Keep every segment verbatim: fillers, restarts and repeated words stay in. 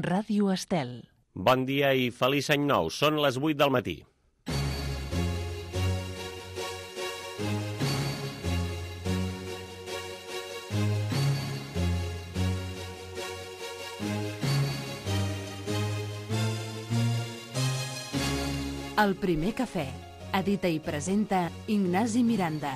Ràdio Estel. Bon dia i feliç any nou. Són les vuit del matí. El primer cafè. Edita i presenta Ignasi Miranda.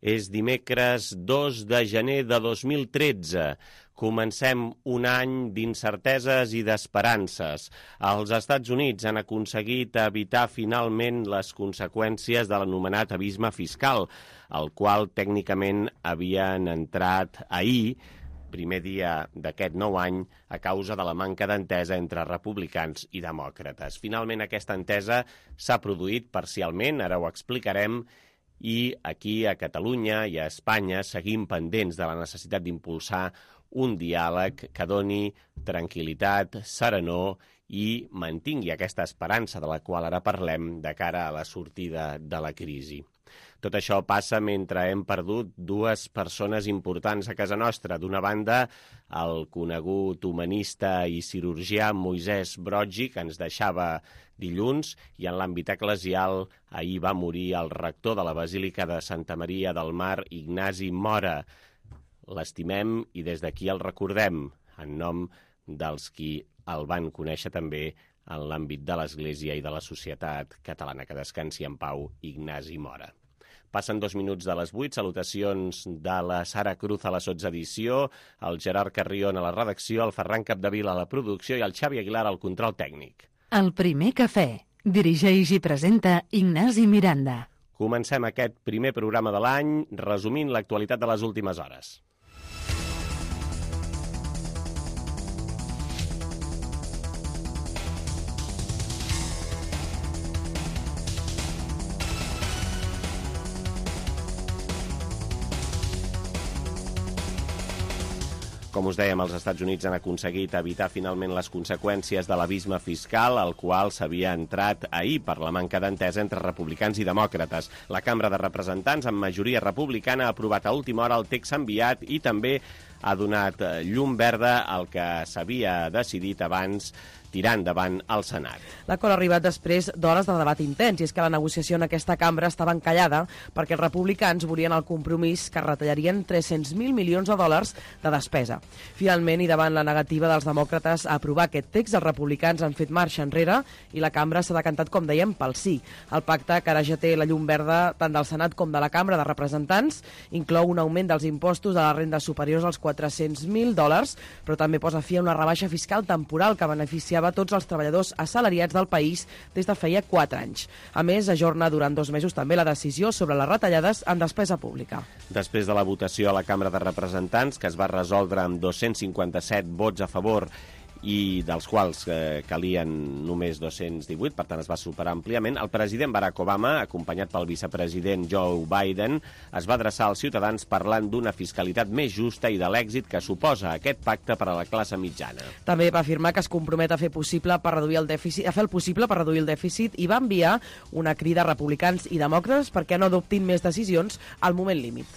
És dimecres dos de gener de dos mil tretze. Comencem un any d'incerteses i d'esperances. Els Estats Units han aconseguit evitar finalment les conseqüències de l'anomenat abisme fiscal, el qual tècnicament havien entrat ahir, primer dia d'aquest nou any, a causa de la manca d'entesa entre republicans i demòcrates. Finalment aquesta entesa s'ha produït parcialment, ara ho explicarem, i aquí a Catalunya i a Espanya seguim pendents de la necessitat d'impulsar un diàleg que doni tranquil·litat, serenor i mantingui aquesta esperança de la qual ara parlem de cara a la sortida de la crisi. Tot això passa mentre hem perdut dues persones importants a casa nostra. D'una banda, el conegut humanista i cirurgià Moisès Broggi, que ens deixava dilluns, i en l'àmbit eclesial ahir va morir el rector de la Basílica de Santa Maria del Mar, Ignasi Mora. L'estimem i des d'aquí el recordem, en nom dels qui el van conèixer també en l'àmbit de l'Església i de la societat catalana. Que descansi en pau, Ignasi Mora. Passen dos minuts de les vuit, salutacions de la Sara Cruz a la sotsedició, el Gerard Carrion a la redacció, el Ferran Capdevila a la producció i el Xavi Aguilar al control tècnic. El primer cafè. Dirigeix i presenta Ignasi Miranda. Comencem aquest primer programa de l'any resumint l'actualitat de les últimes hores. Com us dèiem, els Estats Units han aconseguit evitar finalment les conseqüències de l'abisme fiscal, al qual s'havia entrat ahir per la manca d'entesa entre republicans i demòcrates. La Cambra de Representants, amb majoria republicana, ha aprovat a última hora el text enviat i també ha donat llum verda al que s'havia decidit abans tirar endavant al Senat. L'acord ha arribat després d'hores de debat intens, i és que la negociació en aquesta cambra estava encallada perquè els republicans volien el compromís que retallarien tres-cents mil milions de dòlars de despesa. Finalment, i davant la negativa dels demòcrates a aprovar aquest text, els republicans han fet marxa enrere i la cambra s'ha decantat, com dèiem, pel sí. El pacte, que ara ja té la llum verda tant del Senat com de la Cambra de Representants, inclou un augment dels impostos de les rendes superiors als quatre-cents mil dòlars, però també posa fi a una rebaixa fiscal temporal que beneficia a tots els treballadors assalariats del país des de feia quatre anys. A més, ajorna durant dos mesos també la decisió sobre les retallades en despesa pública. Després de la votació a la Cambra de Representants, que es va resoldre amb dos-cents cinquanta-set vots a favor i dels quals eh, calien només dos-cents divuit, per tant es va superar àmpliament, el president Barack Obama, acompanyat pel vicepresident Joe Biden, es va adreçar als ciutadans parlant d'una fiscalitat més justa i de l'èxit que suposa aquest pacte per a la classe mitjana. També va afirmar que es compromet a fer possible per reduir el dèficit, a fer el possible per reduir el dèficit i va enviar una crida a republicans i demòcrates perquè no adoptin més decisions al moment límit.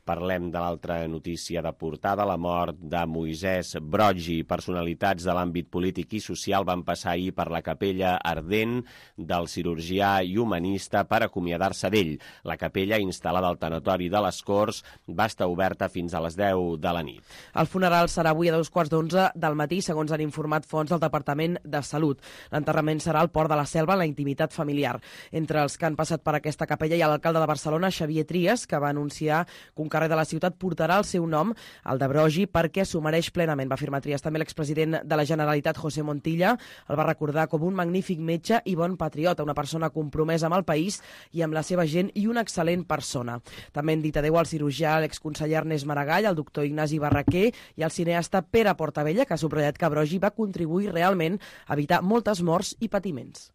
Parlem de l'altra notícia de portada, la mort de Moisès Broggi. Personalitats de l'àmbit polític i social van passar ahir per la capella ardent del cirurgià i humanista per acomiadar-se d'ell. La capella, instal·lada al tanatori de les Corts, va estar oberta fins a les deu de la nit. El funeral serà avui a dos quarts d'onze del matí, segons han informat fonts del Departament de Salut. L'enterrament serà al Port de la Selva, en la intimitat familiar. Entre els que han passat per aquesta capella hi ha l'alcalde de Barcelona, Xavier Trias, que va anunciar que un carrer de la ciutat portarà el seu nom, el de Broggi, perquè s'ho mereix plenament, va afirmar Trias. També l'expresident de la Generalitat, José Montilla, el va recordar com un magnífic metge i bon patriota, una persona compromesa amb el país i amb la seva gent i una excel·lent persona. També han dit adéu al cirurgià, l'exconseller Ernest Maragall, el doctor Ignasi Barraquer i el cineasta Pere Portabella, que ha subratllat que Broggi va contribuir realment a evitar moltes morts i patiments.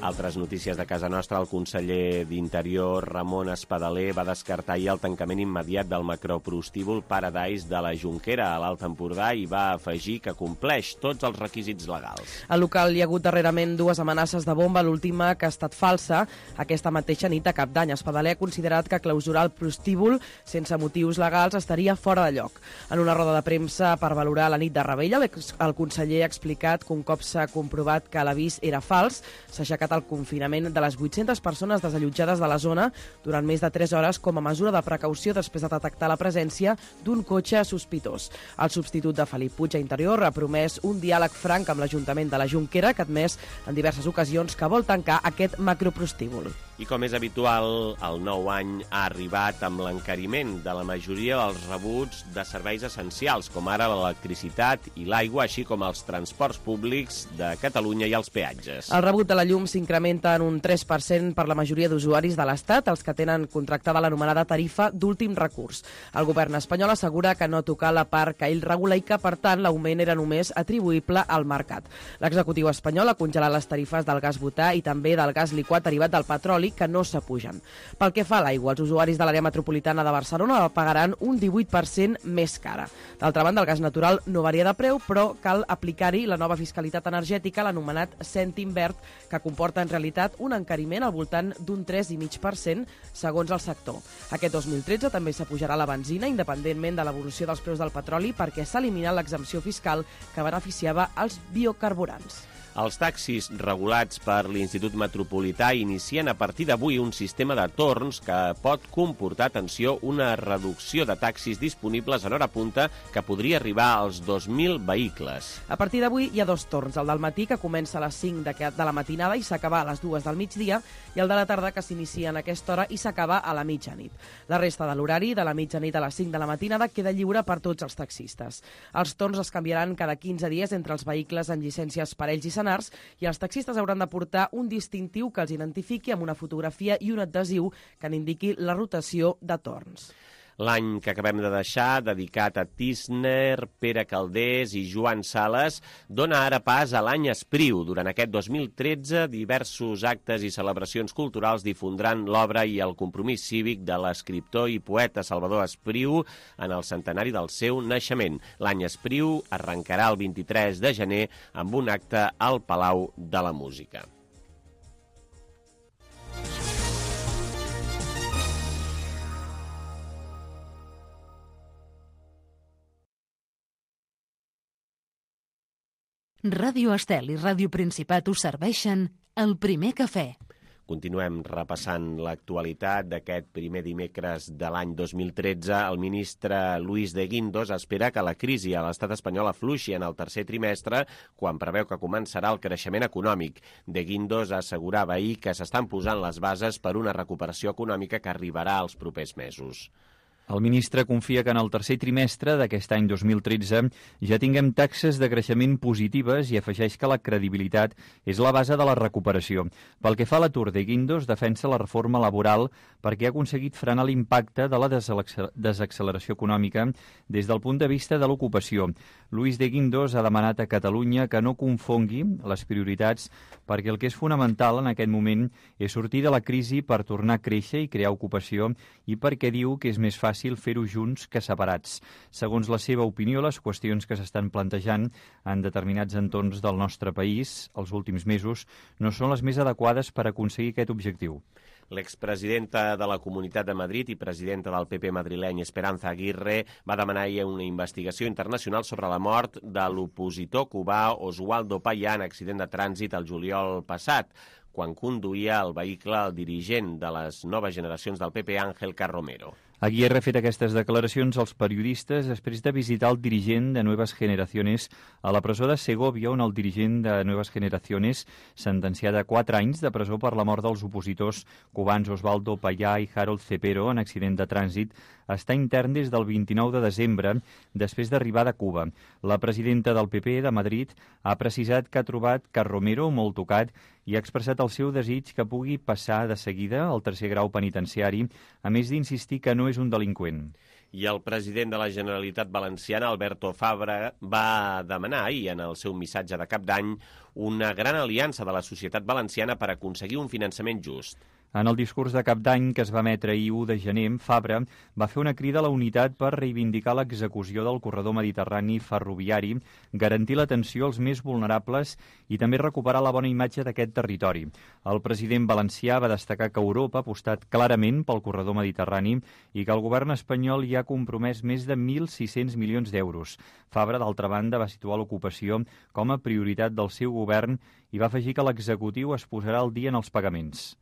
Altres notícies de casa nostra, el conseller d'Interior, Ramon Espadaler, va descartar ahir el tancament immediat del macroprostíbul Paradise de la Jonquera a l'Alt Empordà i va afegir que compleix tots els requisits legals. Al local hi ha hagut darrerament dues amenaces de bomba, l'última que ha estat falsa aquesta mateixa nit a Cap d'Any. Espadaler ha considerat que clausurar el prostíbul sense motius legals estaria fora de lloc. En una roda de premsa per valorar la nit de Rebella, el conseller ha explicat que un cop s'ha comprovat que l'avís era fals, s'ha aixecat el confinament de les vuit-centes persones desallotjades de la zona durant més de tres hores com a mesura de precaució després de detectar la presència d'un cotxe sospitós. El substitut de Felip Puig a Interior ha promès un diàleg franc amb l'Ajuntament de la Jonquera, que ha admès en diverses ocasions que vol tancar aquest macroprostíbul. I com és habitual, el nou any ha arribat amb l'encariment de la majoria dels rebuts de serveis essencials, com ara l'electricitat i l'aigua, així com els transports públics de Catalunya i els peatges. El rebut de la llum s'incrementa en un tres per cent per la majoria d'usuaris de l'Estat, els que tenen contractada l'anomenada tarifa d'últim recurs. El govern espanyol assegura que no toca la part que ell regula i que, per tant, l'augment era només atribuïble al mercat. L'executiu espanyol ha congelat les tarifes del gas butà i també del gas liquat derivat del petroli, que no s'apugen. Pel que fa a l'aigua, els usuaris de l'àrea metropolitana de Barcelona pagaran un divuit per cent més cara. D'altra banda, el gas natural no varia de preu, però cal aplicar-hi la nova fiscalitat energètica, l'anomenat cèntim verd, que comporta en realitat un encariment al voltant d'un tres coma cinc per cent segons el sector. Aquest dos mil tretze també s'apujarà la benzina, independentment de l'evolució dels preus del petroli, perquè s'ha eliminat l'exempció fiscal que beneficiava els biocarburants. Els taxis regulats per l'Institut Metropolità inicien a partir d'avui un sistema de torns que pot comportar, atenció, una reducció de taxis disponibles en hora punta que podria arribar als dos mil vehicles. A partir d'avui hi ha dos torns, el del matí, que comença a les cinc de la matinada i s'acaba a les dues del migdia, i el de la tarda, que s'inicia en aquesta hora i s'acaba a la mitjanit. La resta de l'horari, de la mitjanit a les cinc de la matinada, queda lliure per tots els taxistes. Els torns es canviaran cada quinze dies entre els vehicles amb llicències per ells i senars, i els taxistes hauran de portar un distintiu que els identifiqui amb una fotografia i un adhesiu que n'indiqui la rotació de torns. L'any que acabem de deixar, dedicat a Tísner, Pere Calders i Joan Sales, dona ara pas a l'any Espriu. Durant aquest dos mil tretze, diversos actes i celebracions culturals difondran l'obra i el compromís cívic de l'escriptor i poeta Salvador Espriu en el centenari del seu naixement. L'any Espriu arrencarà el vint-i-tres de gener amb un acte al Palau de la Música. Ràdio Estel i Ràdio Principat us serveixen el primer cafè. Continuem repassant l'actualitat d'aquest primer dimecres de l'any dos mil tretze. El ministre Luis de Guindos espera que la crisi a l'estat espanyol afluixi en el tercer trimestre, quan preveu que començarà el creixement econòmic. De Guindos assegurava ahir que s'estan posant les bases per una recuperació econòmica que arribarà als propers mesos. El ministre confia que en el tercer trimestre d'aquest any dos mil tretze ja tinguem taxes de creixement positives i afegeix que la credibilitat és la base de la recuperació. Pel que fa a l'atur, de Guindos defensa la reforma laboral perquè ha aconseguit frenar l'impacte de la desacceleració econòmica des del punt de vista de l'ocupació. Luis de Guindos ha demanat a Catalunya que no confongui les prioritats perquè el que és fonamental en aquest moment és sortir de la crisi per tornar a créixer i crear ocupació i perquè diu que és més fàcil fer-ho junts que separats. Segons la seva opinió, les qüestions que s'estan plantejant en determinats entorns del nostre país els últims mesos no són les més adequades per aconseguir aquest objectiu. L'expresidenta de la Comunitat de Madrid i presidenta del P P madrileny, Esperanza Aguirre, va demanar ahir una investigació internacional sobre la mort de l'opositor cubà Oswaldo Payá en accident de trànsit el juliol passat, quan conduïa el vehicle el dirigent de les noves generacions del P P, Ángel Carromero. Aguirre ha fet aquestes declaracions als periodistes després de visitar el dirigent de Nuevas Generaciones a la presó de Segovia, on el dirigent de Nuevas Generaciones, sentenciat a quatre anys de presó per la mort dels opositors cubans Osvaldo Payá i Harold Cepero en accident de trànsit, està intern des del vint-i-nou de desembre, després d'arribar de Cuba. La presidenta del P P de Madrid ha precisat que ha trobat Carromero molt tocat i ha expressat el seu desig que pugui passar de seguida al tercer grau penitenciari, a més d'insistir que no és un delinqüent. I el president de la Generalitat Valenciana, Alberto Fabra, va demanar ahir en el seu missatge de cap d'any una gran aliança de la societat valenciana per aconseguir un finançament just. En el discurs de cap d'any que es va emetre ahir u de gener, Fabra va fer una crida a la unitat per reivindicar l'execució del corredor mediterrani ferroviari, garantir l'atenció als més vulnerables i també recuperar la bona imatge d'aquest territori. El president valencià va destacar que Europa ha apostat clarament pel corredor mediterrani i que el govern espanyol hi ha compromès més de mil sis-cents milions d'euros. Fabra, d'altra banda, va situar l'ocupació com a prioritat del seu govern i va afegir que l'executiu es posarà al dia en els pagaments.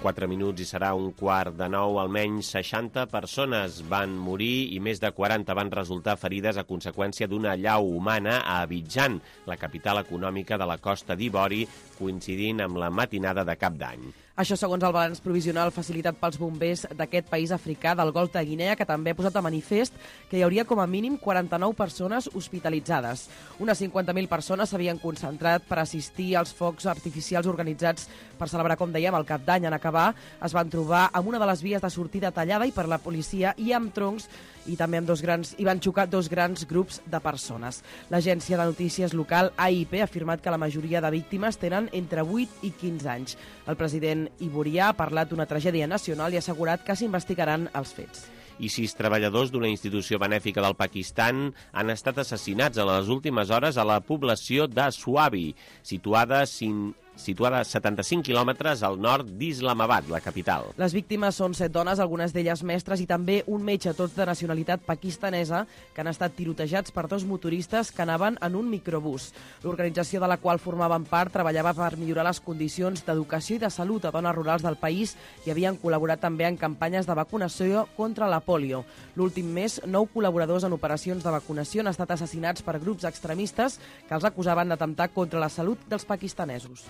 Quatre minuts i serà un quart de nou. Almenys seixanta persones van morir i més de quaranta van resultar ferides a conseqüència d'una allau humana a Abidjan, la capital econòmica de la Costa d'Ivori, coincidint amb la matinada de cap d'any. Això segons el balanç provisional facilitat pels bombers d'aquest país africà del Golf de Guinea, que també ha posat a manifest que hi hauria com a mínim quaranta-nou persones hospitalitzades. Unes cinquanta mil persones s'havien concentrat per assistir als focs artificials organitzats per celebrar, com dèiem, el cap d'any. En acabar, es van trobar amb una de les vies de sortida tallada i per la policia i amb troncs i també amb dos grans, hi van xocar dos grans grups de persones. L'agència de notícies local A I P ha afirmat que la majoria de víctimes tenen entre vuit i quinze anys. El president ivorià ha parlat d'una tragèdia nacional i ha assegurat que s'investigaran els fets. I sis treballadors d'una institució benèfica del Pakistan han estat assassinats a les últimes hores a la població de Swabi, situada sin... situada a setanta-cinc quilòmetres al nord d'Islamabad, la capital. Les víctimes són set dones, algunes d'elles mestres, i també un metge, tots de nacionalitat pakistanesa, que han estat tirotejats per dos motoristes que anaven en un microbús. L'organització de la qual formaven part treballava per millorar les condicions d'educació i de salut a dones rurals del país i havien col·laborat també en campanyes de vacunació contra la pòlio. L'últim mes, nou col·laboradors en operacions de vacunació han estat assassinats per grups extremistes que els acusaven d'atemptar contra la salut dels pakistanesos.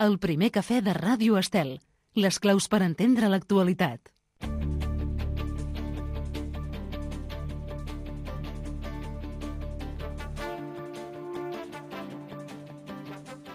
El primer cafè de Ràdio Estel. Les claus per entendre l'actualitat.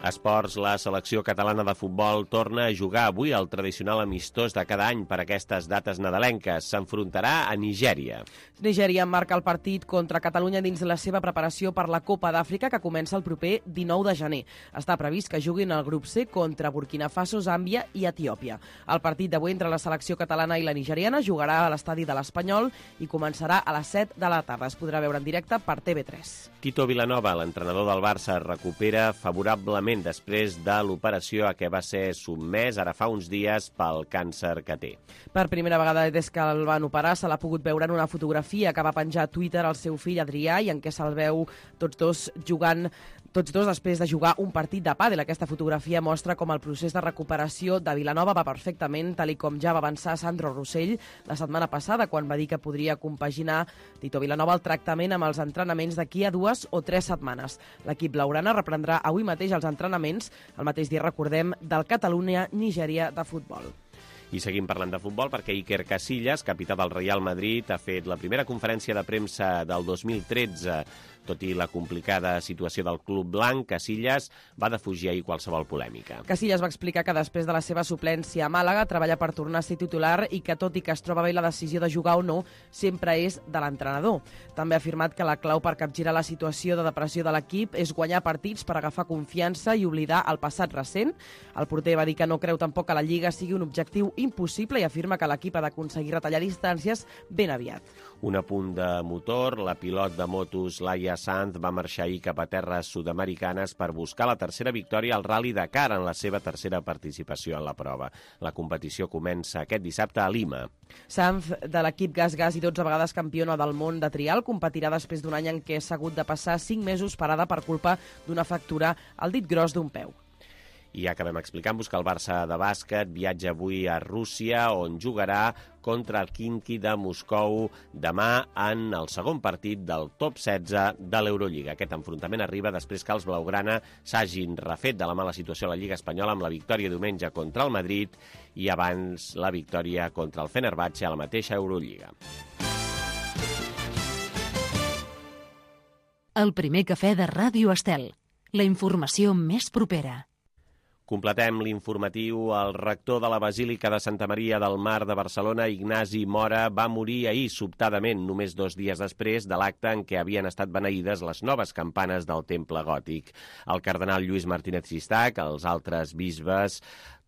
Esports, la selecció catalana de futbol torna a jugar avui al tradicional amistós de cada any per aquestes dates nadalenques. S'enfrontarà a Nigèria. Nigèria marca el partit contra Catalunya dins la seva preparació per la Copa d'Àfrica, que comença el proper dinou de gener. Està previst que juguin al grup C contra Burkina Faso, Zàmbia i Etiòpia. El partit d'avui entre la selecció catalana i la nigeriana jugarà a l'estadi de l'Espanyol i començarà a les set de la tarda. Es podrà veure en directe per T V tres. Tito Vilanova, l'entrenador del Barça, recupera favorablement després de l'operació a què va ser sotmès ara fa uns dies pel càncer que té. Per primera vegada des que el van operar se l'ha pogut veure en una fotografia que va penjar a Twitter el seu fill Adrià i en què se'l veu tots dos jugant Tots dos després de jugar un partit de pàdel. Aquesta fotografia mostra com el procés de recuperació de Vilanova va perfectament, tal i com ja va avançar Sandro Rossell la setmana passada, quan va dir que podria compaginar Tito Vilanova el tractament amb els entrenaments d'aquí a dues o tres setmanes. L'equip blaugrana reprendrà avui mateix els entrenaments, el mateix dia, recordem, del Catalunya-Nigèria de futbol. I seguim parlant de futbol perquè Iker Casillas, capità del Real Madrid, ha fet la primera conferència de premsa del dos mil tretze. Tot i la complicada situació del club blanc, Casillas va defugir ahir qualsevol polèmica. Casillas va explicar que després de la seva suplència a Màlaga treballa per tornar a ser titular i que, tot i que es troba bé la decisió de jugar o no, sempre és de l'entrenador. També ha afirmat que la clau per capgirar la situació de depressió de l'equip és guanyar partits per agafar confiança i oblidar el passat recent. El porter va dir que no creu tampoc que la Lliga sigui un objectiu impossible i afirma que l'equip ha d'aconseguir retallar distàncies ben aviat. Un apunt de motor, la pilot de motos Laia Sanz va marxar ahir cap a terres sud-americanes per buscar la tercera victòria al Rally Dakar en la seva tercera participació en la prova. La competició comença aquest dissabte a Lima. Sanz, de l'equip Gas Gas i dotze vegades campiona del món de trial, competirà després d'un any en què s'ha hagut de passar cinc mesos parada per culpa d'una fractura al dit gros d'un peu. I ja acabem explicant-vos que el Barça de bàsquet viatja avui a Rússia, on jugarà contra el Khimki de Moscou demà en el segon partit del top setze de l'Eurolliga. Aquest enfrontament arriba després que els blaugrana s'hagin refet de la mala situació a la Lliga Espanyola amb la victòria diumenge contra el Madrid i abans la victòria contra el Fenerbahçe a la mateixa Eurolliga. El primer cafè de Ràdio Estel. La informació més propera. Completem l'informatiu. El rector de la Basílica de Santa Maria del Mar de Barcelona, Ignasi Mora, va morir ahir sobtadament, només dos dies després de l'acte en què havien estat beneïdes les noves campanes del temple gòtic. El cardenal Lluís Martínez Sistac, els altres bisbes,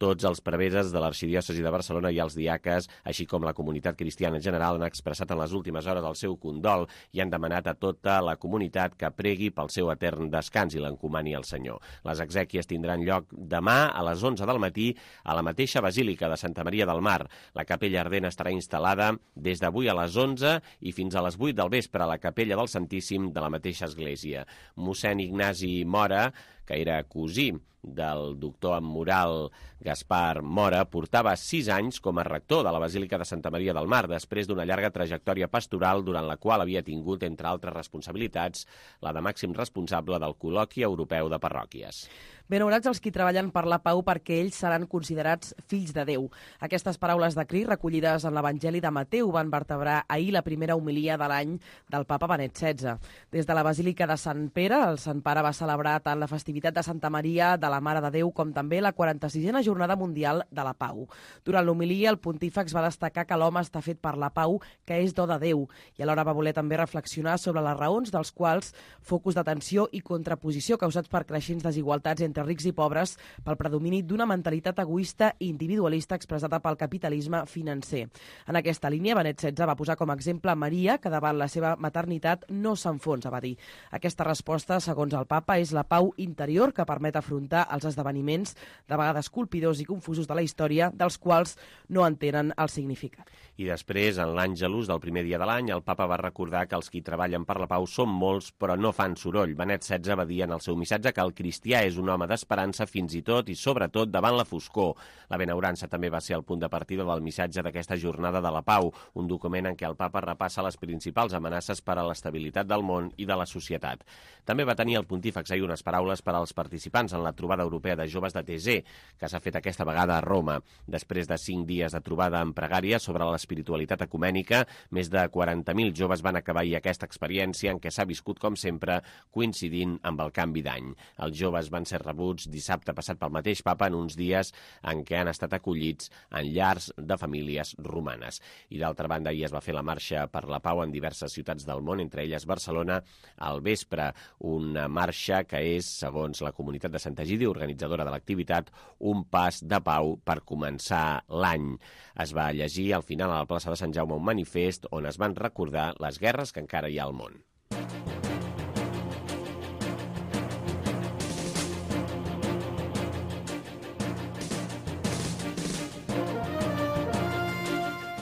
tots els preveses de l'arxidiòcesi de Barcelona i els diaques, així com la comunitat cristiana en general, han expressat en les últimes hores el seu condol i han demanat a tota la comunitat que pregui pel seu etern descans i l'encomani al Senyor. Les exèquies tindran lloc demà a les onze del matí a la mateixa Basílica de Santa Maria del Mar. La capella ardent estarà instal·lada des d'avui a les onze i fins a les vuit del vespre a la capella del Santíssim de la mateixa església. Mossèn Ignasi Mora, que era cosí del doctor en moral Gaspar Mora, portava sis anys com a rector de la Basílica de Santa Maria del Mar, després d'una llarga trajectòria pastoral durant la qual havia tingut, entre altres responsabilitats, la de màxim responsable del Col·loqui Europeu de Parròquies. Benaurats els qui treballen per la pau perquè ells seran considerats fills de Déu. Aquestes paraules de Crist recollides en l'Evangeli de Mateu van vertebrar ahir la primera homilia de l'any del papa Benet setze. Des de la Basílica de Sant Pere, el Sant Pare va celebrar tant la festivitat de Santa Maria de la Mare de Déu com també la quaranta-sisena Jornada Mundial de la Pau. Durant l'homilia, el pontífex va destacar que l'home està fet per la pau, que és do de Déu, i alhora va voler també reflexionar sobre les raons dels quals focus d'atenció i contraposició causats per creixents desigualtats entre rics i pobres pel predomini d'una mentalitat egoista i individualista expressada pel capitalisme financer. En aquesta línia, Benet setze va posar com a exemple Maria, que davant la seva maternitat no s'enfonsa, va dir. Aquesta resposta, segons el papa, és la pau interior que permet afrontar els esdeveniments, de vegades colpidors i confusos de la història, dels quals no entenen el significat. I després, en l'Àngelus del primer dia de l'any, el papa va recordar que els qui treballen per la pau són molts, però no fan soroll. Benet setze va dir en el seu missatge que el cristià és un home d'esperança fins i tot i sobretot davant la foscor. La benaurança també va ser el punt de partida del missatge d'aquesta jornada de la pau, un document en què el papa repassa les principals amenaces per a l'estabilitat del món i de la societat. També va tenir el pontífex ahir unes paraules per als participants en la trobada europea de joves de Thésée, que s'ha fet aquesta vegada a Roma. Després de cinc dies de trobada en pregària sobre l'espiritualitat ecumènica, més de quaranta mil joves van acabar ahir aquesta experiència en què s'ha viscut, com sempre, coincidint amb el canvi d'any. Els joves van ser rebuts dissabte passat pel mateix papa en uns dies en què han estat acollits en llars de famílies romanes. I d'altra banda, ahir es va fer la marxa per la pau en diverses ciutats del món, entre elles Barcelona, al vespre. Una marxa que és, segons la comunitat de Sant Egidi, organitzadora de l'activitat, un pas de pau per començar l'any. Es va llegir al final a la plaça de Sant Jaume un manifest on es van recordar les guerres que encara hi ha al món.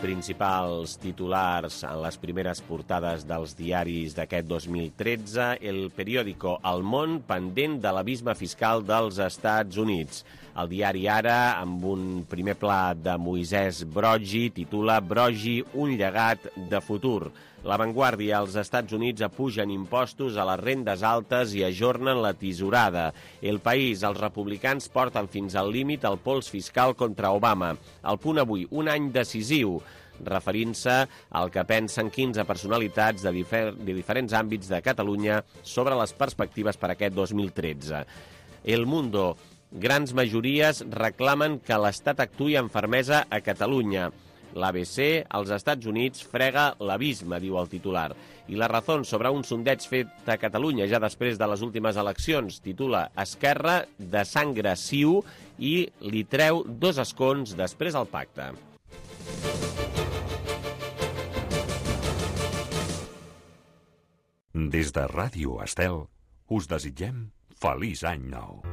Principals titulars en les primeres portades dels diaris d'aquest dos mil tretze, el periòdico El Món pendent de l'abisme fiscal dels Estats Units. El diari Ara, amb un primer pla de Moisès Broggi, titula Broggi, un llegat de futur. La Vanguardia, els Estats Units apugen impostos a les rendes altes i ajornen la tisorada. El País, els republicans porten fins al límit el pols fiscal contra Obama. El Punt Avui, un any decisiu, referint-se al que pensen quinze personalitats de, difer de diferents àmbits de Catalunya sobre les perspectives per aquest dos mil tretze. El Mundo, grans majories reclamen que l'Estat actuï amb fermesa a Catalunya. L'A B C, als Estats Units, frega l'abisme, diu el titular. I La Razón, sobre un sondeig fet a Catalunya ja després de les últimes eleccions, titula Esquerra de sangre ciu i li treu dos escons després al pacte. Des de Ràdio Estel, us desitgem feliç any nou.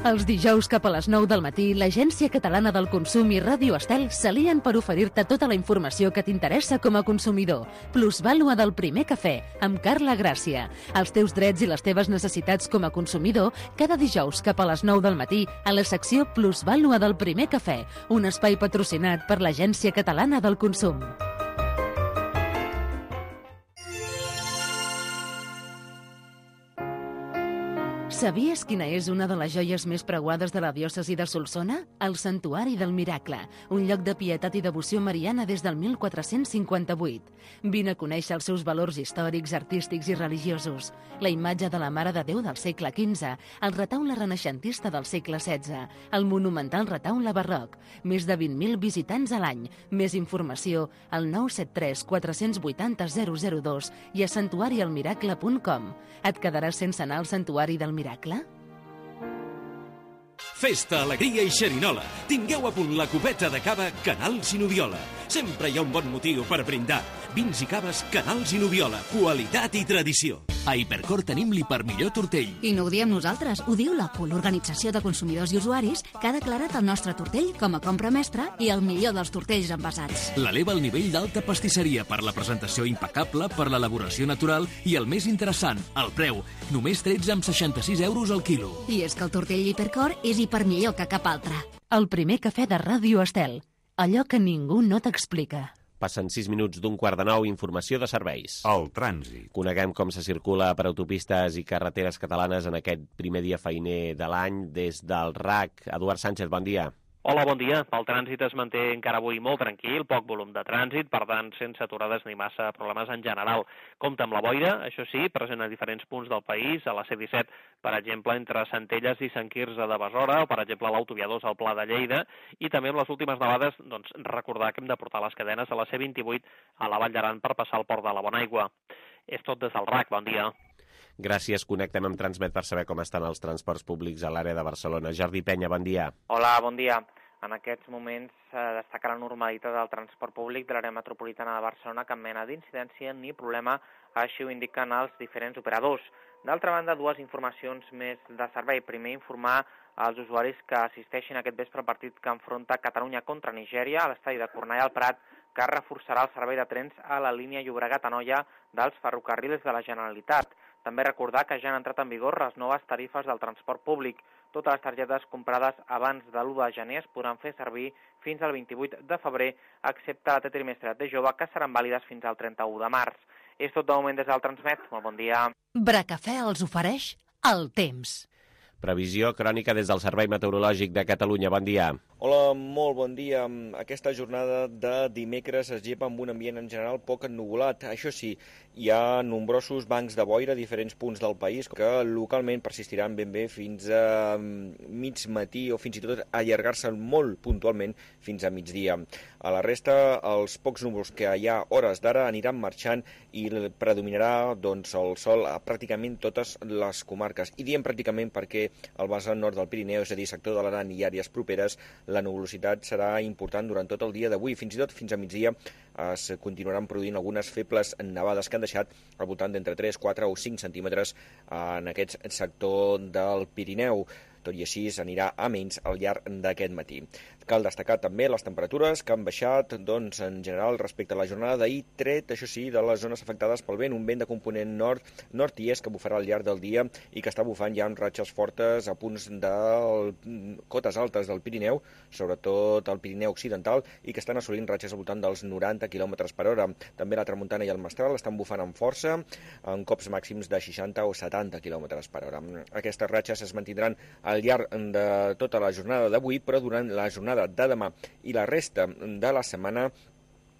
Els dijous cap a les nou del matí, l'Agència Catalana del Consum i Ràdio Estel s'alien per oferir-te tota la informació que t'interessa com a consumidor. Plusvàlua del primer cafè, amb Carla Gràcia. Els teus drets i les teves necessitats com a consumidor, cada dijous cap a les nou del matí, a la secció Plusvàlua del primer cafè, un espai patrocinat per l'Agència Catalana del Consum. Sabies quina és una de les joies més preuades de la diòcesi de Solsona? El Santuari del Miracle, un lloc de pietat i devoció mariana des del mil quatre-cents cinquanta-vuit. Vine a conèixer els seus valors històrics, artístics i religiosos. La imatge de la Mare de Déu del segle quinze, el retaule renaixentista del segle setze, el monumental retaule barroc, més de vint mil visitants a l'any. Més informació al nou set tres quatre vuit zero zero zero dos i a santuari el miracle punt com. Et quedaràs sense anar al Santuari del Miracle? Festa, alegria i xerinola. Tingueu a punt la copeta de cava Canals i Nubiola. Sempre hi ha un bon motiu per brindar. Vins i caves Canals i Nubiola. Qualitat i tradició. A Hipercor tenim l'hiper millor tortell. I no ho diem nosaltres, ho diu la P U L, Organització de Consumidors i Usuaris, que ha declarat el nostre tortell com a compra mestra i el millor dels tortells envasats. L'eleva al nivell d'alta pastisseria per la presentació impecable, per l'elaboració natural i el més interessant, el preu. Només tretze amb seixanta-sis euros al quilo. I és que el tortell Hipercor és hiper millor que cap altre. El primer cafè de Ràdio Estel. Allò que ningú no t'explica. Passen sis minuts d'un quart de nou, informació de serveis. El trànsit. Coneguem com se circula per autopistes i carreteres catalanes en aquest primer dia feiner de l'any des del R A C. Eduard Sánchez, bon dia. Hola, bon dia. El trànsit es manté encara avui molt tranquil, poc volum de trànsit, per tant, sense aturades ni massa problemes en general. Compte amb la boira, això sí, present a diferents punts del país, a la C disset, per exemple, entre Centelles i Sant Quirze de Besora, o per exemple, a l'autovia dos al Pla de Lleida, i també amb les últimes nevades, doncs, recordar que hem de portar les cadenes a la C vint-i-vuit a la Vall d'Aran per passar el port de la Bonaigua. És tot des del R A C, bon dia. Gràcies, connectem amb Transmet per saber com estan els transports públics a l'àrea de Barcelona. Jordi Penya, bon dia. Hola, bon dia. En aquests moments eh, destaca la normalitat del transport públic de l'àrea metropolitana de Barcelona, cap mena d'incidència ni problema, així ho indiquen els diferents operadors. D'altra banda, dues informacions més de servei. Primer, informar als usuaris que assisteixin a aquest vespre partit que enfronta Catalunya contra Nigèria a l'estadi de Cornellà al Prat, que reforçarà el servei de trens a la línia Llobregat-Anoia dels ferrocarrils de la Generalitat. També recordar que ja han entrat en vigor les noves tarifes del transport públic. Totes les targetes comprades abans de l'u de gener es podran fer servir fins al vint-i-vuit de febrer, excepte la T trimestre de jove, que seran vàlides fins al trenta-u de març. És tot de moment des del Transmet. Molt bon dia. Bracafè els ofereix el temps. Previsió crònica des del Servei Meteorològic de Catalunya. Bon dia. Hola, molt bon dia. Aquesta jornada de dimecres es llepa amb un ambient en general poc ennuvolat. Això sí, hi ha nombrosos bancs de boira a diferents punts del país que localment persistiran ben bé fins a mig matí o fins i tot allargar-se molt puntualment fins a migdia. A la resta, els pocs núvols que hi ha hores d'ara aniran marxant i predominarà doncs, el sol a pràcticament totes les comarques. I diem pràcticament perquè al vessant nord del Pirineu, és a dir, sector de l'Aran i àrees properes, la nuvolositat serà important durant tot el dia d'avui. Fins i tot fins a migdia es continuaran produint algunes febles nevades que han deixat al voltant d'entre tres, quatre o cinc centímetres en aquest sector del Pirineu. Tot i així s'anirà a menys al llarg d'aquest matí. Cal destacar també les temperatures que han baixat doncs, en general respecte a la jornada d'ahir, tret, això sí, de les zones afectades pel vent, un vent de component nord, nord i est que bufarà al llarg del dia i que està bufant ja amb ratxes fortes a punts de cotes altes del Pirineu, sobretot al Pirineu occidental, i que estan assolint ratxes al voltant dels noranta quilòmetres per hora. També la tramuntana i el mestral estan bufant amb força, en cops màxims de seixanta o setanta quilòmetres per hora. Aquestes ratxes es mantindran al llarg de tota la jornada d'avui, però durant la jornada de demà i la resta de la setmana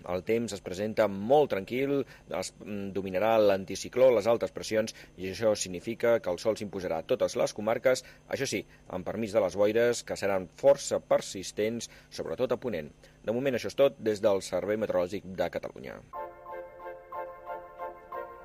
el temps es presenta molt tranquil, es dominarà l'anticicló, les altes pressions, i això significa que el sol s'imposarà a totes les comarques, això sí, amb permís de les boires, que seran força persistents, sobretot a Ponent. De moment això és tot des del Servei Meteorològic de Catalunya.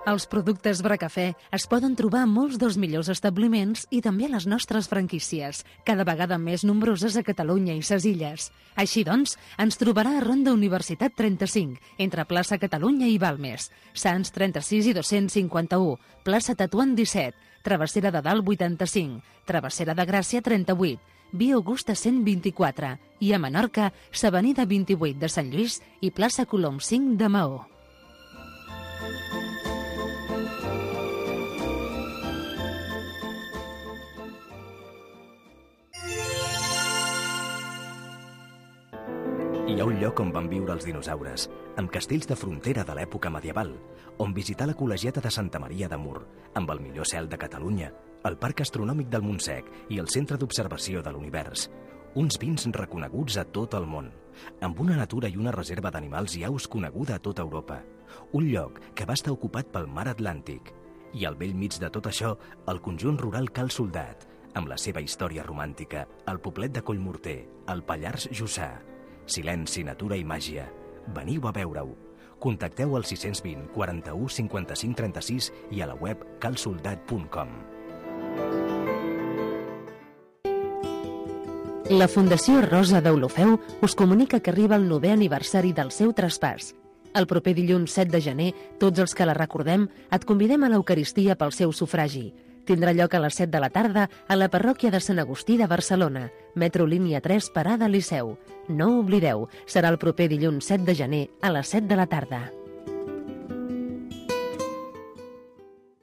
Els productes Bracafè es poden trobar a molts dels millors establiments i també a les nostres franquícies, cada vegada més nombroses a Catalunya i ses Illes. Així doncs, ens trobarà a Ronda Universitat trenta-cinc, entre plaça Catalunya i Balmes, Sants trenta-sis i dos-cents cinquanta-u, plaça Tetuan disset, Travessera de Dalt vuitanta-cinc, Travessera de Gràcia trenta-vuit, Via Augusta cent vint-i-quatre i a Menorca, s'Avenida vint-i-vuit de Sant Lluís i plaça Colom cinc de Maó. Hi ha un lloc on van viure els dinosaures, amb castells de frontera de l'època medieval, on visitar la col·legiata de Santa Maria de Mur, amb el millor cel de Catalunya, el Parc Astronòmic del Montsec i el Centre d'Observació de l'Univers. Uns vins reconeguts a tot el món, amb una natura i una reserva d'animals i aus coneguda a tota Europa. Un lloc que va estar ocupat pel mar Atlàntic. I al vell mig de tot això, el conjunt rural Cal Soldat, amb la seva història romàntica, el poblet de Collmorter, el Pallars Jussà. Silenci, natura i màgia. Veniu a veure-ho. Contacteu al sis cents vint, quaranta-u, cinquanta-cinc, trenta-sis i a la web cal soldat punt com. La Fundació Rosa d'Olofeu us comunica que arriba el novè aniversari del seu traspàs. El proper dilluns set de gener, tots els que la recordem, et convidem a l'Eucaristia pel seu sufragi. Tindrà lloc a les set de la tarda a la parròquia de Sant Agustí de Barcelona, metro línia tres, parada Liceu. No ho oblideu, serà el proper dilluns set de gener a les set de la tarda.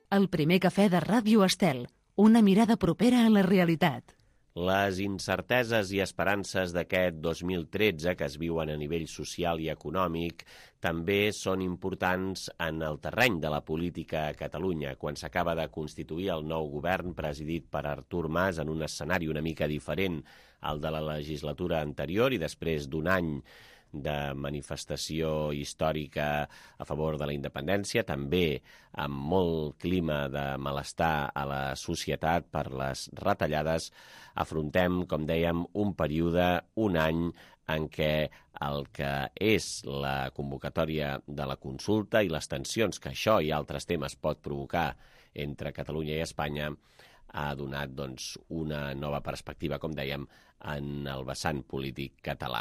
El primer cafè de Ràdio Estel, una mirada propera a la realitat. Les incerteses i esperances d'aquest dos mil tretze que es viuen a nivell social i econòmic també són importants en el terreny de la política a Catalunya, quan s'acaba de constituir el nou govern presidit per Artur Mas en un escenari una mica diferent al de la legislatura anterior i després d'un any de manifestació històrica a favor de la independència, també amb molt clima de malestar a la societat per les retallades, afrontem, com dèiem, un període, un any, en què el que és la convocatòria de la consulta i les tensions que això i altres temes pot provocar entre Catalunya i Espanya ha donat doncs, una nova perspectiva, com dèiem, en el vessant polític català.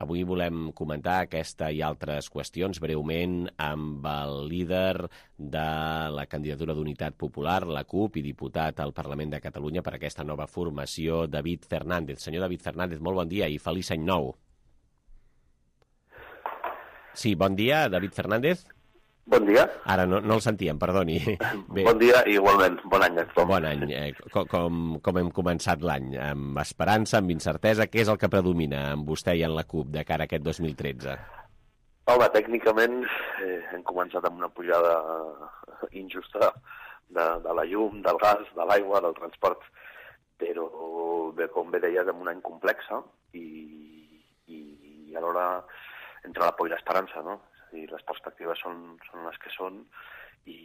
Avui volem comentar aquesta i altres qüestions breument amb el líder de la candidatura d'Unitat Popular, la CUP, i diputat al Parlament de Catalunya per aquesta nova formació, David Fernández. Senyor David Fernández, molt bon dia i feliç any nou. Sí, bon dia, David Fernández. Bon dia. Ara no, no el sentíem, perdoni. Bé. Bon dia i igualment, bon any a tothom. Bon any. Eh, com, com, com hem començat l'any? Amb esperança, amb incertesa, què és el que predomina amb vostè i en la CUP de cara a aquest dos mil tretze? Home, tècnicament eh, hem començat amb una pujada injusta de, de la llum, del gas, de l'aigua, del transport, però bé, com bé deies, amb un any complex i, i, i alhora entre la por i l'esperança, no? I les perspectives són, són les que són i,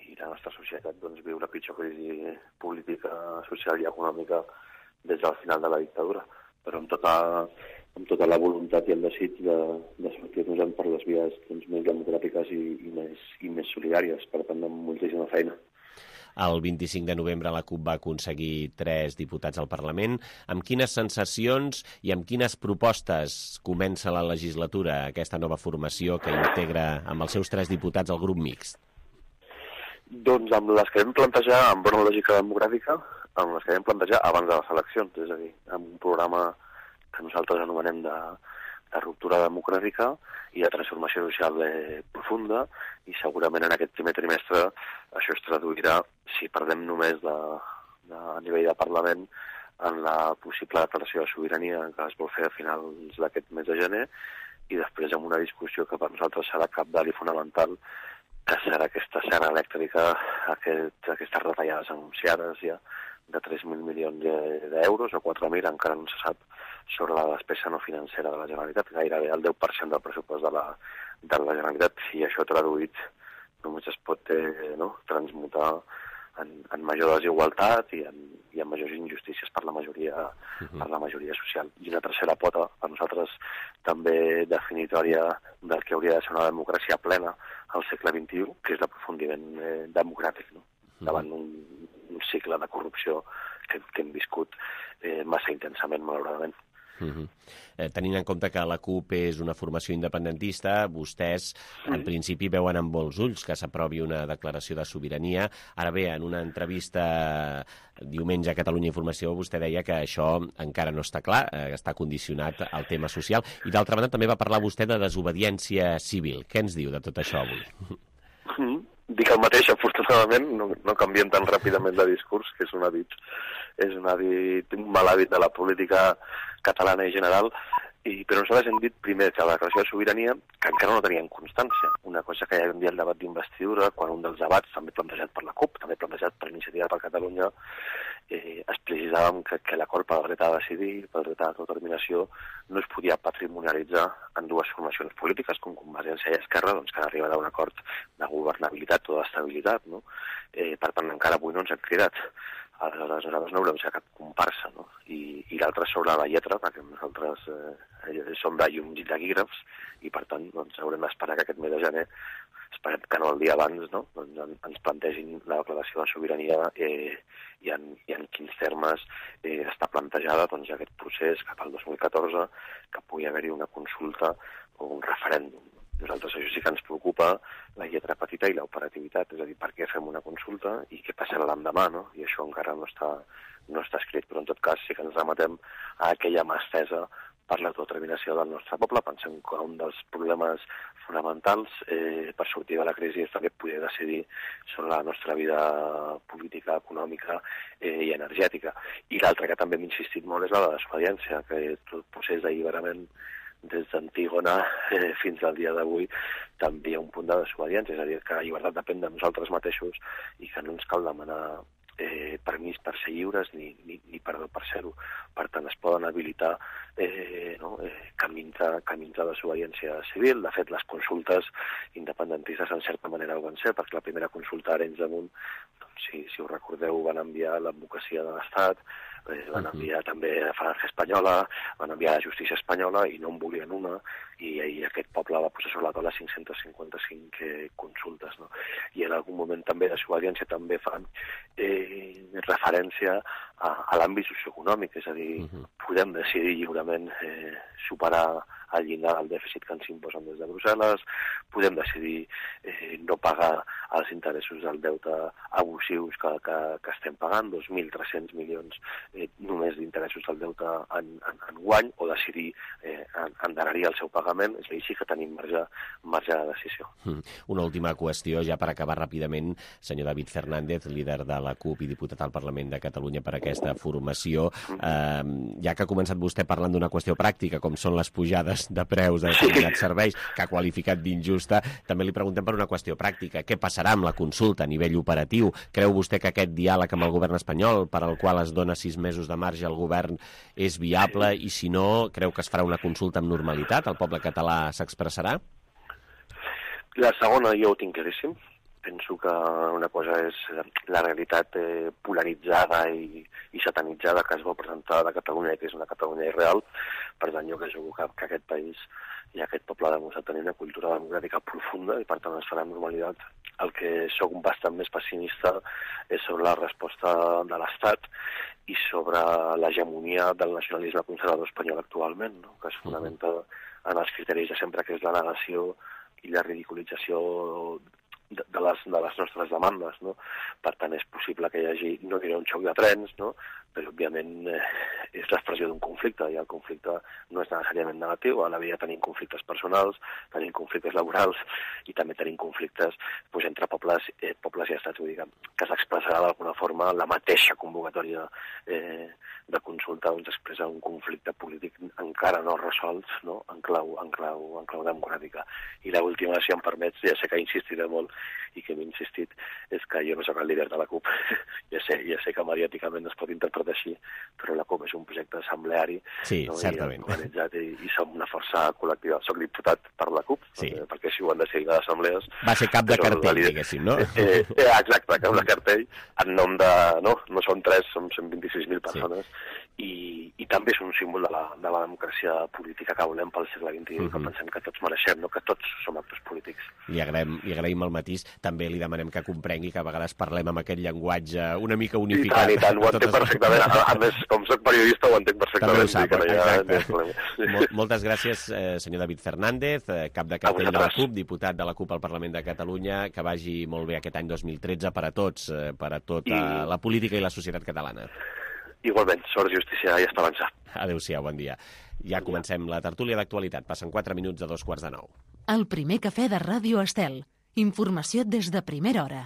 i la nostra societat doncs, viu la pitjor crisi política, social i econòmica des del final de la dictadura, però amb tota, amb tota la voluntat i el desig de, de sortir-nos per les vies doncs, més democràtiques i, i, més, i més solidàries, per tant amb moltíssima feina. El vint-i-cinc de novembre la CUP va aconseguir tres diputats al Parlament. Amb quines sensacions i amb quines propostes comença la legislatura, aquesta nova formació que integra amb els seus tres diputats el grup mixt? Doncs amb les que vam plantejar amb bona lògica democràtica, amb les que vam plantejar abans de les eleccions, és a dir, amb un programa que nosaltres anomenem de, de ruptura democràtica i de transformació social eh, profunda, i segurament en aquest primer trimestre això es traduirà, si perdem només de, de, a nivell de Parlament, en la possible declaració de sobirania que es vol fer a finals d'aquest mes de gener, i després amb una discussió que per nosaltres serà cabdal i fonamental, que serà aquesta serra elèctrica, aquest, aquestes retallades anunciades ja de tres mil milions d'euros o quatre mil, encara no se sap, sobre la despesa no financera de la Generalitat, gairebé el deu per cent del pressupost de la, de la Generalitat, i això traduït només es pot eh, no, transmutar en, en major desigualtat i en, i en majors injustícies per la majoria, uh-huh. per la majoria social. I una tercera pota, per nosaltres també definitòria del que hauria de ser una democràcia plena al segle vint-i-u, que és l'aprofundiment eh, democràtic, no? Uh-huh. Davant un, un cicle de corrupció que, que hem viscut eh, massa intensament, malauradament. Uh-huh. eh, tenint en compte que la CUP és una formació independentista, vostès en principi veuen amb molts ulls que s'aprovi una declaració de sobirania. Ara bé, en una entrevista diumenge a Catalunya Informació vostè deia que això encara no està clar, eh, està condicionat al tema social, i d'altra banda també va parlar vostè de desobediència civil. Què ens diu de tot això avui? Mm-hmm. Dic el mateix, afortunadament, no, no canviem tan ràpidament de discurs, que és un hàbit, és un hàbit, un mal hàbit de la política catalana en general, I, però nosaltres hem dit primer que la declaració de sobirania, que encara no teníem constància. Una cosa que ja vam dir al debat d'investidura, quan un dels debats, també plantejat per la CUP, també plantejat per Iniciativa per Catalunya, eh, explicitzàvem que, que l'acord pel dret a decidir, pel dret a l'autodeterminació, no es podia patrimonialitzar en dues formacions polítiques, com Convergència i Esquerra, doncs, que han arribat a un acord de governabilitat o d'estabilitat, no? Eh, per tant, encara avui no ens han cridat. Aleshores, nosaltres no volem ser cap comparsa, no? I, i l'altre sobre la lletra, perquè nosaltres eh, som de llums i taquígrafs, i per tant doncs, haurem d'esperar que aquest mes de gener, esperem que no el dia abans, no? doncs, en, ens plantegin la declaració de sobirania eh, i, en, i en quins termes eh, està plantejada doncs, aquest procés cap al dos mil catorze, que pugui haver-hi una consulta o un referèndum. Nosaltres això sí que ens preocupa, la lletra petita i l'operativitat, és a dir, per què fem una consulta i què passarà l'endemà, no? I això encara no està, no està escrit, però en tot cas sí que ens remetem a aquella mà estesa per l'autodeterminació del nostre poble. Pensem que un dels problemes fonamentals eh, per sortir de la crisi és també poder decidir sobre la nostra vida política, econòmica eh, i energètica. I l'altre que també hem insistit molt és la de la desobediència, que tot procés d'alliberament des d'Antígona eh, fins al dia d'avui també hi ha un punt de desobediència, és a dir, que la llibertat depèn de nosaltres mateixos i que no ens cal demanar eh, permís per ser lliures ni, ni, ni perdó per ser-ho. Per tant, es poden habilitar eh, no, eh, camins, de, camins de desobediència civil. De fet, les consultes independentistes en certa manera ho van ser, perquè la primera consulta a Arenys de Munt, doncs, si, si us recordeu, van enviar l'advocacia de l'Estat, eh, van enviar també a Falange Espanyola, van enviar a la justícia espanyola i no en volien una, i, i aquest poble va posar sobre la taula cinc-cents cinquanta-cinc eh, consultes. No? I en algun moment també de desobediència també fan eh, referència a, a l'àmbit socioeconòmic, és a dir, uh-huh. podem decidir lliurement eh, superar el llindar del dèficit que ens imposen des de Brussel·les, podem decidir eh, no pagar els interessos del deute abusius que, que, que estem pagant, dos mil tres-cents milions eh, només d'interessos del deute en, en, en guany, o decidir eh, endarrerir el seu pagament, és a dir, sí que tenim marge, marge de decisió. Mm. Una última qüestió, ja per acabar ràpidament, senyor David Fernández, líder de la CUP i diputat al Parlament de Catalunya per aquesta formació. Eh, ja que ha començat vostè parlant d'una qüestió pràctica, com són les pujades de preus de determinats serveis, que ha qualificat d'injusta, també li preguntem per una qüestió pràctica. Què passarà amb la consulta a nivell operatiu? Creu vostè que aquest diàleg amb el govern espanyol, per al qual es dona sis mesos de marge al govern, és viable? I si no, creu que es farà una consulta amb normalitat? El poble català s'expressarà? La segona jo ho tinc claríssim. Penso que una cosa és la realitat eh, polaritzada i, i satanitzada que es vol presentar de Catalunya, que és una Catalunya irreal. Per tant, jo que jugo que, que aquest país i aquest poble ha demostrat tenir una cultura democràtica profunda i per tant es farà amb normalitat. El que sóc bastant més pessimista és sobre la resposta de l'Estat i sobre l'hegemonia del nacionalisme conservador espanyol actualment, no? Que es fonamenta en els criteris de sempre, que és la negació i la ridiculització de, de, les, de les nostres demandes, no? Per tant, és possible que hi hagi, no diré un xoc de trens, no? Però òbviament eh, és l'expressió d'un conflicte, i el conflicte no és necessàriament negatiu. A la vida tenim conflictes personals, tenim conflictes laborals i també tenim conflictes doncs, entre pobles, eh, pobles i estats, vull dir, que s'expressarà d'alguna forma la mateixa convocatòria eh, de consulta, doncs expressa un conflicte polític encara no resolt, no? En clau, en clau, en clau democràtica. I l'última, si em permets, ja sé que insistiré molt i que m'he insistit, és que jo no soc el líder de la CUP. ja sé, ja sé que mediàticament es pot interpretar així, però la CUP és un projecte assembleari, sí, no? certament. I organitzat i, i som una força col·lectiva. Soc diputat per la CUP, sí. perquè, perquè així ho han decidit les assemblees. Va ser cap de cartell, líder, diguéssim, no? Eh, eh, exacte, cap de cartell, en nom de... No, no són tres, som cent vint-i-sis mil persones, sí. i, i també és un símbol de la, de la democràcia política que volem pel segle vint-i-u, uh-huh. que pensem que tots mereixem, no? Que tots som actors polítics. Li agraïm, li agraïm el matís. També li demanem que comprengui que a vegades parlem amb aquest llenguatge una mica unificat. I tant, i tant, ho entenc perfectament. A, a més, com soc periodista, ho entenc perfectament. També ho sap, no exacte. Mol, moltes gràcies, eh, senyor David Fernández, eh, cap de cartell de la CUP, diputat de la CUP al Parlament de Catalunya. Que vagi molt bé aquest any dos mil tretze per a tots, eh, per a tota I... la política i la societat catalana. Igualment, sort, justícia i esperança. Adéu-siau, bon dia. Ja comencem la tertúlia d'actualitat. Passen quatre minuts a dos quarts de nou. El primer cafè de Ràdio Estel. Informació des de primera hora.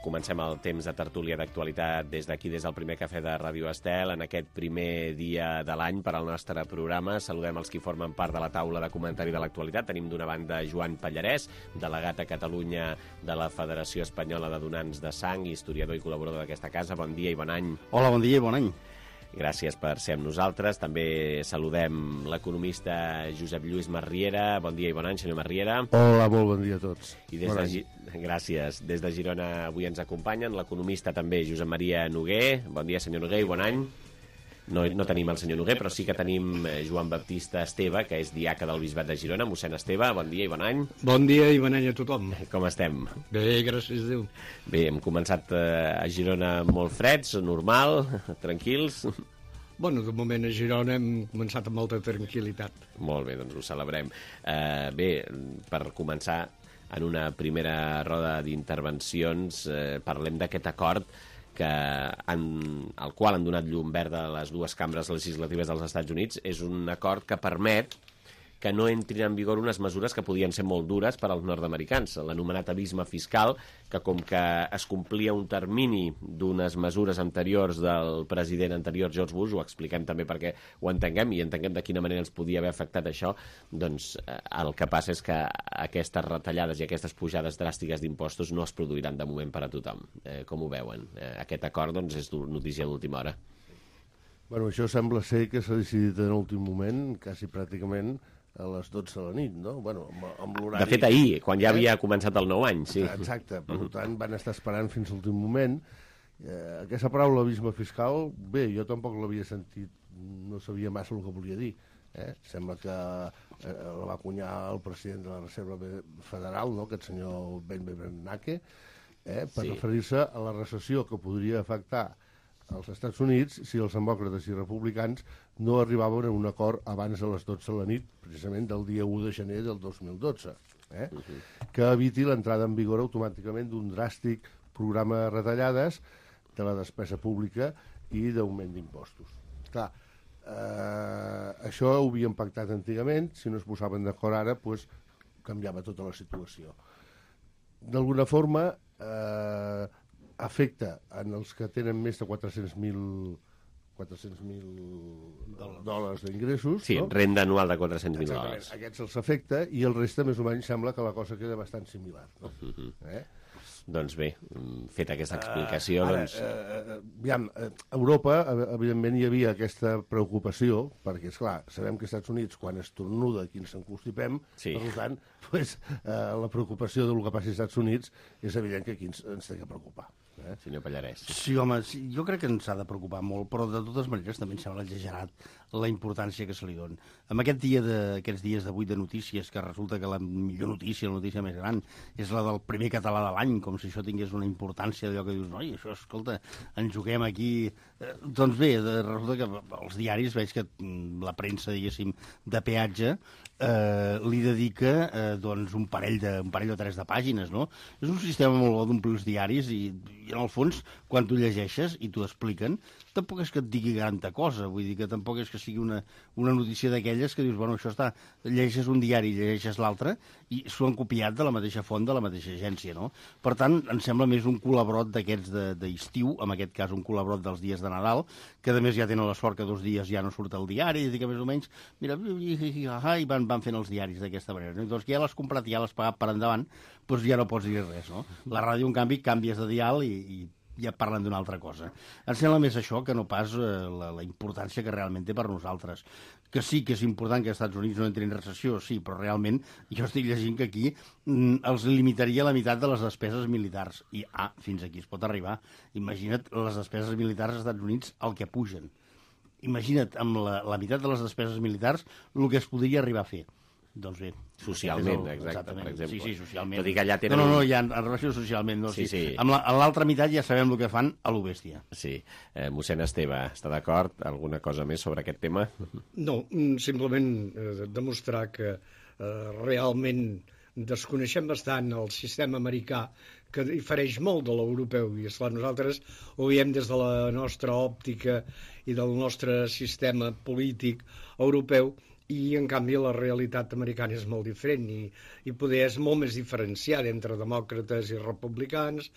comencem el temps de tertúlia d'actualitat des d'aquí, des del primer cafè de Ràdio Estel, en aquest primer dia de l'any per al nostre programa. Saludem els qui formen part de la taula de comentari de l'actualitat. Tenim d'una banda Joan Pallarès, delegat a Catalunya de la Federació Espanyola de Donants de Sang, historiador i col·laborador d'aquesta casa. Bon dia i bon any. Hola, bon dia i bon any. Gràcies per ser amb nosaltres. També saludem l'economista Josep Lluís Marriera. Bon dia i bon any, senyor Marriera. Hola, molt bon dia a tots. I des bon de, gràcies. Des de Girona avui ens acompanyen l'economista també Josep Maria Noguer. Bon dia, senyor Noguer, i bon any. No, no tenim el senyor Noguer, però sí que tenim Joan Baptista Esteve, que és diaca del Bisbat de Girona. Mossèn Esteve, bon dia i bon any. Bon dia i bon any a tothom. Com estem? Bé, gràcies a Déu. Bé, hem començat a Girona molt freds, normal, tranquils. Bueno, de moment a Girona hem començat amb molta tranquil·litat. Molt bé, doncs ho celebrem. Uh, bé, per començar, en una primera roda d'intervencions, uh, parlem d'aquest acord que han, al qual han donat llum verda a les dues cambres legislatives dels Estats Units. És un acord que permet que no entrin en vigor unes mesures que podien ser molt dures per als nord-americans, l'anomenat abisme fiscal, que com que es complia un termini d'unes mesures anteriors del president anterior George Bush, ho expliquem també perquè ho entenguem i entenguem de quina manera ens podia haver afectat això, doncs el que passa és que aquestes retallades i aquestes pujades dràstiques d'impostos no es produiran de moment per a tothom. Eh, com ho veuen? Eh, aquest acord doncs, és notícia d'última hora. Bueno, això sembla ser que s'ha decidit en l'últim moment, quasi pràcticament a les dotze de la nit, no? Bueno, amb, amb l'horari... De fet, ahir, quan ja havia començat el nou any, sí. Exacte, per uh-huh. tant, van estar esperant fins a l'últim moment. Eh, aquesta paraula, abisme fiscal, bé, jo tampoc l'havia sentit, no sabia massa el que volia dir. Eh? Sembla que eh, la va acunyar el president de la Reserva Federal, no?, aquest senyor Ben Bernanke, eh, per sí. referir-se a la recessió que podria afectar als Estats Units si els demòcrates i republicans no arribaven a un acord abans de les dotze de la nit, precisament del dia u de gener del dos mil dotze, eh? Uh-huh. que eviti l'entrada en vigor automàticament d'un dràstic programa de retallades de la despesa pública i d'augment d'impostos. Clar, eh, això ho havien pactat antigament, si no es posaven d'acord ara, doncs canviava tota la situació. D'alguna forma, eh, afecta en els que tenen més de quatre-cents mil dòlars d'ingressos. Sí, no? Renda anual de quatre-cents mil dòlars. Aquests els afecta i el reste més o menys sembla que la cosa queda bastant similar. No? Uh-huh. eh? Doncs bé, feta aquesta explicació... Uh, ara, doncs... uh, aviam, a Europa, evidentment, hi havia aquesta preocupació, perquè, esclar, sabem que als Estats Units, quan estornuda, aquí ens encostipem, sí. per tant, pues, uh, la preocupació del que passi als Estats Units és evident que aquí ens, ens té que preocupar. Eh? Senyor Pallarès. Sí, home, sí, jo crec que ens ha de preocupar molt, però de totes maneres també em sembla exagerat la importància que se li dona. En aquest dia de, aquests dies d'avui de notícies, que resulta que la millor notícia, la notícia més gran, és la del primer català de l'any, com si això tingués una importància d'allò que dius, noi, això, escolta, ens juguem aquí... Eh, doncs bé, de, resulta que els diaris, veig que la premsa, diguéssim, de peatge, eh, li dedica eh, doncs un parell, de, un parell o tres de pàgines, no? És un sistema molt bo d'omplir els diaris i, i en el fons, quan tu llegeixes i t'ho expliquen, tampoc és que et digui granta cosa, vull dir que tampoc és que sigui una, una notícia d'aquelles que dius, bueno, això està, llegeixes un diari i llegeixes l'altre i s'ho han copiat de la mateixa font, de la mateixa agència, no? Per tant, em sembla més un col·labrot d'aquests d'estiu, en aquest cas un col·labrot dels dies de Nadal, que a més ja tenen la sort que dos dies ja no surt el diari, i que més o menys, mira, i van, van fent els diaris d'aquesta manera. No? Doncs que ja l'has comprat i ja l'has pagat per endavant, doncs ja no pots dir res, no? La ràdio, en canvi, canvies de dial i, i ja parlen d'una altra cosa. Em sembla més això que no pas eh, la, la importància que realment té per nosaltres. Que sí que és important que els Estats Units no entrin en recessió, sí, però realment jo estic llegint que aquí mm, els limitaria la meitat de les despeses militars. I, ah, fins aquí es pot arribar. Imagina't les despeses militars als Estats Units el que pugen. Imagina't amb la, la meitat de les despeses militars el que es podria arribar a fer. Doncs bé. Socialment, el, exacte, per exemple. Sí, sí, socialment. Tot i que allà tenen... No, no, no, ja en relació socialment. No, sí, sí. sí. Amb l'altra la, meitat ja sabem el que fan a lo bèstia. Sí. Eh, mossèn Esteve, està d'acord? Alguna cosa més sobre aquest tema? No, simplement eh, demostrar que eh, realment desconeixem bastant el sistema americà, que difereix molt de l'europeu, i esclar, nosaltres ho veiem des de la nostra òptica i del nostre sistema polític europeu, i en canvi la realitat americana és molt diferent i, i poder és molt més diferenciada entre demòcrates i republicans,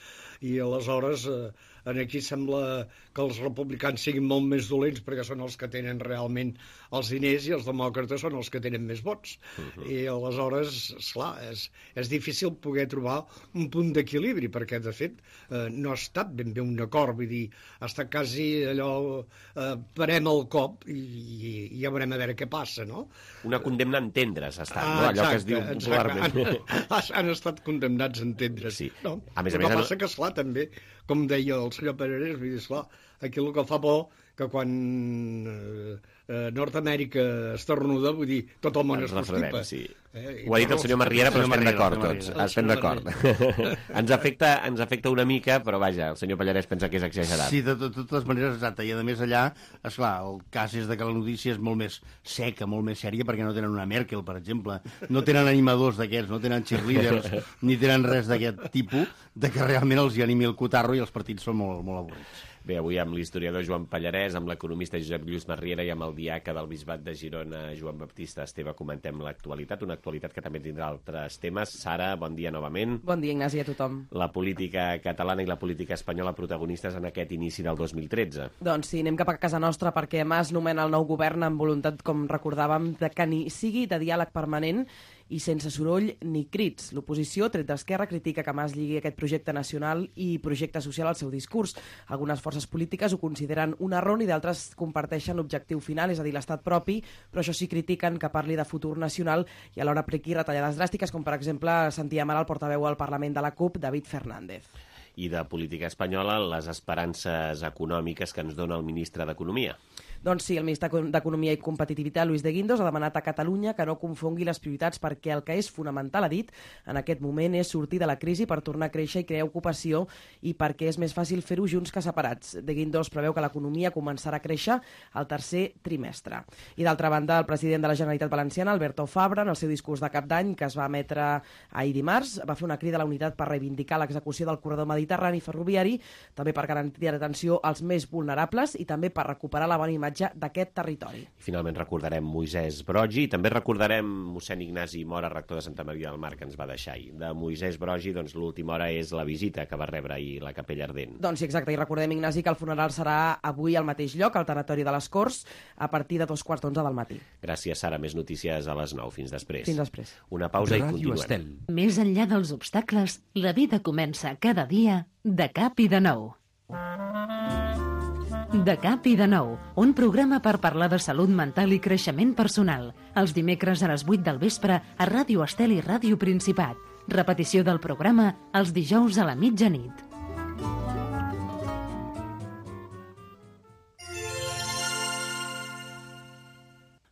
i aleshores eh, aquí sembla que els republicans siguin molt més dolents perquè són els que tenen realment els diners i els demòcrates són els que tenen més vots. Uh-huh. I aleshores, esclar, és, és difícil poder trobar un punt d'equilibri, perquè de fet eh, no ha estat ben bé un acord, vull dir, ha estat quasi allò, eh, parem el cop i, i, i ja veurem a veure què passa, no? Una condemna a entendre's ha estat, ah, no? Allò exacte, que es diu popularment. Han, han estat condemnats a entendre's. Sí. No? A més a el que més, passa que, esclar, també, com deia el senyor Parerés, vull dir, esclar, aquí el que fa por que quan eh, eh, Nord-Amèrica estornuda, vull dir, tot el món es constipa. Sí. Eh? Ho ha dit el senyor Marriera, però estem d'acord tots. Estem d'acord. Ens afecta, ens afecta una mica, però vaja, el senyor Pallarès pensa que és exagerat. Sí, de, de, de totes maneres, exacte. I a més allà, esclar, el cas és de que la notícia és molt més seca, molt més sèria, perquè no tenen una Merkel, per exemple. No tenen animadors d'aquests, no tenen cheerleaders, ni tenen res d'aquest tipus, de que realment els hi animi el cotarro i els partits són molt, molt avorrits. Bé, avui amb l'historiador Joan Pallarès, amb l'economista Josep Lluís Marriera i amb el diaca del Bisbat de Girona, Joan Baptista Esteve, comentem l'actualitat, una actualitat que també tindrà altres temes. Sara, bon dia novament. Bon dia, Ignasi, a tothom. La política catalana i la política espanyola protagonistes en aquest inici del dos mil tretze. Doncs sí, anem cap a casa nostra perquè Mas nomena el nou govern amb voluntat, com recordàvem, de que ni sigui de diàleg permanent i sense soroll ni crits. L'oposició, tret d'Esquerra, critica que Mas lligui aquest projecte nacional i projecte social al seu discurs. Algunes forces polítiques ho consideren un error i d'altres comparteixen l'objectiu final, és a dir, l'estat propi, però això sí critiquen que parli de futur nacional i alhora apliqui retallades dràstiques, com per exemple sentíem ara el portaveu al Parlament de la CUP, David Fernández. I de política espanyola, les esperances econòmiques que ens dona el ministre d'Economia. Doncs sí, el ministre d'Economia i Competitivitat, Luis de Guindos, ha demanat a Catalunya que no confongui les prioritats perquè el que és fonamental, ha dit, en aquest moment és sortir de la crisi per tornar a créixer i crear ocupació i perquè és més fàcil fer-ho junts que separats. De Guindos preveu que l'economia començarà a créixer al tercer trimestre. I d'altra banda, el president de la Generalitat Valenciana, Alberto Fabra, en el seu discurs de cap d'any, que es va emetre ahir dimarts, va fer una crida a la unitat per reivindicar l'execució del corredor mediterrani ferroviari, també per garantir l'atenció als més vulnerables i també per recuperar la bona imatge d'aquest territori. I finalment recordarem Moisès Broggi i també recordarem mossèn Ignasi Mora, rector de Santa Maria del Mar, que ens va deixar ahir. De Moisès Broggi, doncs l'última hora és la visita que va rebre ahir la Capella Ardent. Doncs sí, exacte, i recordem, Ignasi, que el funeral serà avui al mateix lloc, al tanatori de les Corts, a partir de dos quarts d'onze del matí. Gràcies, Sara. Més notícies a les nou. Fins després. Fins després. Una pausa i Ràdio continuem. Estel. Més enllà dels obstacles, la vida comença cada dia de cap i de nou. De cap i de nou, un programa per parlar de salut mental i creixement personal. Els dimecres a les vuit del vespre a Ràdio Estel i Ràdio Principat. Repetició del programa els dijous a la mitjanit.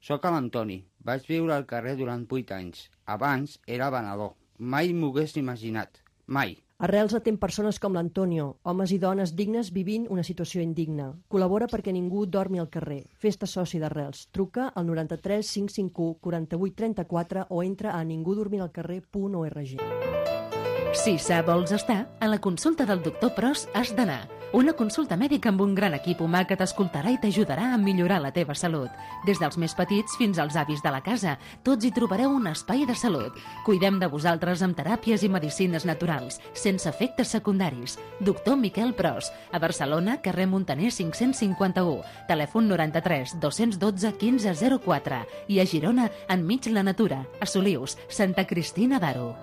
Soc l'Antoni. Vaig viure al carrer durant vuit anys. Abans era venedor. Mai m'ho hagués imaginat. Mai. Arrels atén persones com l'Antonio, homes i dones dignes vivint una situació indigna. Col·labora perquè ningú dormi al carrer. Fes-te soci d'Arrels. Truca al noranta-tres cinc cinc u quaranta-vuit trenta-quatre o entra a ningudormiralcarrer punt org. Si sa vols estar, a la consulta del doctor Pros has d'anar. Una consulta mèdica amb un gran equip humà que t'escoltarà i t'ajudarà a millorar la teva salut. Des dels més petits fins als avis de la casa, tots hi trobareu un espai de salut. Cuidem de vosaltres amb teràpies i medicines naturals, sense efectes secundaris. Doctor Miquel Pros, a Barcelona, carrer Montaner cinc-cents cinquanta-u, telèfon noranta-tres dos-cents dotze quinze zero quatre i a Girona, enmig la natura, a Solius, Santa Cristina d'Aro.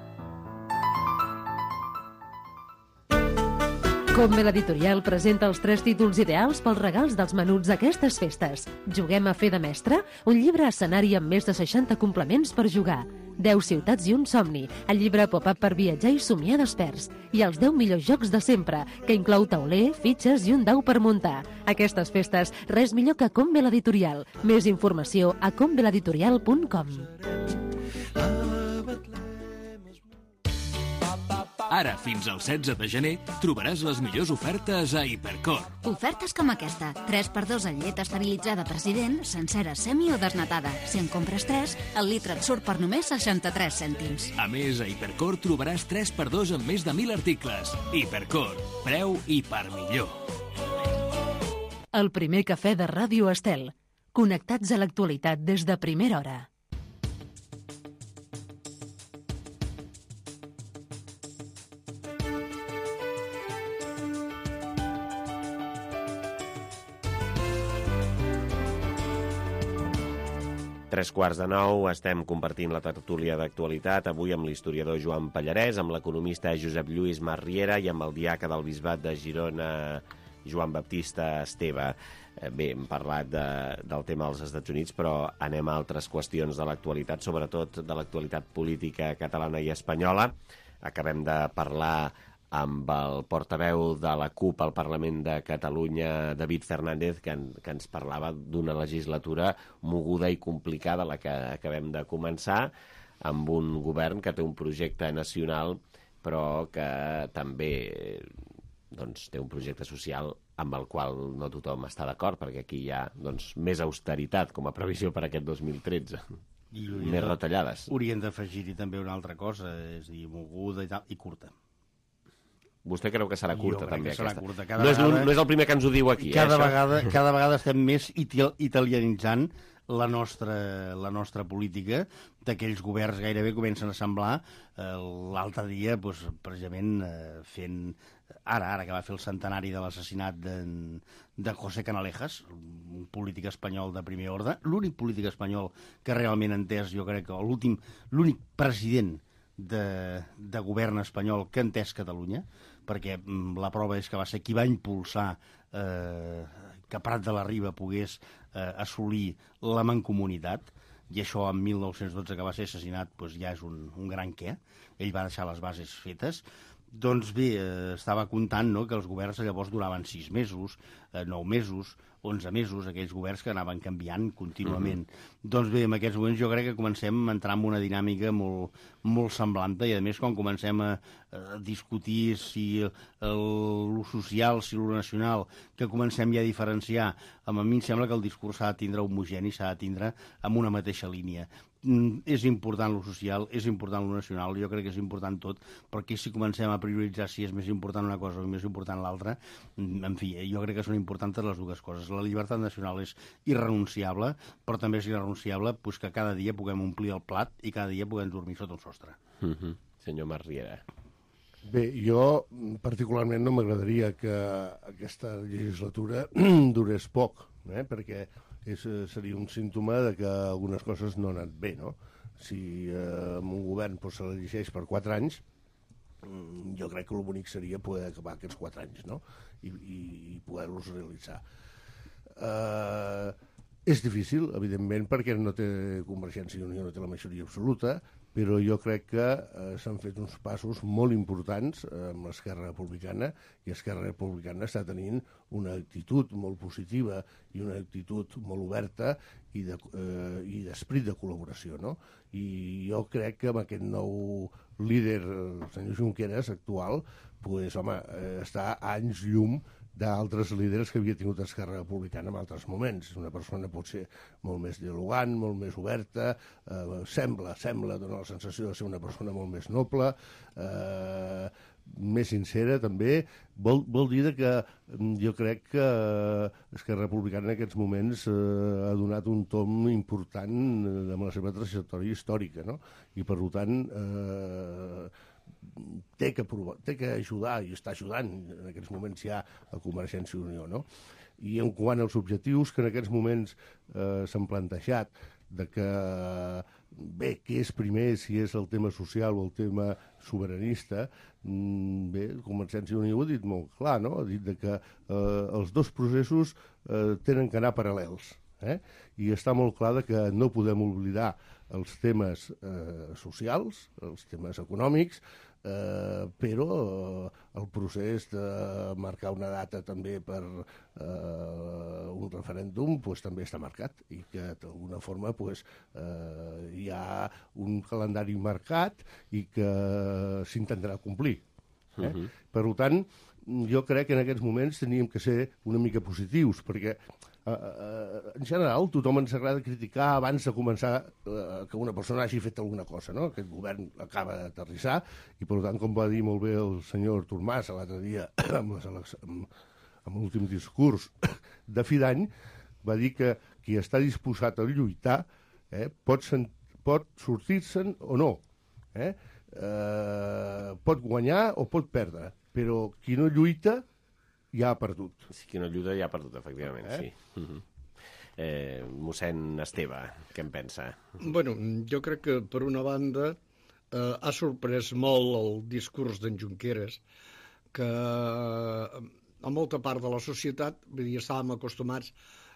Combe l'editorial presenta els tres títols ideals pels regals dels menuts d'aquestes festes. Juguem a fer de mestre? Un llibre escenari amb més de seixanta complements per jugar. deu ciutats i un somni, el llibre pop-up per viatjar i somiar desperts. I els deu millors jocs de sempre, que inclou tauler, fitxes i un dau per muntar. Aquestes festes, res millor que Combe l'editorial. Més informació a combe l'editorial punt com. Ara, fins al setze de gener, trobaràs les millors ofertes a Hipercor. Ofertes com aquesta. tres per dos en llet esterilitzada President, sencera, semi o desnatada. Si en compres tres, el litre et surt per només seixanta-tres cèntims. A més, a Hipercor trobaràs tres per dos en més de mil articles. Hipercor, preu i per millor. El primer cafè de Ràdio Estel. Connectats a l'actualitat des de primera hora. Tres quarts de nou, estem compartint la tertúlia d'actualitat, avui amb l'historiador Joan Pallarès, amb l'economista Josep Lluís Marriera i amb el diaca del Bisbat de Girona, Joan Baptista Esteve. Bé, hem parlat de, del tema dels Estats Units, però anem a altres qüestions de l'actualitat, sobretot de l'actualitat política catalana i espanyola. Acabem de parlar amb el portaveu de la CUP al Parlament de Catalunya, David Fernández, que, en, que ens parlava d'una legislatura moguda i complicada, la que acabem de començar, amb un govern que té un projecte nacional, però que també doncs, té un projecte social amb el qual no tothom està d'acord, perquè aquí hi ha doncs, més austeritat com a previsió per aquest dos mil tretze. I més retallades. Haurien d'afegir-hi també una altra cosa, és a dir, moguda i tal, i curta. Vostè creu que serà curta, també, serà aquesta? Curta. No, és no és el primer que ens ho diu aquí, cada eh, vegada, cada vegada estem més italianitzant la nostra, la nostra política, d'aquells governs gairebé comencen a semblar eh, l'altre dia, doncs, precisament eh, fent, ara, ara que va fer el centenari de l'assassinat de, de José Canalejas, un polític espanyol de primer ordre, l'únic polític espanyol que realment ha entès, jo crec que l'últim, l'únic president de, de govern espanyol que ha entès Catalunya, perquè mm, la prova és que va ser qui va impulsar eh, que Prat de la Riba pogués eh, assolir la mancomunitat, i això en mil nou-cents dotze, que va ser assassinat, doncs ja és un, un gran què. Ell va deixar les bases fetes. Doncs bé, eh, estava comptant, no?, que els governs llavors duraven sis mesos, eh, nou mesos, onze mesos, aquells governs que anaven canviant contínuament. Mm-hmm. Doncs bé, en aquests moments jo crec que comencem a entrar en una dinàmica molt, molt semblant, i a més quan comencem a, a discutir si l'ús social, si l'ús nacional, que comencem ja a diferenciar, a mi em sembla que el discurs s'ha de tindre homogeni, s'ha de tindre amb una mateixa línia. Mm, és important lo social, és important lo nacional, jo crec que és important tot, perquè si comencem a prioritzar si és més important una cosa o més important l'altra, en fi, jo crec que són importants les dues coses. La llibertat nacional és irrenunciable, però també és irrenunciable pues, que cada dia puguem omplir el plat i cada dia puguem dormir sota un sostre. Mm-hmm. Senyor Marriera. Bé, jo particularment no m'agradaria que aquesta legislatura durés poc, eh? perquè és, seria un símptoma de que algunes coses no han anat bé, no? Si eh, un govern pues, se l'elegeix per quatre anys, jo crec que el bonic seria poder acabar aquests quatre anys, no? I, i, i poder-los realitzar. Eh, és difícil, evidentment, perquè no té Convergència i Unió, no té la majoria absoluta, però jo crec que eh, s'han fet uns passos molt importants eh, amb l'Esquerra Republicana, i Esquerra Republicana està tenint una actitud molt positiva i una actitud molt oberta i de, eh, i d'esperit de col·laboració, no? I jo crec que amb aquest nou líder, el senyor Junqueras, actual, pues, home, eh, està a anys llum d'altres líders que havia tingut Esquerra Republicana en altres moments. Una persona pot ser molt més dialogant, molt més oberta, eh, sembla, sembla, dona la sensació de ser una persona molt més noble, eh, més sincera també. Vol, vol dir que jo crec que Esquerra Republicana en aquests moments eh, ha donat un tom important amb la seva trajectòria històrica, no? I per tant eh, té que, provar, té que ajudar, i està ajudant en aquests moments ja a Convergència i Unió, no? I en quant als objectius que en aquests moments eh, s'han plantejat, de que, bé, què és primer, si és el tema social o el tema sobiranista, bé, Convergència i Unió ho ha dit molt clar, no? Ha dit de que eh, els dos processos eh, tenen que anar paral·lels, eh? I està molt clar de que no podem oblidar els temes eh, socials, els temes econòmics, eh, però eh, el procés de marcar una data també per eh, un referèndum pues, també està marcat, i que d'alguna forma pues, eh, hi ha un calendari marcat i que s'intentarà complir. Eh? Uh-huh. Per tant, jo crec que en aquests moments teníem que ser una mica positius, perquè Uh, uh, en general, tothom ens agrada criticar abans de començar uh, que una persona hagi fet alguna cosa, no? Aquest govern acaba d'aterrissar i, per tant, com va dir molt bé el senyor Artur Mas l'altre dia amb, les, amb, amb l'últim discurs de fi d'any, va dir que qui està disposat a lluitar eh, pot, sen, pot sortir-se'n o no. Eh? Eh, pot guanyar o pot perdre, però qui no lluita ja ha perdut. Sí, qui no lluita ja ha perdut, efectivament, eh? sí. Uh-huh. Eh, mossèn Esteve, què en pensa? Bueno, jo crec que, per una banda, eh, ha sorprès molt el discurs d'en Junqueras, que a molta part de la societat, vull dir, estàvem acostumats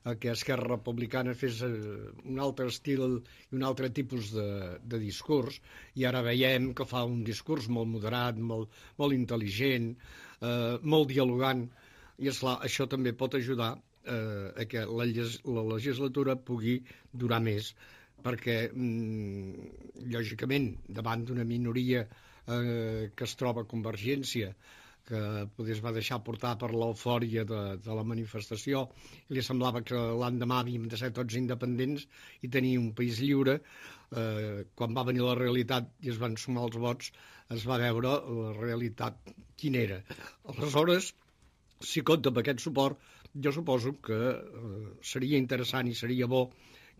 a que Esquerra Republicana fes un altre estil i un altre tipus de, de discurs, i ara veiem que fa un discurs molt moderat, molt, molt intel·ligent, eh, molt dialogant, i esclar, això també pot ajudar eh, a que la, la legislatura pugui durar més, perquè, mm, lògicament, davant d'una minoria eh, que es troba a Convergència, que es va deixar portar per l'eufòria de, de la manifestació, i li semblava que l'endemà havíem de ser tots independents i tenir un país lliure, eh, quan va venir la realitat i es van sumar els vots, es va veure la realitat quina era. Aleshores, si compta amb aquest suport, jo suposo que eh, seria interessant i seria bo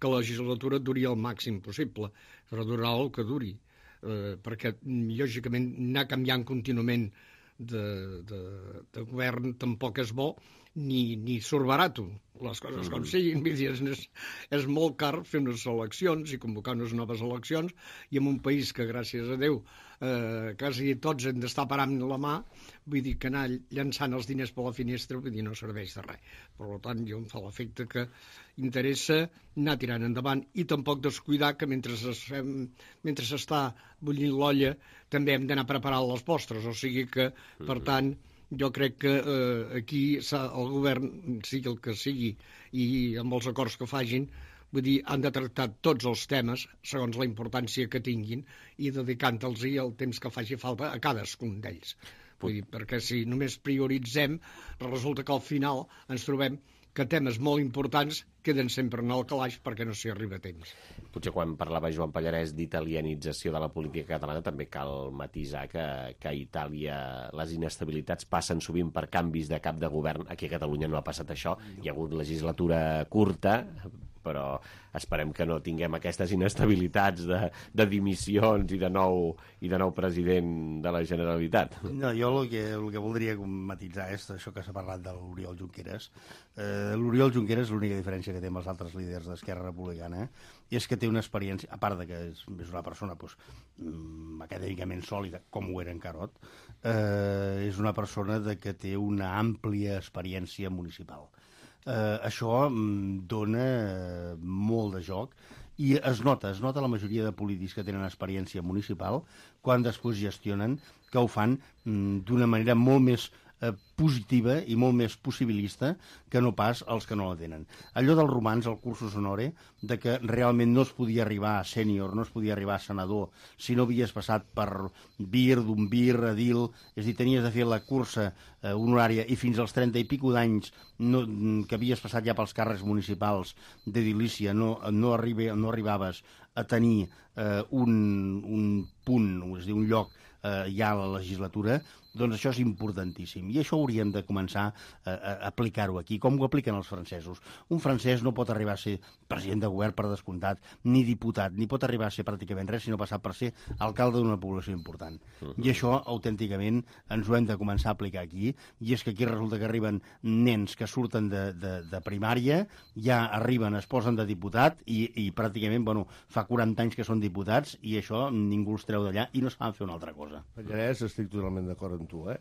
que la legislatura duri el màxim possible, però durarà el que duri, eh, perquè, lògicament, anar canviant contínuament de, de, de govern tampoc és bo, ni, ni surt barato, les coses com siguin. És, és molt car fer unes eleccions i convocar unes noves eleccions, i en un país que, gràcies a Déu, eh, quasi tots hem d'estar parant la mà, vull dir que anar llançant els diners per la finestra, vull dir, no serveix de res. Per tant, jo em fa l'efecte que interessa anar tirant endavant i tampoc descuidar que mentre es fem, mentre s'està bullint l'olla també hem d'anar preparant les postres, o sigui que, per tant, jo crec que eh, aquí el govern, sigui el que sigui, i amb els acords que facin, vull dir, han de tractar tots els temes segons la importància que tinguin i dedicant-los el temps que faci falta a cadascun d'ells. Vull dir, perquè si només prioritzem, resulta que al final ens trobem que temes molt importants queden sempre en el calaix perquè no s'hi arriba a temps. Potser quan parlava Joan Pallarès d'italianització de la política catalana també cal matisar que, que a Itàlia les inestabilitats passen sovint per canvis de cap de govern. Aquí a Catalunya no ha passat això. Hi ha hagut legislatura curta, però esperem que no tinguem aquestes inestabilitats de, de dimissions i de, nou, i de nou president de la Generalitat. No, jo el que, el que voldria matitzar és això que s'ha parlat de l'Oriol Junqueras. Eh, L'Oriol Junqueras, l'única diferència que té amb els altres líders d'Esquerra Republicana, és que té una experiència, a part de que és, és una persona doncs, acadèmicament sòlida, com ho era en Carot, eh, és una persona de que té una àmplia experiència municipal. Eh, això dona eh, molt de joc i es nota, es nota la majoria de polítics que tenen experiència municipal quan després gestionen, que ho fan mm, d'una manera molt més eh, positiva i molt més possibilista que no pas els que no la tenen. Allò dels romans, el cursus honore, de que realment no es podia arribar a sènior, no es podia arribar a senador si no havies passat per vir, d'un vir, edil, és a dir, tenies de fer la cursa eh, honorària i fins als trenta i pico d'anys no, que havies passat ja pels càrrecs municipals d'edilícia, no, no, arriba, no arribaves a tenir eh, un, un punt, és a dir, un lloc eh, ja a la legislatura, doncs això és importantíssim. I això hauríem de començar a, a aplicar-ho aquí, com ho apliquen els francesos. Un francès no pot arribar a ser president de govern per descomptat, ni diputat, ni pot arribar a ser pràcticament res, sinó passar per ser alcalde d'una població important. Uh-huh. I això, autènticament, ens ho hem de començar a aplicar aquí, i és que aquí resulta que arriben nens que surten de, de, de primària, ja arriben, es posen de diputat, i, i pràcticament, bueno, fa quaranta anys que són diputats, i això ningú els treu d'allà, i no saben fer una altra cosa. Pallarès, estic totalment d'acord amb tu, eh?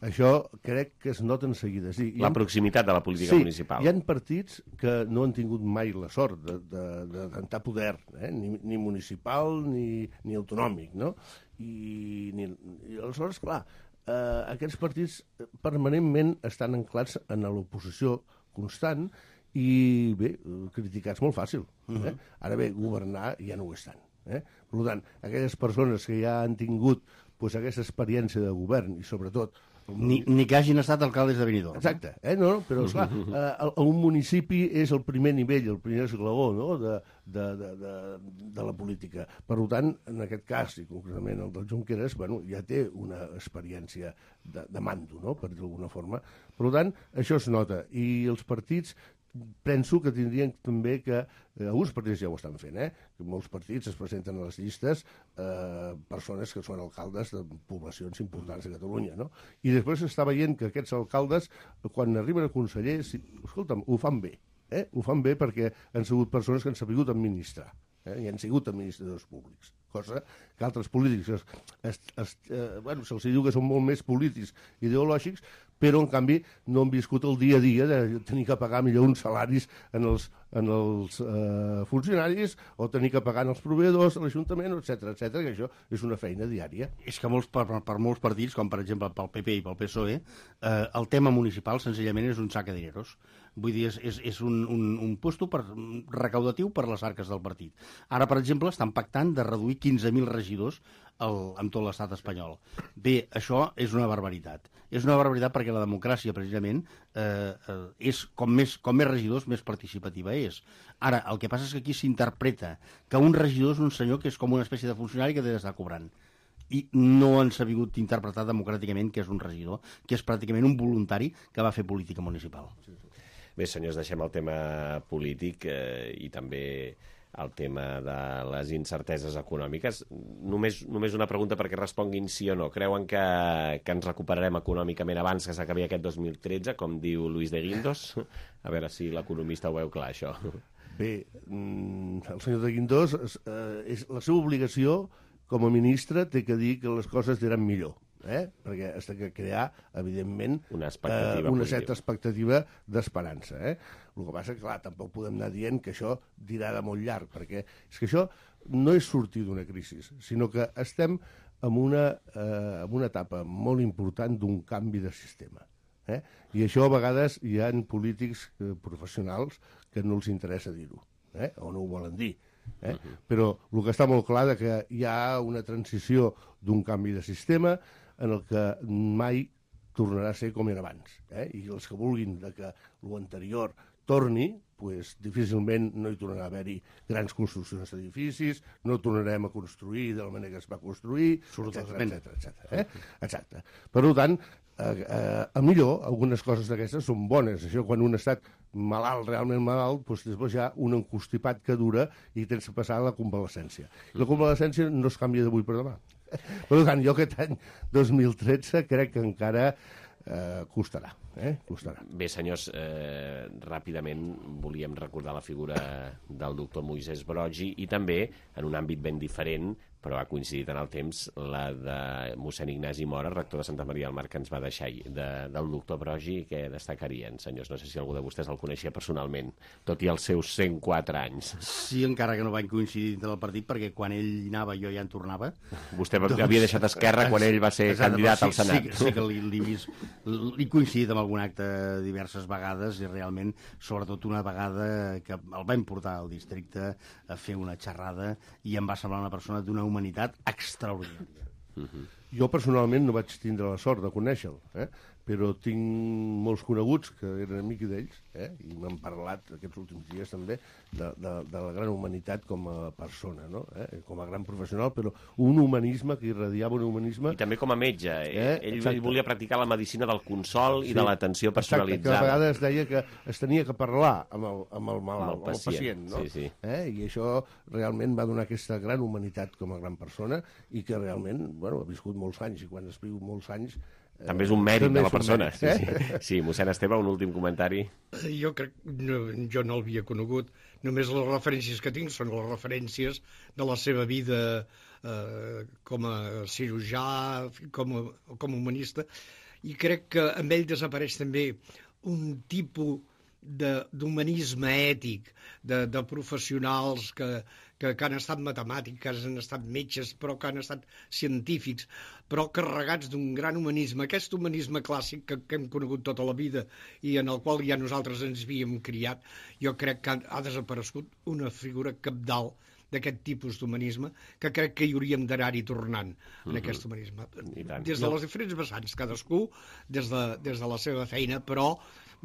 Això crec que es nota en seguida. Sí, la ha... proximitat de la política sí, municipal. Hi ha partits que no han tingut mai la sort de, de, de tentar poder, eh? ni, ni municipal ni, ni autonòmic, no? I, ni, i aleshores, clar, eh, aquests partits permanentment estan anclats en l'oposició constant i, bé, criticats molt fàcil. Eh? Uh-huh. Ara bé, governar ja no ho estan. Eh? Per tant, aquelles persones que ja han tingut pues, aquesta experiència de govern i sobretot... Ni, ni que hagin estat alcaldes de Benidorm. Exacte, eh? no, però esclar, eh, un municipi és el primer nivell, el primer esglaó, no? de, de, de, de, de la política. Per tant, en aquest cas, i concretament el del Junqueras, bueno, ja té una experiència de, de mando, no? Per dir d'alguna forma. Per tant, això es nota. I els partits penso que tindrien també que, eh, alguns partits ja ho estan fent, eh? Que molts partits es presenten a les llistes eh, persones que són alcaldes de poblacions importants de Catalunya, no? I després s'està veient que aquests alcaldes, quan arriben a conseller, si, escolta'm, ho fan bé, eh? Ho fan bé perquè han sigut persones que han sabut administrar, eh? I han sigut administradors públics, cosa que altres polítics es, es, es, eh, bueno, se'ls diu que són molt més polítics ideològics, però en canvi no han viscut el dia a dia de tenir que pagar millor uns salaris en els, en els eh, funcionaris o tenir que pagar els proveïdors, l'Ajuntament, etcètera, etcètera, que això és una feina diària. És que molts, per, per molts partits, com per exemple pel P P i pel P S O E, eh, el tema municipal senzillament és un sac de dineros. Vull dir, és, és, és un, un, un puesto per, recaudatiu per les arques del partit. Ara, per exemple, estan pactant de reduir quinze mil regidors el, amb tot l'estat espanyol. Bé, això és una barbaritat. És una barbaritat perquè la democràcia, precisament, eh, eh, és com més, com més regidors, més participativa és. Ara, el que passa és que aquí s'interpreta que un regidor és un senyor que és com una espècie de funcionari que té d'estar cobrant. I no han sabut interpretar democràticament que és un regidor, que és pràcticament un voluntari que va fer política municipal. Bé, senyors, deixem el tema polític eh, i també el tema de les incerteses econòmiques. Només, només una pregunta perquè responguin sí o no. Creuen que, que ens recuperarem econòmicament abans que s'acabi aquest dos mil tretze, com diu Luis de Guindos? A veure si l'economista ho veu clar, això. Bé, el senyor de Guindos, eh, és, la seva obligació com a ministre té que dir que les coses aniran millor. Eh? Perquè has de crear, evidentment, una, eh, una certa expectativa d'esperança. Eh? El que passa, clar, tampoc podem anar dient que això dirà de molt llarg, perquè és que això no és sortir d'una crisi, sinó que estem en una, eh, en una etapa molt important d'un canvi de sistema. Eh? I això a vegades hi ha polítics eh, professionals que no els interessa dir-ho, eh? O no ho volen dir. Eh? Uh-huh. Però el que està molt clar és que hi ha una transició d'un canvi de sistema en el que mai tornarà a ser com era abans. Eh? I els que vulguin de que l'anterior torni, pues, difícilment no hi tornarà a haver-hi grans construccions d'edificis, no tornarem a construir de la manera que es va construir, etcètera, etcètera, etcètera, eh? Exacte. Per tant, eh, eh, a millor, algunes coses d'aquestes són bones. Això, quan un ha estat malalt, realment malalt, doncs després hi ha un encostipat que dura i tens que passar a la convalescència. I la convalescència no es canvia d'avui per demà. Per tant, jo aquest any dos mil tretze crec que encara eh, costarà. Eh? Costarà. Bé, senyors, eh, ràpidament volíem recordar la figura del doctor Moisès Broggi i també, en un àmbit ben diferent, però ha coincidit en el temps, la de mossèn Ignasi Mora, rector de Santa Maria del Mar, que ens va deixar de, del doctor Broggi, que destacarien, senyors? No sé si algú de vostès el coneixia personalment, tot i els seus cent quatre anys. Sí, encara que no van coincidir dintre del partit, perquè quan ell anava jo ja en tornava. Vostè doncs, havia deixat Esquerra quan ell va ser exacte, candidat sí, al Senat. Sí, sí que l'he vist, l'he coincidit amb algun acte diverses vegades i realment, sobretot una vegada que el vam portar al districte a fer una xerrada i em va semblar una persona d'una humanitat extraordinària. Uh-huh. Jo personalment no vaig tindre la sort de conèixer-lo, eh? Però tinc molts coneguts que eren amics d'ells, eh? I m'han parlat aquests últims dies també de, de, de la gran humanitat com a persona, no? Eh? Com a gran professional, però un humanisme que irradiava un humanisme... I també com a metge. Eh? Ell, ell volia practicar la medicina del consol sí. i de l'atenció personalitzada. Exacte, que a vegades deia que es tenia que parlar amb el, amb el malalt, amb el pacient, amb el pacient no? Sí, sí. Eh? I això realment va donar aquesta gran humanitat com a gran persona i que realment, bueno, ha viscut molts anys i quan es viu molts anys també és un mèrit de la persona. Mèrit, eh? Sí, sí. Sí, mossèn Esteve, un últim comentari. Jo crec, no, jo no l'havia conegut. Només les referències que tinc són les referències de la seva vida eh, com a cirurgià, com a, com a humanista, i crec que amb ell desapareix també un tipus d'humanisme ètic, de, de professionals que, que, que han estat matemàtics, que han estat metges, però que han estat científics, però carregats d'un gran humanisme. Aquest humanisme clàssic que, que hem conegut tota la vida i en el qual ja nosaltres ens havíem criat, jo crec que ha, ha desaparegut una figura cabdal d'aquest tipus d'humanisme, que crec que hi hauríem d'anar-hi tornant en Mhm. aquest humanisme. tant. Des de les diferents vessants, cadascú des de, des de la seva feina, però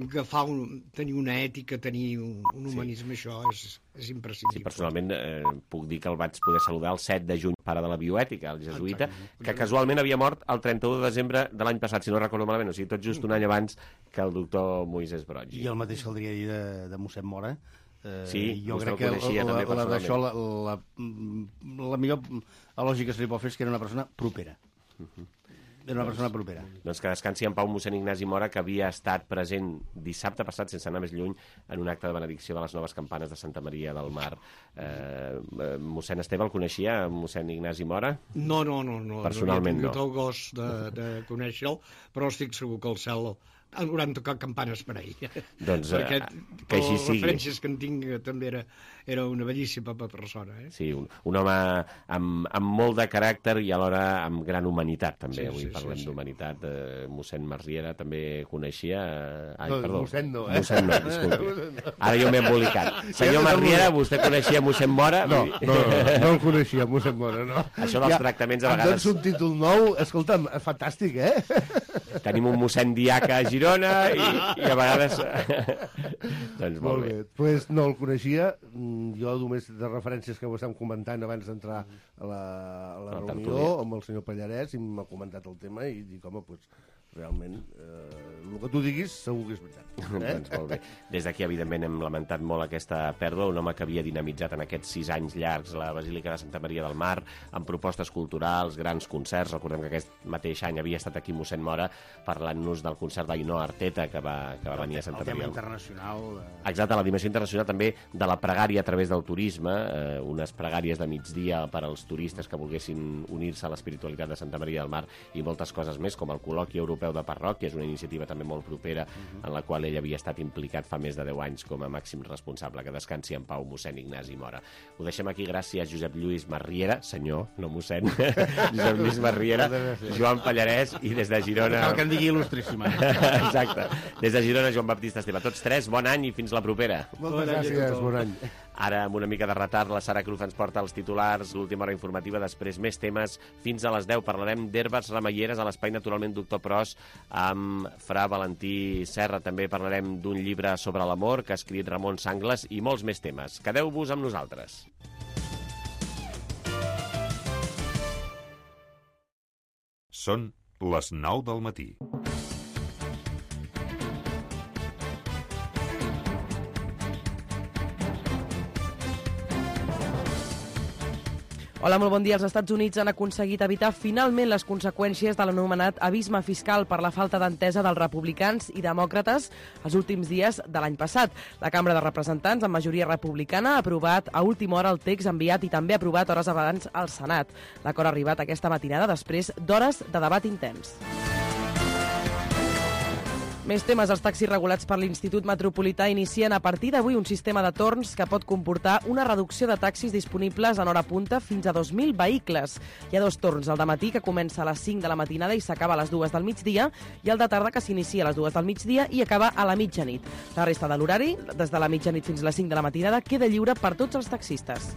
agafar un, tenir una ètica, tenir un, un humanisme, sí. Això és, és imprescindible. Sí, personalment eh, puc dir que el vaig poder saludar el set de juny, pare de la bioètica, el jesuïta, Exacte. que casualment havia mort el trenta-u de desembre de l'any passat, si no recordo malament, o sigui, tot just un any abans que el doctor Moisès Broggi. I el mateix caldria dir de, de mossèn Mora. Eh, Sí, jo vostè crec el que coneixia la, també la, la, d'això, la, personalment. la, la millor lògica que se li pot fer és que era una persona propera. Uh-huh. Era una persona propera. Doncs que descansi en pau mossèn Ignasi Mora, que havia estat present dissabte passat, sense anar més lluny, en un acte de benedicció de les noves campanes de Santa Maria del Mar. Eh, eh, mossèn Esteve el coneixia, mossèn Ignasi Mora? No, no, no. no Personalment no. no. He tingut el gos de, de conèixer-lo, però estic segur que el cel hauran tocat campanes per ell. Doncs, perquè eh, que així les sigui. referències que en tinc també era, era una bellíssima persona. Eh? Sí, un, un home amb, amb molt de caràcter i alhora amb gran humanitat, també. Sí, Avui sí, parlem sí, sí. d'humanitat. Eh, mossèn Marriera també coneixia... Eh... Ai, No, perdó. mossèn no, eh? Mossèn no, disculpi. Ara jo m'he embolicat. Senyor Marriera, vostè coneixia mossèn Mora? No, no, no, no el coneixia, mossèn Mora, no. Això dels tractaments a Em vegades... dones un títol nou, escolta'm, fantàstic, eh? Tenim un mossèn diaca a Girona i, i a vegades... doncs molt, Molt bé. bé. Pues no el coneixia, Mm, jo només de referències que ho estàvem comentant abans d'entrar a la, a la A la reunió tertúlia. amb el senyor Pallarès i m'ha comentat el tema i dic, home, pues, realment, eh, el que tu diguis segur que és veritat. Eh? Doncs molt bé. Des d'aquí, evidentment, hem lamentat molt aquesta pèrdua, un home que havia dinamitzat en aquests sis anys llargs la Basílica de Santa Maria del Mar, amb propostes culturals, grans concerts. Recordem que aquest mateix any havia estat aquí mossèn Mora parlant-nos del concert d'Ainoa Arteta, que va, que va venir a Santa El tema Maria. internacional... Eh... Exacte, la dimensió internacional també de la pregària a través del turisme, eh, unes pregàries de migdia per als turistes que volguessin unir-se a l'espiritualitat de Santa Maria del Mar i moltes coses més, com el col·loqui europeu de parròquia, és una iniciativa també molt propera uh-huh. en la qual ell havia estat implicat fa més de deu anys com a màxim responsable. Que descansi en pau mossèn Ignasi Mora. Ho deixem aquí gràcies a Josep Lluís Marriera, senyor, no mossèn, Josep Lluís Marriera, Joan Pallarès i des de Girona... Cal que en digui il·lustríssima. Exacte. Des de Girona, Joan Baptista Esteve. Tots tres, bon any i fins la propera. Moltes gràcies, bon any. Ara, amb una mica de retard, la Sara Cruz ens porta els titulars, l'última hora informativa, després més temes. Fins a les deu parlarem d'herbes remeieres a l'Espai Naturalment Doctor Pros amb Fra Valentí Serra. També parlarem d'un llibre sobre l'amor que ha escrit Ramon Sangles i molts més temes. Quedeu-vos amb nosaltres. Són les nou del matí. Hola, molt bon dia. Els Estats Units han aconseguit evitar finalment les conseqüències de l'anomenat abisme fiscal per la falta d'entesa dels republicans i demòcrates els últims dies de l'any passat. La Cambra de Representants, amb majoria republicana, ha aprovat a última hora el text enviat i també ha aprovat hores abans al Senat. L'acord ha arribat aquesta matinada després d'hores de debat intens. Més temes. Els taxis regulats per l'Institut Metropolità inicien a partir d'avui un sistema de torns que pot comportar una reducció de taxis disponibles en hora punta fins a dos mil vehicles. Hi ha dos torns, el de matí, que comença a les cinc de la matinada i s'acaba a les dues del migdia, i el de tarda, que s'inicia a les dues del migdia i acaba a la mitjanit. La resta de l'horari, des de la mitjanit fins a les cinc de la matinada, queda lliure per tots els taxistes.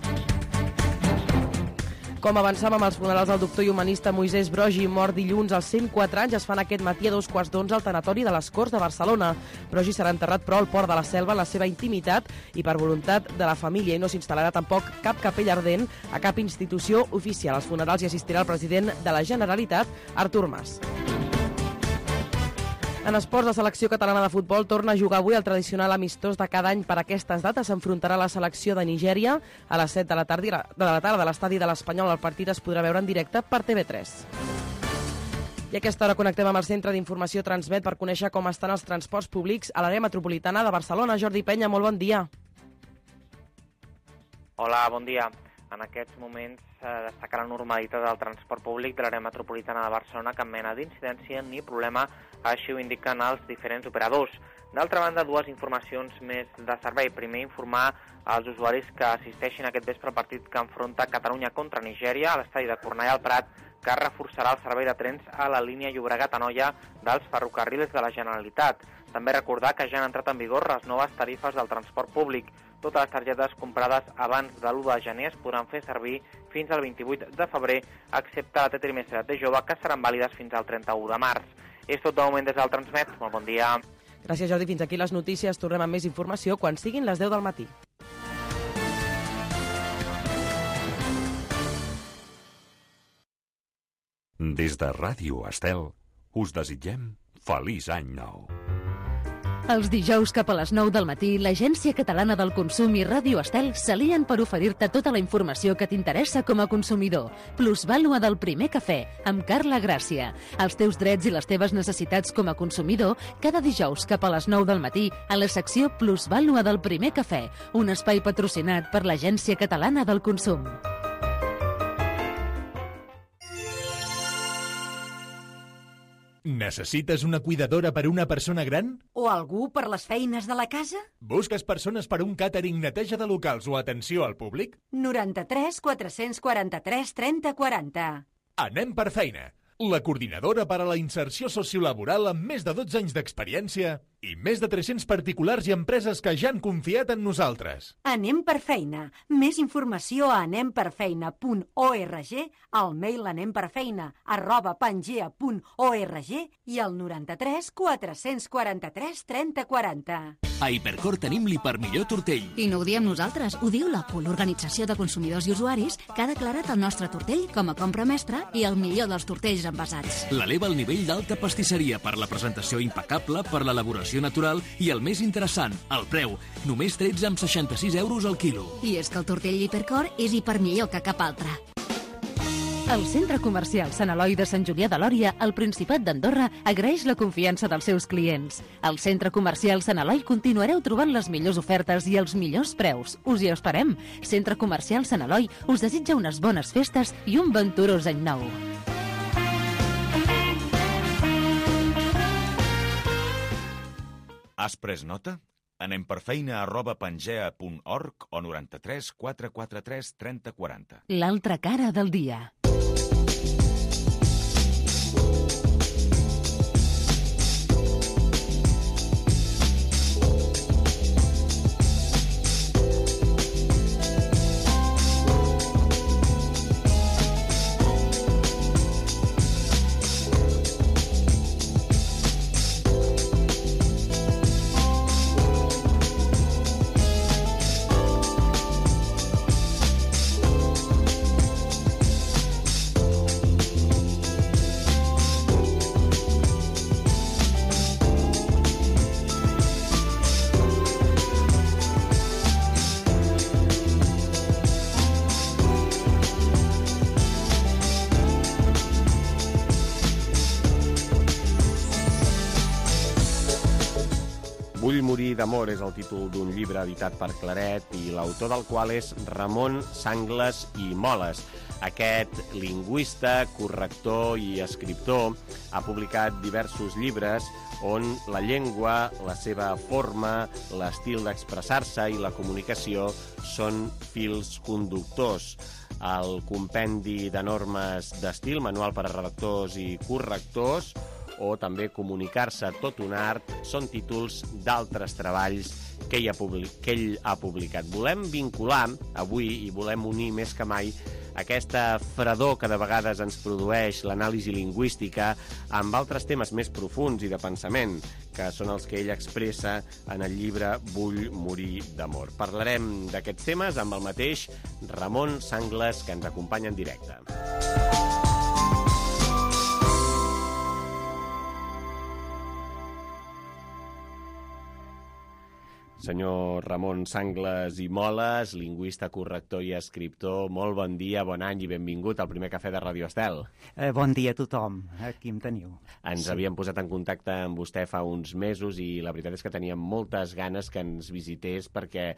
Com avançàvem amb els funerals del doctor i humanista Moisès Broggi, mort dilluns als cent quatre anys, es fan aquest matí a dos quarts d'onze al tanatori de les Corts de Barcelona. Broggi serà enterrat, però, al Port de la Selva, en la seva intimitat i per voluntat de la família, i no s'instal·larà tampoc cap capella ardent a cap institució oficial. Als funerals hi assistirà el president de la Generalitat, Artur Mas. En esports, la selecció catalana de futbol torna a jugar avui el tradicional amistós de cada any per aquestes dates. S'enfrontarà la selecció de Nigèria a les set de la tarda de la tarda a l'estadi de l'Espanyol. El partit es podrà veure en directe per T V tres. I a aquesta hora connectem amb el Centre d'Informació Transmet per conèixer com estan els transports públics a l'àrea metropolitana de Barcelona. Jordi Penya, molt bon dia. Hola, bon dia. En aquests moments eh, destaca la normalitat del transport públic de l'àrea metropolitana de Barcelona, cap mena d'incidència ni problema, així ho indiquen els diferents operadors. D'altra banda, dues informacions més de servei. Primer, informar als usuaris que assisteixin aquest vespre al partit que enfronta Catalunya contra Nigèria a l'estadi de Cornellà al Prat, que reforçarà el servei de trens a la línia Llobregat-Anoia dels ferrocarrils de la Generalitat. També recordar que ja han entrat en vigor les noves tarifes del transport públic. Totes les targetes comprades abans de l'u de gener es podran fer servir fins al vint-i-vuit de febrer, excepte la T trimestre de jove, que seran vàlides fins al trenta-u de març. És tot de moment des del Transmet. Molt bon dia. Gràcies, Jordi. Fins aquí les notícies. Tornem amb més informació quan siguin les deu del matí. Des de Ràdio Estel, us desitgem feliç any nou. Els dijous cap a les nou del matí, l'Agència Catalana del Consum i Ràdio Estel s'alien per oferir-te tota la informació que t'interessa com a consumidor. Plusvàlua del primer cafè, amb Carla Gràcia. Els teus drets i les teves necessitats com a consumidor, cada dijous cap a les nou del matí, a la secció Plusvàlua del primer cafè, un espai patrocinat per l'Agència Catalana del Consum. Necessites una cuidadora per una persona gran? O algú per les feines de la casa? Busques persones per un càtering, neteja de locals o atenció al públic? noranta-tres quatre-cents quaranta-tres trenta quaranta. Anem per feina. La coordinadora per a la inserció sociolaboral amb més de dotze anys d'experiència i més de tres-cents particulars i empreses que ja han confiat en nosaltres. Anem per feina. Més informació a anem per feina punt org, al mail anemperfeina arroba pangea punt org i al noranta-tres quatre-cents quaranta-tres trenta quaranta. A Hipercor tenim l'hiper millor tortell. I no ho diem nosaltres, ho diu la P U, l'Organització de Consumidors i Usuaris, que ha declarat el nostre tortell com a compra mestra i el millor dels tortells envasats. L'eleva al nivell d'alta pastisseria per la presentació impecable, per l'elaboració natural i el més interessant, el preu. Només tretze amb seixanta-sis euros al quilo. I és que el tortell Hipercor és hiper millor que cap altre. El Centre Comercial Sant Eloi de Sant Julià de Lòria, al Principat d'Andorra, agraeix la confiança dels seus clients. Al Centre Comercial Sant Eloi continuareu trobant les millors ofertes i els millors preus. Us hi esperem. Centre Comercial Sant Eloi us desitja unes bones festes i un venturós any nou. Has pres nota? Anem per feina arroba pangea punt org o noranta-tres quatre quaranta-tres trenta quaranta. L'altra cara del dia. Vull morir d'amor és el títol d'un llibre editat per Claret i l'autor del qual és Ramon Sangles i Moles. Aquest lingüista, corrector i escriptor ha publicat diversos llibres on la llengua, la seva forma, l'estil d'expressar-se i la comunicació són fils conductors. El compendi de normes d'estil, manual per a redactors i correctors, o també comunicar-se tot un art, són títols d'altres treballs que ell, ha public, que ell ha publicat. Volem vincular avui i volem unir més que mai aquesta fredor que de vegades ens produeix l'anàlisi lingüística amb altres temes més profuns i de pensament, que són els que ell expressa en el llibre Vull morir d'amor. Parlarem d'aquests temes amb el mateix Ramon Sangles, que ens acompanya en directe. Senyor Ramon Sangles i Moles, lingüista, corrector i escriptor, molt bon dia, bon any i benvingut al primer cafè de Ràdio Estel. Eh, bon dia a tothom, aquí em teniu. Ens sí. havíem posat en contacte amb vostè fa uns mesos i la veritat és que teníem moltes ganes que ens visités perquè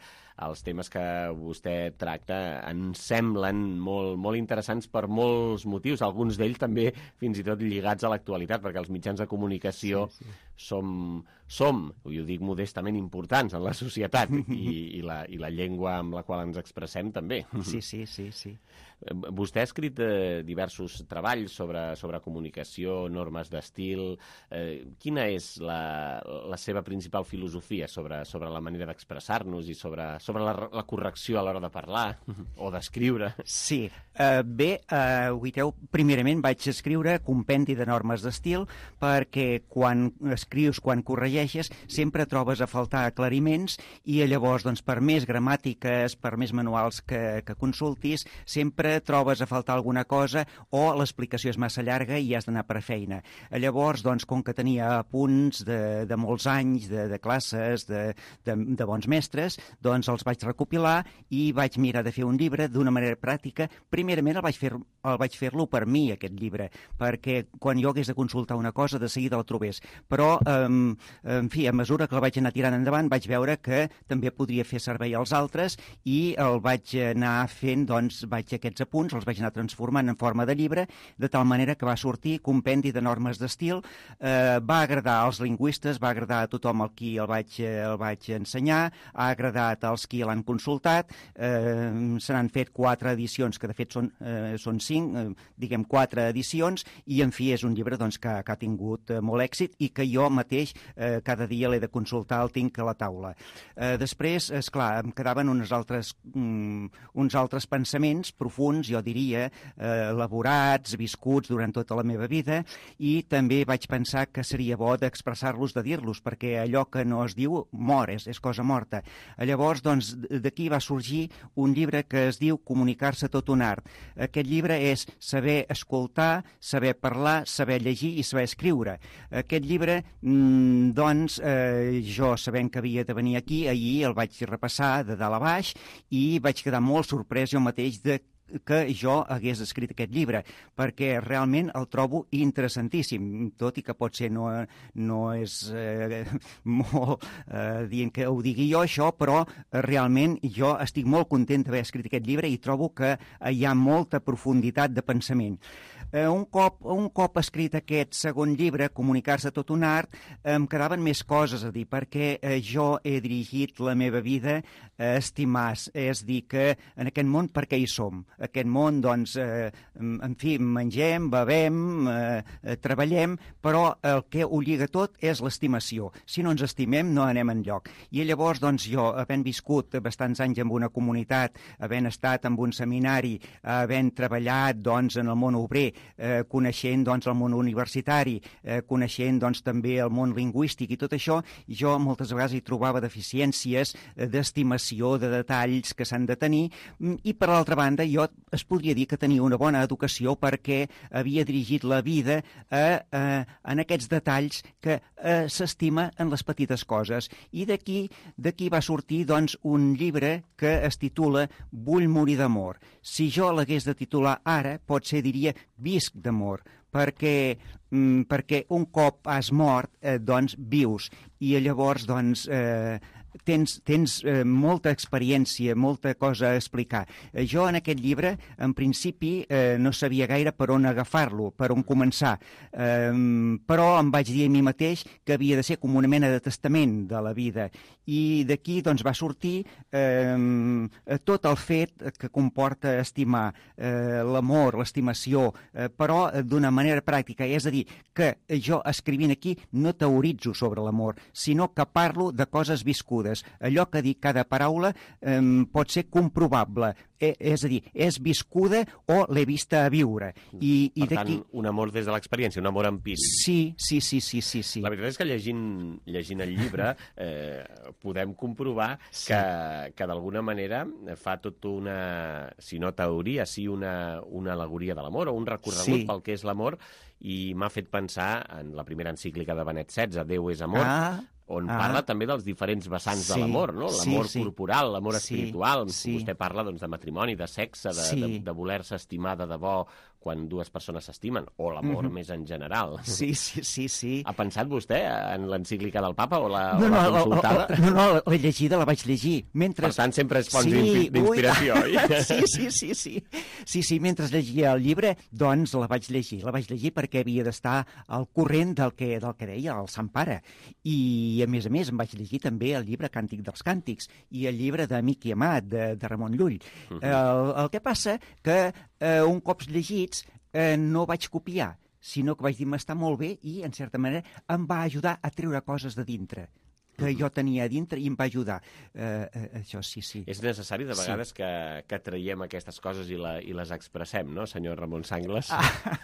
els temes que vostè tracta ens semblen molt, molt interessants per molts motius, alguns d'ells també fins i tot lligats a l'actualitat, perquè els mitjans de comunicació sí, sí. som, som, i ho dic modestament, importants en la societat i, i, la, i la llengua amb la qual ens expressem també. Sí, sí, sí, sí. Vostè ha escrit eh, diversos treballs sobre, sobre comunicació, normes d'estil. Eh, quina és la, la seva principal filosofia sobre, sobre la manera d'expressar-nos i sobre, sobre la, la correcció a l'hora de parlar o d'escriure? Sí. Uh, bé, uh, Uiteu, primerament vaig escriure compendi de normes d'estil perquè quan escrius, quan corregeixes, sempre trobes a faltar aclariments i llavors, doncs, per més gramàtiques, per més manuals que, que consultis, sempre trobes a faltar alguna cosa o l'explicació és massa llarga i has d'anar per feina. Llavors, doncs, com que tenia apunts de, de molts anys, de, de classes, de, de, de bons mestres, doncs els vaig recopilar i vaig mirar de fer un llibre d'una manera pràctica. Primerament el vaig fer, el vaig fer-lo per mi, aquest llibre, perquè quan jo hagués de consultar una cosa, de seguida el trobés. Però, eh, en fi, a mesura que el vaig anar tirant endavant, vaig veure que també podria fer servei als altres i el vaig anar fent, doncs, vaig aquests apunts, els vaig anar transformant en forma de llibre, de tal manera que va sortir compendi de normes d'estil. Eh, va agradar als lingüistes, va agradar a tothom al qui el vaig, el vaig ensenyar, ha agradat als qui l'han consultat, eh, se n'han fet quatre edicions, que de fet són, eh, són cinc, eh, diguem quatre edicions, i en fi és un llibre doncs, que, que ha tingut eh, molt èxit i que jo mateix eh, cada dia l'he de consultar, el tinc a la taula. Eh, després, és clar, em quedaven uns altres, um, uns altres pensaments profuns, jo diria, eh, elaborats, viscuts durant tota la meva vida, i també vaig pensar que seria bo d'expressar-los, de dir-los, perquè allò que no es diu mor, és, és cosa morta. Llavors, doncs, d'aquí va sorgir un llibre que es diu Comunicar-se tot un art. Aquest llibre és saber escoltar, saber parlar, saber llegir i saber escriure. Aquest llibre, doncs, eh, jo sabent que havia de venir aquí, ahir el vaig repassar de dalt a baix i vaig quedar molt sorprès jo mateix de que jo hagués escrit aquest llibre, perquè realment el trobo interessantíssim, tot i que potser no, no és eh, molt eh, dient que ho digui jo això, però eh, realment jo estic molt content d'haver escrit aquest llibre i trobo que eh, hi ha molta profunditat de pensament. Eh, un, cop, un cop escrit aquest segon llibre, Comunicar-se tot un art, eh, em quedaven més coses a dir, perquè eh, jo he dirigit la meva vida a estimar, és dir, que en aquest món per què hi som? Aquest món, doncs, eh, en fi, mengem, bevem, eh, eh, treballem, però el que ho lliga tot és l'estimació. Si no ens estimem, no anem enlloc. I llavors, doncs, jo, havent viscut bastants anys en una comunitat, havent estat en un seminari, havent treballat, doncs, en el món obrer, eh, coneixent, doncs, el món universitari, eh, coneixent, doncs, també el món lingüístic i tot això, jo moltes vegades hi trobava deficiències eh, d'estimació, de detalls que s'han de tenir, i per l'altra banda, jo es podria dir que tenia una bona educació perquè havia dirigit la vida a, a, en aquests detalls que a, s'estima en les petites coses. I d'aquí d'aquí va sortir, doncs, un llibre que es titula Vull morir d'amor. Si jo l'hagués de titular ara, potser diria Visc d'amor, perquè, mm, perquè un cop has mort, eh, doncs, vius. I llavors, doncs, eh, tens, tens eh, molta experiència, molta cosa a explicar. Eh, jo en aquest llibre, en principi, eh, no sabia gaire per on agafar-lo, per on començar, eh, però em vaig dir a mi mateix que havia de ser com una mena de testament de la vida. I d'aquí, doncs, va sortir eh, tot el fet que comporta estimar, eh, l'amor, l'estimació, eh, però d'una manera pràctica. És a dir, que jo escrivint aquí no teoritzo sobre l'amor, sinó que parlo de coses viscudes. Allò que dic cada paraula eh, pot ser comprovable, eh, és a dir, és viscuda o l'he vista a viure. I, i per tant, un amor des de l'experiència, un amor empíric. Sí, sí, sí, sí, sí, sí. La veritat és que llegint, llegint el llibre eh, podem comprovar sí. que, que d'alguna manera fa tot una, si no teoria, sí una, una alegoria de l'amor o un recorregut sí. pel que és l'amor, i m'ha fet pensar en la primera encíclica de Benet setze, Déu és amor, ah. on ah. parla també dels diferents vessants sí, de l'amor, no? L'amor sí, sí. corporal, l'amor sí, espiritual. Sí. Vostè parla doncs, de matrimoni, de sexe, de, sí. de, de voler-se estimar de debò quan dues persones s'estimen, o l'amor mm-hmm. més en general. Sí, sí, sí, sí. Ha pensat vostè en l'encíclica del papa o la, no, o la no, consultada? O, o, no, no, l'he llegida, la vaig llegir. Mentre... Per tant, sempre és fonts sí, d'inspiració, oi? Sí, sí, sí, sí. Sí, sí, mentre llegia el llibre, doncs la vaig llegir. La vaig llegir perquè havia d'estar al corrent del que, del que deia el Sant Pare. I, I, a més a més, em vaig llegir també el llibre Càntic dels Càntics i el llibre d'Amic i Amat, de, de Ramon Llull. Uh -huh. el, el que passa que eh, un cop llegits eh, no vaig copiar, sinó que vaig dir, m'està molt bé i, en certa manera, em va ajudar a treure coses de dintre que jo tenia a dintre i em va ajudar. Uh, uh, això sí, sí. És necessari, de vegades, sí. que, que traiem aquestes coses i, la, i les expressem, no, senyor Ramon Sangles? Ah.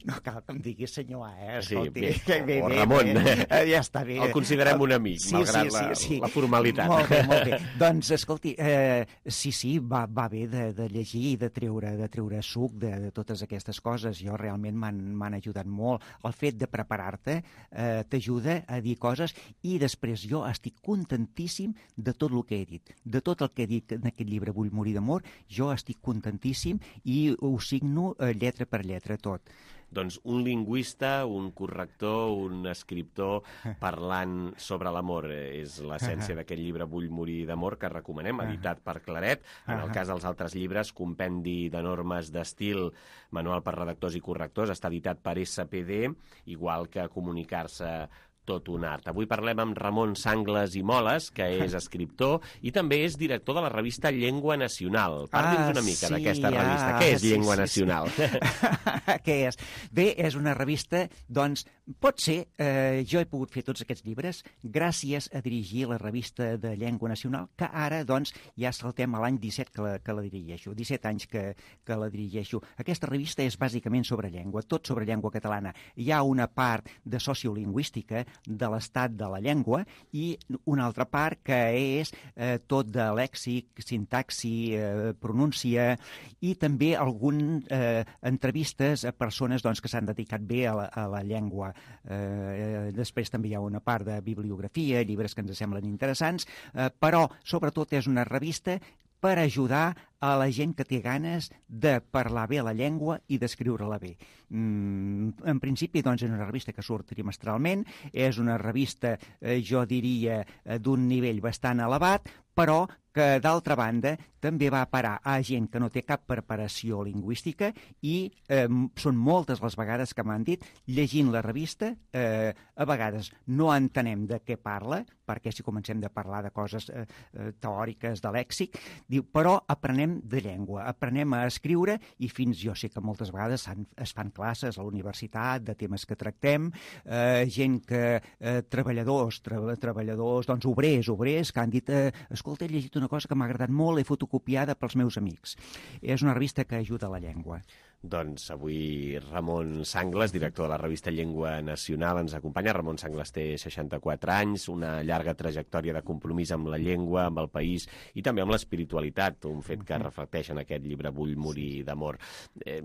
No cal que em diguis senyor A, eh? Escolti, sí, bé, bé, o bé, Ramon. Bé. Ja està bé. El considerem un amic, sí, malgrat sí, sí, la, sí. la formalitat. Molt bé, molt bé. Doncs, escolti, eh, sí, sí, va, va bé de, de llegir i de treure, de treure suc de, de totes aquestes coses. Jo realment m'han ajudat molt. El fet de preparar-te eh, t'ajuda a dir coses i després jo estic contentíssim de tot el que he dit. De tot el que he dit en aquest llibre Vull morir d'amor, jo estic contentíssim i ho signo eh, lletra per lletra tot. Doncs un lingüista, un corrector, un escriptor parlant sobre l'amor. És l'essència d'aquest llibre Vull morir d'amor, que recomanem, editat per Claret. En el cas dels altres llibres, Compendi de normes d'estil, manual per redactors i correctors, està editat per S P D, igual que Comunicar-se tot un art. Avui parlem amb Ramon Sangles i Moles, que és escriptor i també és director de la revista Llengua Nacional. Parli'ns una mica sí, d'aquesta revista. Ah, Què és sí, Llengua sí, Nacional? Sí. Què és? Bé, és una revista, doncs, pot ser, eh, jo he pogut fer tots aquests llibres gràcies a dirigir la revista de Llengua Nacional, que ara, doncs, ja saltem a l'any disset que la, que la dirigeixo, disset anys que, que la dirigeixo. Aquesta revista és bàsicament sobre llengua, tot sobre llengua catalana. Hi ha una part de sociolingüística, de l'estat de la llengua, i una altra part que és eh, tot de lèxic, sintaxi, eh, pronúncia, i també algunes eh, entrevistes a persones doncs, que s'han dedicat bé a la, a la llengua. Eh, després també hi ha una part de bibliografia, llibres que ens semblen interessants, eh, però sobretot és una revista per ajudar a la gent que té ganes de parlar bé la llengua i d'escriure-la bé. Mm, en principi, doncs, és una revista que surt trimestralment, és una revista, eh, jo diria, eh, d'un nivell bastant elevat, però que, d'altra banda, també va parar a gent que no té cap preparació lingüística i eh, són moltes les vegades que m'han dit, llegint la revista, eh, a vegades no entenem de què parla, perquè si comencem de parlar de coses eh, eh, teòriques, de lèxic, diu, però aprenem de llengua, aprenem a escriure i fins, jo sé que moltes vegades es fan classes a la universitat de temes que tractem, eh, gent que, eh, treballadors, tra treballadors, doncs obrers, obrers, que han dit, eh, escolta, he llegit una cosa que m'ha agradat molt, l'he fotocopiada pels meus amics. És una revista que ajuda a la llengua. Doncs avui Ramon Sangles, director de la revista Llengua Nacional, ens acompanya. Ramon Sangles té seixanta-quatre anys, una llarga trajectòria de compromís amb la llengua, amb el país i també amb l'espiritualitat, un fet que reflecteix en aquest llibre Vull morir d'amor. Eh,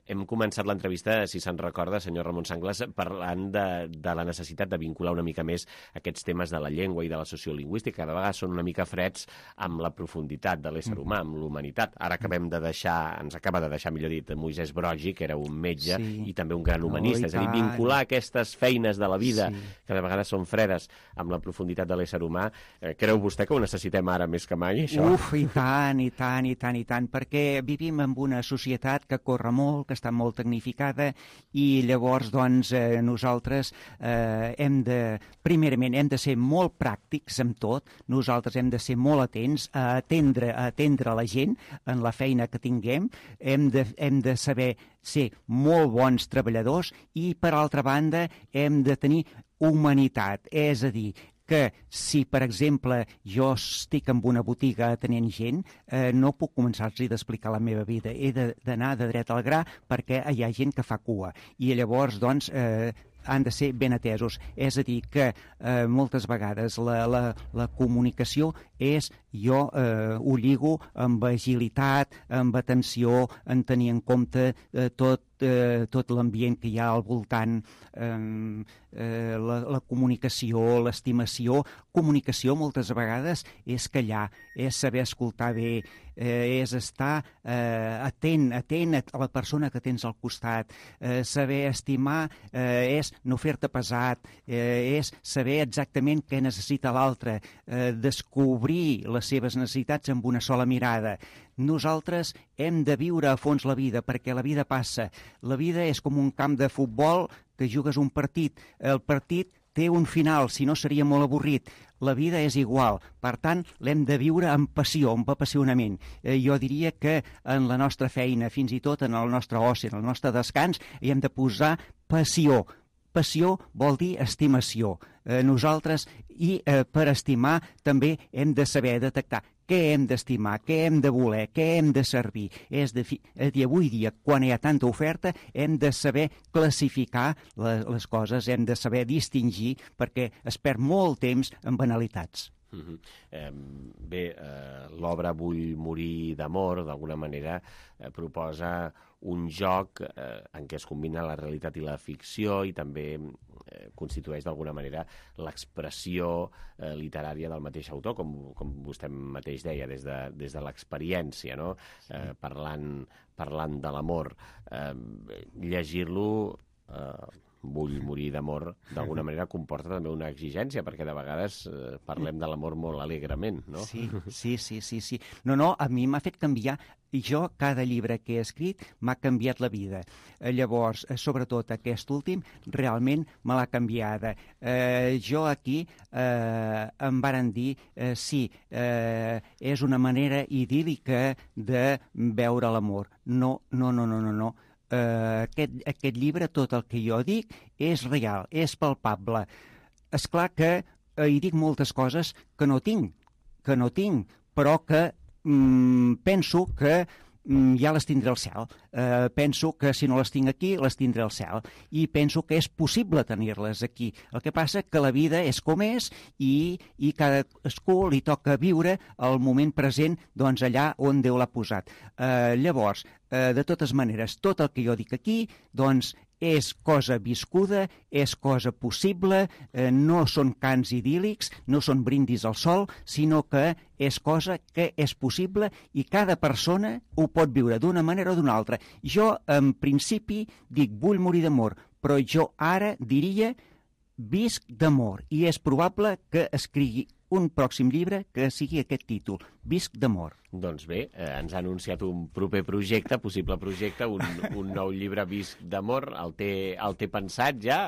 hem començat l'entrevista, si se'n recorda, senyor Ramon Sangles, parlant de, de la necessitat de vincular una mica més aquests temes de la llengua i de la sociolingüística, que de vegades són una mica freds amb la profunditat de l'ésser humà, amb l'humanitat. Ara acabem de deixar, ens acaba de deixar, millor dit, Moisès Broggi, que era un metge sí. i també un gran humanista. Oh, és a dir, vincular aquestes feines de la vida, sí. que de vegades són fredes, amb la profunditat de l'ésser humà. Eh, creu vostè que ho necessitem ara més que mai, això? Uf, i tant, i tant, i tant, i tant, perquè vivim en una societat que corre molt, que està molt tecnificada, i llavors, doncs, eh, nosaltres eh, hem de, primerament, hem de ser molt pràctics amb tot, nosaltres hem de ser molt atents a atendre, a atendre la gent en la feina que tinguem, hem de, hem de saber ser molt bons treballadors i, per altra banda, hem de tenir humanitat, és a dir, que si, per exemple, jo estic en una botiga atenent gent, eh, no puc començar-los a explicar la meva vida. He d'anar de, de dret al gra perquè hi ha gent que fa cua. I llavors, doncs, eh, han de ser ben atesos. És a dir, que eh, moltes vegades la, la, la comunicació és, jo eh, ho lligo amb agilitat, amb atenció, en tenir en compte eh, tot, eh, tot l'ambient que hi ha al voltant, eh, eh, la, la comunicació, l'estimació. Comunicació moltes vegades és callar, és saber escoltar bé, eh, és estar eh, atent, atent a la persona que tens al costat, eh, saber estimar eh, és no fer-te pesat, eh, és saber exactament què necessita l'altre, eh, descobrir les seves necessitats amb una sola mirada. Nosaltres hem de viure a fons la vida, perquè la vida passa. La vida és com un camp de futbol que jugues un partit. El partit té un final, si no seria molt avorrit. La vida és igual, per tant, l'hem de viure amb passió, amb apassionament. Eh, jo diria que en la nostra feina, fins i tot en el nostre oci, en el nostre descans, hi hem de posar passió. Passió vol dir estimació. Eh, nosaltres, i eh, per estimar, també hem de saber detectar què hem d'estimar, què hem de voler, què hem de servir. És de fi... I avui dia, quan hi ha tanta oferta, hem de saber classificar les, les coses, hem de saber distingir, perquè es perd molt temps en banalitats. Uh-huh. eh, bé, eh, l'obra Vull morir d'amor, d'alguna manera, eh, proposa un joc eh, en què es combina la realitat i la ficció i també eh, constitueix d'alguna manera l'expressió eh, literària del mateix autor, com, com vostè mateix deia, des de, des de l'experiència, no? eh, parlant, parlant de l'amor. Eh, llegir-lo... Eh, Vull morir d'amor, d'alguna manera comporta també una exigència, perquè de vegades eh, parlem de l'amor molt alegrement, no? Sí, sí, sí, sí, sí. No, no, a mi m'ha fet canviar. Jo, cada llibre que he escrit m'ha canviat la vida. Eh, llavors, eh, sobretot aquest últim, realment me l'ha canviada. Eh, jo aquí eh, em varen dir, eh, sí, eh, és una manera idíl·lica de veure l'amor. No, no, no, no, no, no. Uh, aquest, aquest llibre, tot el que jo dic, és real, és palpable. És clar que uh, hi dic moltes coses que no tinc, que no tinc, però que mm, penso que mm, ja les tindré al cel. Uh, penso que si no les tinc aquí, les tindré al cel. I penso que és possible tenir-les aquí. El que passa que la vida és com és i, i cadascú li toca viure el moment present doncs, allà on Déu l'ha posat. Uh, llavors, Uh, de totes maneres, tot el que jo dic aquí, doncs, és cosa viscuda, és cosa possible, eh, no són cants idíl·lics, no són brindis al sol, sinó que és cosa que és possible i cada persona ho pot viure d'una manera o d'una altra. Jo, en principi, dic vull morir d'amor, però jo ara diria visc d'amor i és probable que escrigui un pròxim llibre que sigui aquest títol, Visc d'amor. Doncs bé, eh, ens ha anunciat un proper projecte, possible projecte, un, un nou llibre Visc d'amor. El té, el té pensat ja?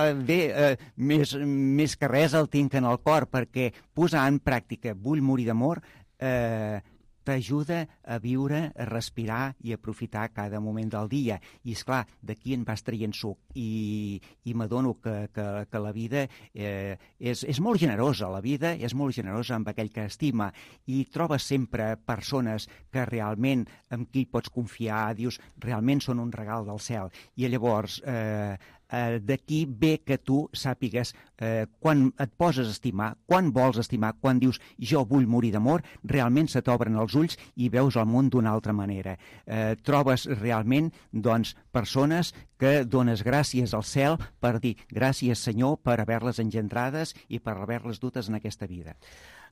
Eh, bé, eh, més, més que res el tinc en el cor, perquè posar en pràctica Vull morir d'amor eh, t'ajuda a viure, a respirar i a aprofitar cada moment del dia. I, esclar, d'aquí en vas traient suc. I, i m'adono que, que, que la vida eh, és, és molt generosa. La vida és molt generosa amb aquell que estima. I trobes sempre persones que realment, amb qui pots confiar, dius, realment són un regal del cel. I llavors... Eh, Uh, d'aquí ve que tu sàpigues uh, quan et poses a estimar, quan vols estimar, quan dius jo vull morir d'amor, realment se t'obren els ulls i veus el món d'una altra manera. Uh, trobes realment doncs, persones que dones gràcies al cel per dir gràcies Senyor per haver-les engendrades i per haver-les dutes en aquesta vida.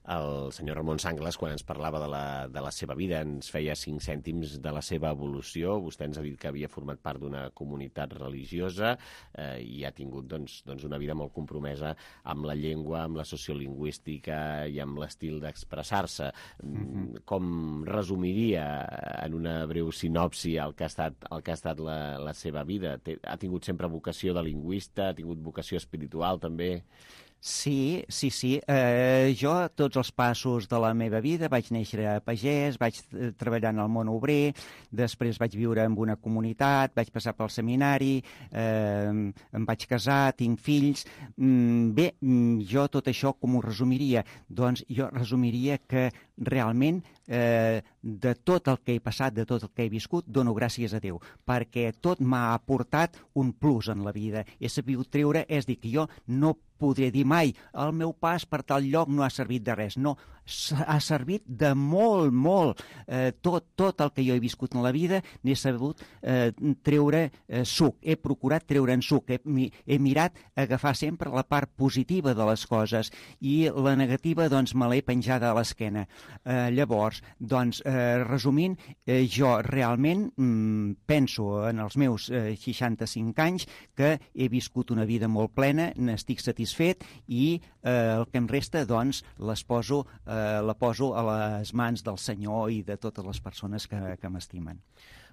El senyor Ramon Sanglas, quan ens parlava de la, de la seva vida, ens feia cinc cèntims de la seva evolució. Vostè ens ha dit que havia format part d'una comunitat religiosa eh, i ha tingut doncs, doncs una vida molt compromesa amb la llengua, amb la sociolingüística i amb l'estil d'expressar-se. Mm-hmm. Com resumiria en una breu sinopsi el que ha estat, el que ha estat la, la seva vida? Ha tingut sempre vocació de lingüista, ha tingut vocació espiritual també? Sí, sí, sí. Eh, jo, tots els passos de la meva vida, vaig néixer a pagès, vaig treballar en el món obrer, després vaig viure en una comunitat, vaig passar pel seminari, eh, em vaig casar, tinc fills... Mm, bé, jo tot això com ho resumiria? Doncs jo resumiria que realment eh, de tot el que he passat, de tot el que he viscut, dono gràcies a Déu, perquè tot m'ha aportat un plus en la vida. He sabut treure, és dir, que jo no podré dir mai el meu pas per tal lloc no ha servit de res. No, ha servit de molt, molt. Eh, tot, tot el que jo he viscut en la vida n'he sabut eh, treure eh, suc. He procurat treure en suc. He, he mirat agafar sempre la part positiva de les coses i la negativa doncs me l'he penjada a l'esquena. Eh, llavors, doncs, eh, resumint, eh, jo realment mm, penso en els meus eh, seixanta-cinc anys que he viscut una vida molt plena, n'estic satisfet i eh, el que em resta, doncs, les poso, eh, la poso a les mans del Senyor i de totes les persones que, que m'estimen.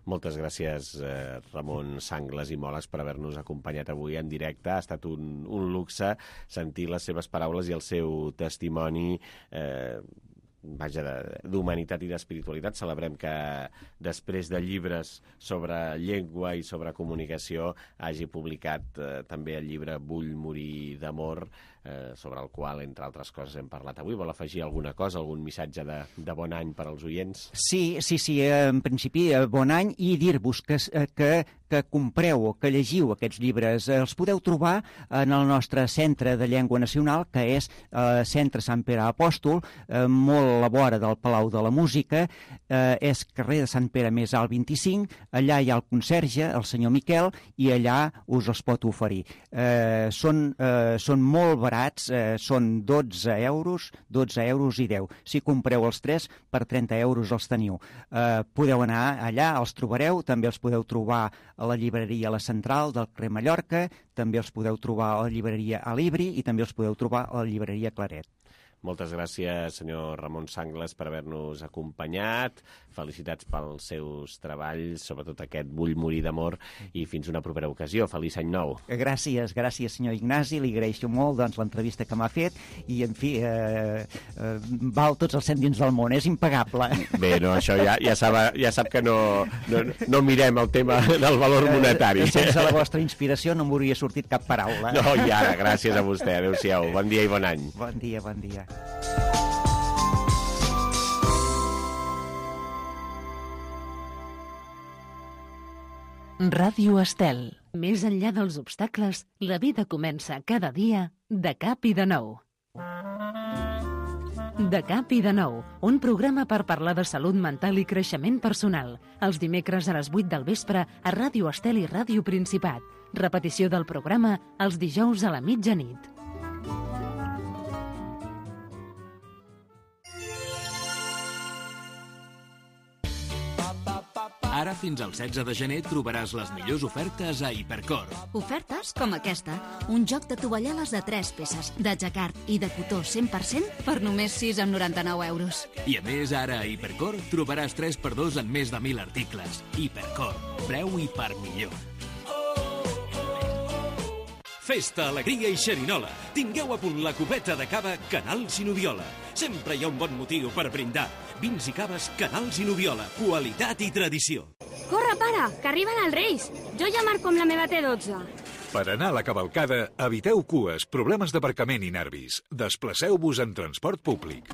Moltes gràcies, eh, Ramon Sangles i Moles, per haver-nos acompanyat avui en directe. Ha estat un, un luxe sentir les seves paraules i el seu testimoni eh, vaja, d'humanitat i d'espiritualitat. Celebrem que després de llibres sobre llengua i sobre comunicació hagi publicat eh, també el llibre Vull morir d'amor, eh, sobre el qual, entre altres coses, hem parlat avui. Vol afegir alguna cosa, algun missatge de, de bon any per als oients? Sí, sí, sí, en principi, bon any, i dir-vos que, que, que compreu o que llegiu aquests llibres. Els podeu trobar en el nostre Centre de Llengua Nacional, que és eh, Centre Sant Pere Apòstol, eh, molt a la vora del Palau de la Música, eh, és carrer de Sant Pere més alt vint-i-cinc, allà hi ha el conserge, el senyor Miquel, i allà us els pot oferir. Eh, són, eh, són molt barats, eh, són dotze euros, dotze euros i deu. Si compreu els tres, per trenta euros els teniu. Eh, podeu anar allà, els trobareu, també els podeu trobar a la llibreria La Central del carrer Mallorca, també els podeu trobar a la llibreria Alibri i també els podeu trobar a la llibreria Claret. Moltes gràcies, senyor Ramon Sangles, per haver-nos acompanyat. Felicitats pels seus treballs, sobretot aquest Vull morir d'amor, i fins una propera ocasió. Feliç any nou. Gràcies, gràcies, senyor Ignasi. Li agraeixo molt doncs, l'entrevista que m'ha fet i, en fi, eh, eh, val tots els cèntims del món. És impagable. Bé, no, això ja, ja, sap, ja sap que no, no, no mirem el tema del valor monetari. Eh, sense la vostra inspiració no m'hauria sortit cap paraula. No, i ara, gràcies a vostè. Adéu-siau. Bon dia i bon any. Bon dia, bon dia. Ràdio Estel. Més enllà dels obstacles, la vida comença cada dia de cap i de nou. De cap i de nou, un programa per parlar de salut mental i creixement personal. Els dimecres a les vuit del vespre a Ràdio Estel i Ràdio Principat. Repetició del programa els dijous a la mitjanit. Ara fins al setze de gener trobaràs les millors ofertes a Hipercor. Ofertes com aquesta. Un joc de tovalloles de tres peces, de jacquard i de cotó cent per cent per només sis coma noranta-nou euros. I a més, ara a Hipercor trobaràs tres per dos en més de mil articles. Hipercor. Preu i per millor. Festa, alegria i xerinola. Tingueu a punt la copeta de cava Canal Sinodiola. Sempre hi ha un bon motiu per brindar. Vins i caves Canal Sinodiola. Qualitat i tradició. Corre, pare, que arriben els Reis. Jo ja marco amb la meva T dotze. Per anar a la cavalcada, eviteu cues, problemes d'aparcament i nervis. Desplaceu-vos en transport públic.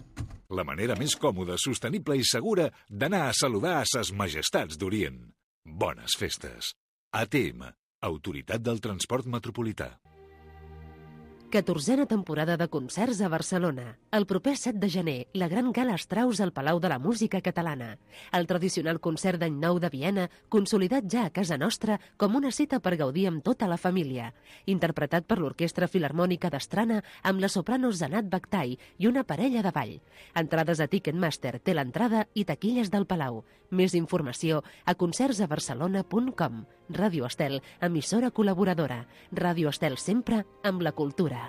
La manera més còmoda, sostenible i segura d'anar a saludar a ses majestats d'Orient. Bones festes. A T M, Autoritat del Transport Metropolità. catorzena temporada de concerts a Barcelona. El proper set de gener, la gran gala Strauss al Palau de la Música Catalana. El tradicional concert d'any nou de Viena, consolidat ja a casa nostra com una cita per gaudir amb tota la família. Interpretat per l'Orquestra Filharmònica d'Estrana amb la soprano Zanat Bakhtai i una parella de ball. Entrades a Ticketmaster, té l'entrada i taquilles del Palau. Més informació a concerts a barcelona punt com. Ràdio Estel, emissora col·laboradora. Ràdio Estel sempre amb la cultura.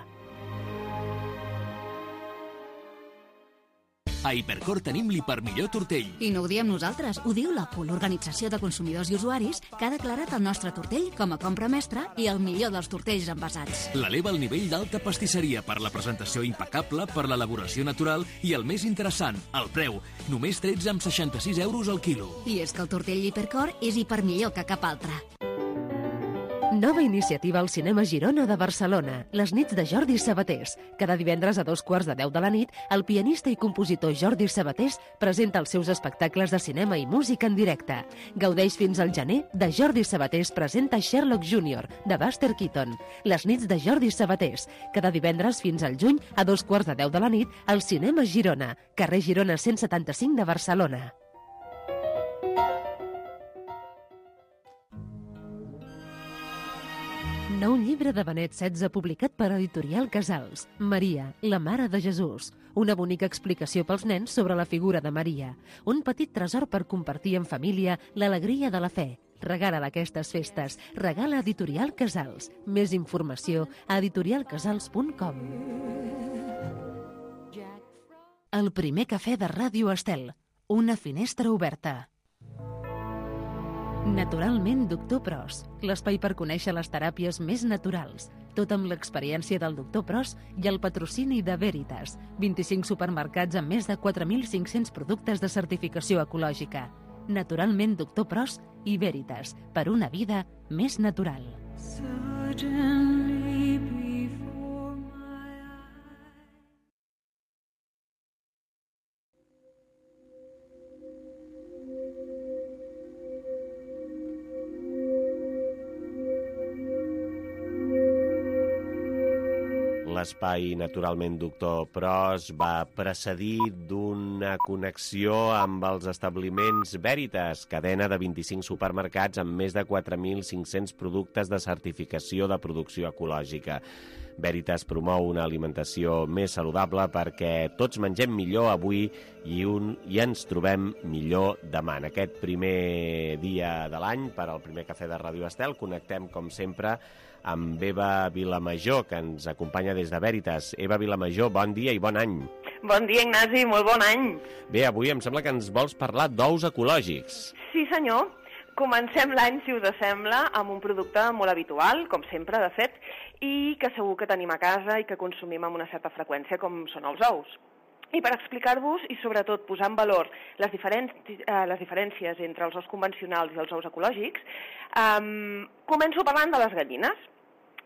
A Hipercor tenim l'hiper millor tortell. I no ho diem nosaltres, ho diu l'O C U, l'Organització de Consumidors i Usuaris, que ha declarat el nostre tortell com a compra mestra i el millor dels tortells envasats. L'eleva al nivell d'alta pastisseria per la presentació impecable, per l'elaboració natural i el més interessant, el preu. Només tretze coma seixanta-sis euros al quilo. I és que el tortell Hipercor és hiper millor que cap altre. Nova iniciativa al Cinema Girona de Barcelona, les nits de Jordi Sabatés. Cada divendres a dos quarts de deu de la nit, el pianista i compositor Jordi Sabatés presenta els seus espectacles de cinema i música en directe. Gaudeix fins al gener de Jordi Sabatés presenta Sherlock júnior, de Buster Keaton. Les nits de Jordi Sabatés. Cada divendres fins al juny, a dos quarts de deu de la nit, al Cinema Girona, carrer Girona cent setanta-cinc de Barcelona. Nou llibre de Benet setze publicat per Editorial Casals. Maria, la mare de Jesús. Una bonica explicació pels nens sobre la figura de Maria. Un petit tresor per compartir en família l'alegria de la fe. Regala aquestes festes. Regala Editorial Casals. Més informació a editorial casals punt com. El primer cafè de Ràdio Estel. Una finestra oberta. Naturalment Doctor Pros, l'espai per conèixer les teràpies més naturals. Tot amb l'experiència del Doctor Pros i el patrocini de Veritas. vint-i-cinc supermercats amb més de quatre mil cinc-cents productes de certificació ecològica. Naturalment Doctor Pros i Veritas, per una vida més natural. L'espai Naturalment Doctor Pros va precedir d'una connexió amb els establiments Veritas, cadena de vint-i-cinc supermercats amb més de quatre mil cinc-cents productes de certificació de producció ecològica. Veritas promou una alimentació més saludable perquè tots mengem millor avui i, un, i ens trobem millor demà. En aquest primer dia de l'any, per al primer cafè de Ràdio Estel, connectem, com sempre, amb Eva Vilamajor, que ens acompanya des de Veritas. Eva Vilamajor, bon dia i bon any. Bon dia, Ignasi, molt bon any. Bé, avui em sembla que ens vols parlar d'ous ecològics. Sí, senyor. Comencem l'any, si us sembla, amb un producte molt habitual, com sempre, de fet, i que segur que tenim a casa i que consumim amb una certa freqüència, com són els ous. I per explicar-vos i, sobretot, posar en valor les, diferen eh, les diferències entre els ous convencionals i els ous ecològics, eh, començo parlant de les gallines.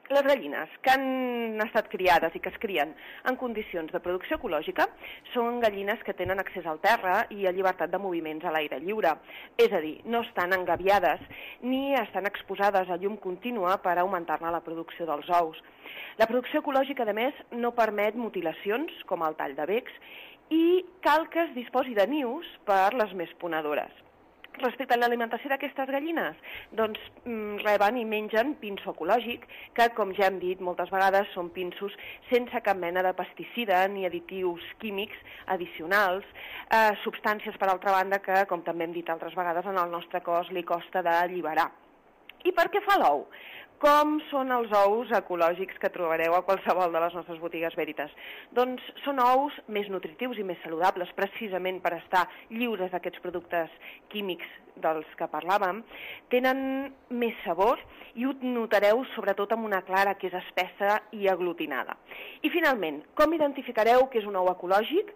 Les gallines que han estat criades i que es crien en condicions de producció ecològica són gallines que tenen accés al terra i a llibertat de moviments a l'aire lliure. És a dir, no estan engabiades ni estan exposades a llum contínua per augmentar-ne la producció dels ous. La producció ecològica, a més, no permet mutilacions, com el tall de becs, i cal que es disposi de nius per les més ponedores. Respecte a l'alimentació d'aquestes gallines, doncs reben i mengen pinso ecològic, que, com ja hem dit moltes vegades, són pinsos sense cap mena de pesticida ni additius químics addicionals, eh, substàncies, per altra banda, que, com també hem dit altres vegades, en el nostre cos li costa d'alliberar. I per què fa l'ou? Com són els ous ecològics que trobareu a qualsevol de les nostres botigues Veritas? Doncs són ous més nutritius i més saludables, precisament per estar lliures d'aquests productes químics dels que parlàvem. Tenen més sabor i ho notareu sobretot amb una clara que és espessa i aglutinada. I finalment, com identificareu que és un ou ecològic?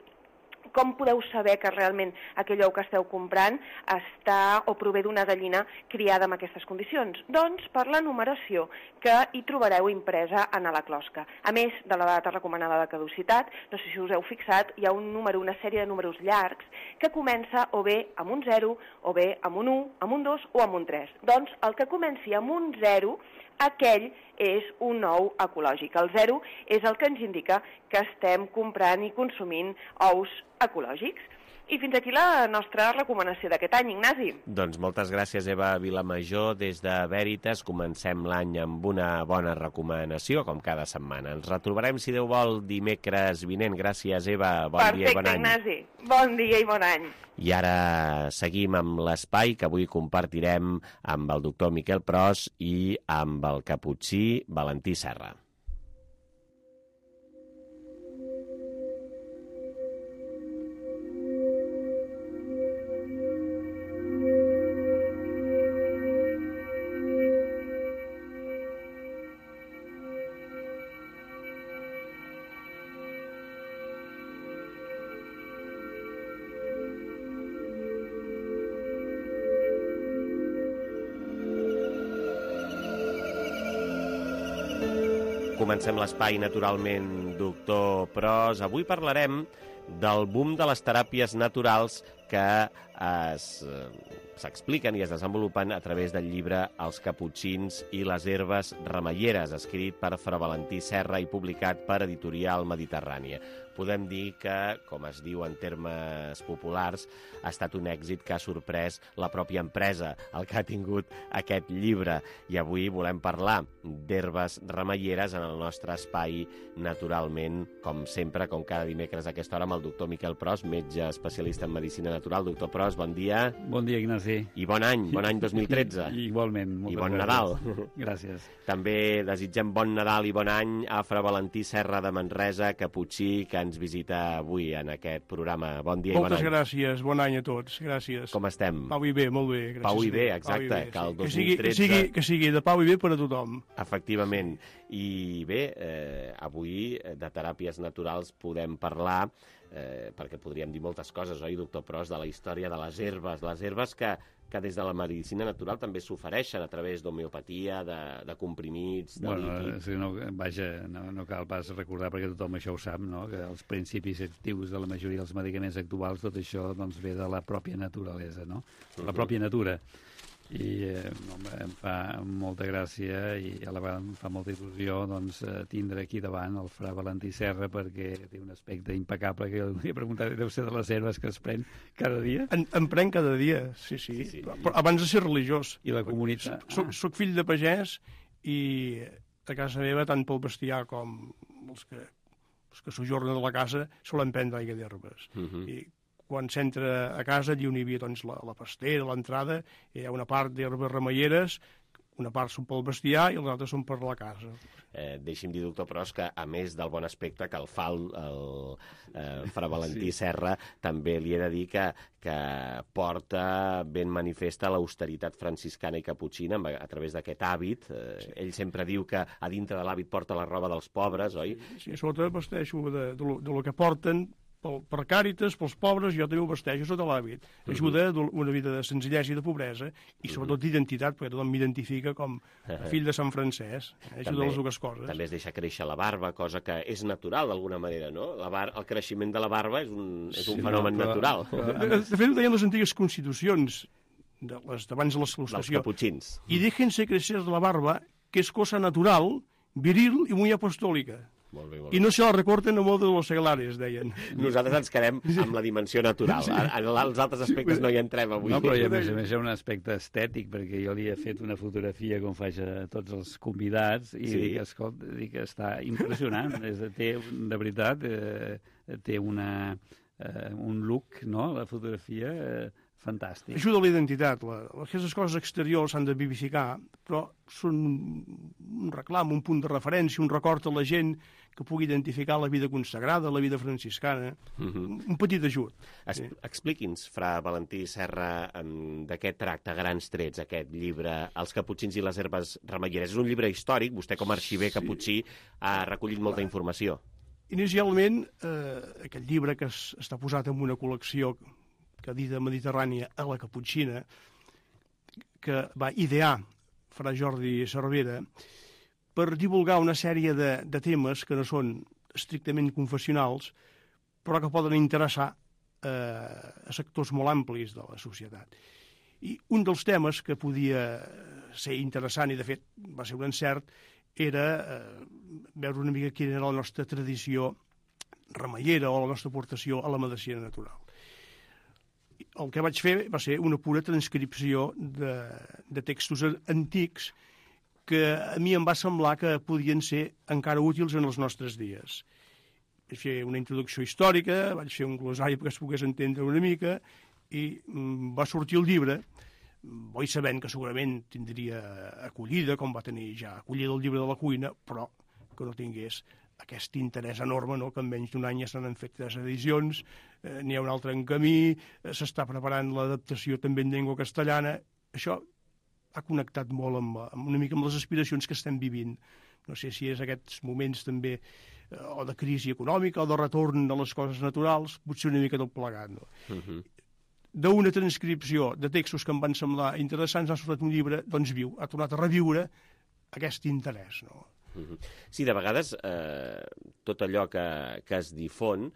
Com podeu saber que realment aquell ou que esteu comprant està o prové d'una gallina criada en aquestes condicions? Doncs per la numeració que hi trobareu impresa en la closca. A més de la data recomanada de caducitat, no sé si us heu fixat, hi ha un número, una sèrie de números llargs que comença o bé amb un zero, o bé amb un u, amb un dos o amb un tres. Doncs el que comenci amb un zero, aquell és un ou ecològic. El zero és el que ens indica que estem comprant i consumint ous ecològics. I fins aquí la nostra recomanació d'aquest any, Ignasi. Doncs moltes gràcies, Eva Vilamajor. Des de Veritas comencem l'any amb una bona recomanació, com cada setmana. Ens retrobarem, si Déu vol, dimecres vinent. Gràcies, Eva. Bon Perfecte, dia i bon any. Ignasi. Bon dia i bon any. I ara seguim amb l'espai que avui compartirem amb el doctor Miquel Pros i amb el caputxí Valentí Serra. Comencem l'espai, naturalment, doctor Pros. Avui parlarem del boom de les teràpies naturals que s'expliquen i es desenvolupen a través del llibre Els caputxins i les herbes remeieres, escrit per Fra Valentí Serra i publicat per Editorial Mediterrània. Podem dir que, com es diu en termes populars, ha estat un èxit que ha sorprès la pròpia empresa, el que ha tingut aquest llibre. I avui volem parlar d'herbes remeieres en el nostre espai, naturalment, com sempre, com cada dimecres a aquesta hora, amb el doctor Miquel Pros, metge especialista en medicina Natural. Doctor Pros, bon dia. Bon dia, Ignasi. I bon any, bon any dos mil tretze. I, igualment. I bon Nadal. Gràcies. També desitgem bon Nadal i bon any a Fra Valentí Serra de Manresa, Caputxí, que ens visita avui en aquest programa. Bon dia i bon any. Moltes gràcies, bon any a tots, gràcies. Com estem? Pau i bé, molt bé. Gràcies. Pau i bé, exacte. Pau i bé, sí. Que el dos mil tretze... que, sigui, que, sigui, que sigui de pau i bé per a tothom. Efectivament. I bé, eh, avui de teràpies naturals podem parlar, eh, perquè podríem dir moltes coses, oi, doctor Pros, de la història de les herbes, les herbes que, que des de la medicina natural també s'ofereixen a través d'homeopatia, de, de comprimits, de bueno, líquids... Si no, vaja, no, no cal pas recordar, perquè tothom això ho sap, no? Que els principis actius de la majoria dels medicaments actuals, tot això doncs, ve de la pròpia naturalesa, no? La uh-huh. pròpia natura. I eh, no, em fa molta gràcia i a la vegada em fa molta il·lusió doncs, tindre aquí davant el Fra Valentí Serra, perquè té un aspecte impecable que jo volia preguntar, deu ser de les herbes que es pren cada dia? En, en pren cada dia, sí, sí, sí, sí. Però abans de ser religiós. I la comunitat? Soc, ah. soc fill de pagès i a casa meva, tant pel bestiar com els que, els que sojornen a la casa, solen prendre aigua d'herbes. Uh -huh. I quan s'entra a casa, allà on hi havia doncs, la, la pastera, l'entrada, hi ha una part d'herbes remeieres, una part són pel bestiar i els altres són per la casa. Eh, deixi'm dir, doctor Pros, que a més del bon aspecte que el fa el, el eh, Fra Valentí sí. Serra, també li he de dir que, que porta ben manifesta l'austeritat franciscana i caputxina a, a través d'aquest hàbit. Eh, sí. Ell sempre diu que a dintre de l'hàbit porta la roba dels pobres, oi? Sí, sí, sobretot vesteixo de, de, lo, de lo que porten pel, per Càritas, pels pobres, jo també ho vesteixo sota l'hàbit. Ajuda a una vida de senzillesa i de pobresa i sobretot d'identitat, perquè tothom m'identifica com a fill de Sant Francesc. Eh? Ajuda també, a les dues coses. També es deixa créixer la barba, cosa que és natural d'alguna manera, no? La bar el creixement de la barba és un, és un sí, fenomen no, però, natural. Però, de, de fet, ho deien les antigues constitucions de les, d'abans de l'il·lustració. Dels caputxins. I déjense crecer la barba, que és cosa natural, viril i muy apostòlica. Molt bé, molt bé. I no se la recorten a modo de los seglares, deien. Nosaltres ens quedem amb la dimensió natural. Sí. En els altres aspectes no hi entrem avui. No, però a més a més hi ha un aspecte estètic, perquè jo li he fet una fotografia com faig a tots els convidats i sí. dic, escolta, dic, està impressionant. És, té, de veritat, eh, té una, eh, un look, no?, la fotografia... Eh, fantàstic. Ajuda a la identitat. La, aquestes coses exteriors s'han de vivificar, però són un reclam, un punt de referència, un record a la gent que pugui identificar la vida consagrada, la vida franciscana. Uh-huh. Un petit ajut. Es, sí. Expliqui'ns, Fra Valentí Serra, de què tracta grans trets aquest llibre, Els caputxins i les herbes remeieres. És un llibre històric, vostè com a arxiver sí. caputxí ha recollit molta informació. Inicialment, eh, aquest llibre que es, està posat en una col·lecció que dita mediterrània a la Caputxina, que va idear Fra Jordi Cervera per divulgar una sèrie de, de temes que no són estrictament confessionals, però que poden interessar eh, a sectors molt amplis de la societat. I un dels temes que podia ser interessant, i de fet va ser un encert, era eh, veure una mica quina era la nostra tradició remeiera o la nostra aportació a la medicina natural. El que vaig fer va ser una pura transcripció de, de textos antics que a mi em va semblar que podien ser encara útils en els nostres dies. Vaig fer una introducció històrica, vaig fer un glosari perquè es pogués entendre una mica i va sortir el llibre, bo sabent que segurament tindria acollida, com va tenir ja acollida el llibre de la cuina, però que no tingués aquest interès enorme, no?, que en menys d'un any ja se n'han fet tres edicions, eh, n'hi ha un altre en camí, eh, s'està preparant l'adaptació també en llengua castellana. Això ha connectat molt amb, amb una mica amb les aspiracions que estem vivint. No sé si és aquests moments també eh, o de crisi econòmica o de retorn de les coses naturals, potser una mica tot plegat, no? Uh-huh. D'una transcripció de textos que em van semblar interessants ha sortit un llibre, doncs viu, ha tornat a reviure aquest interès, no? Sí, de vegades eh, tot allò que, que es difon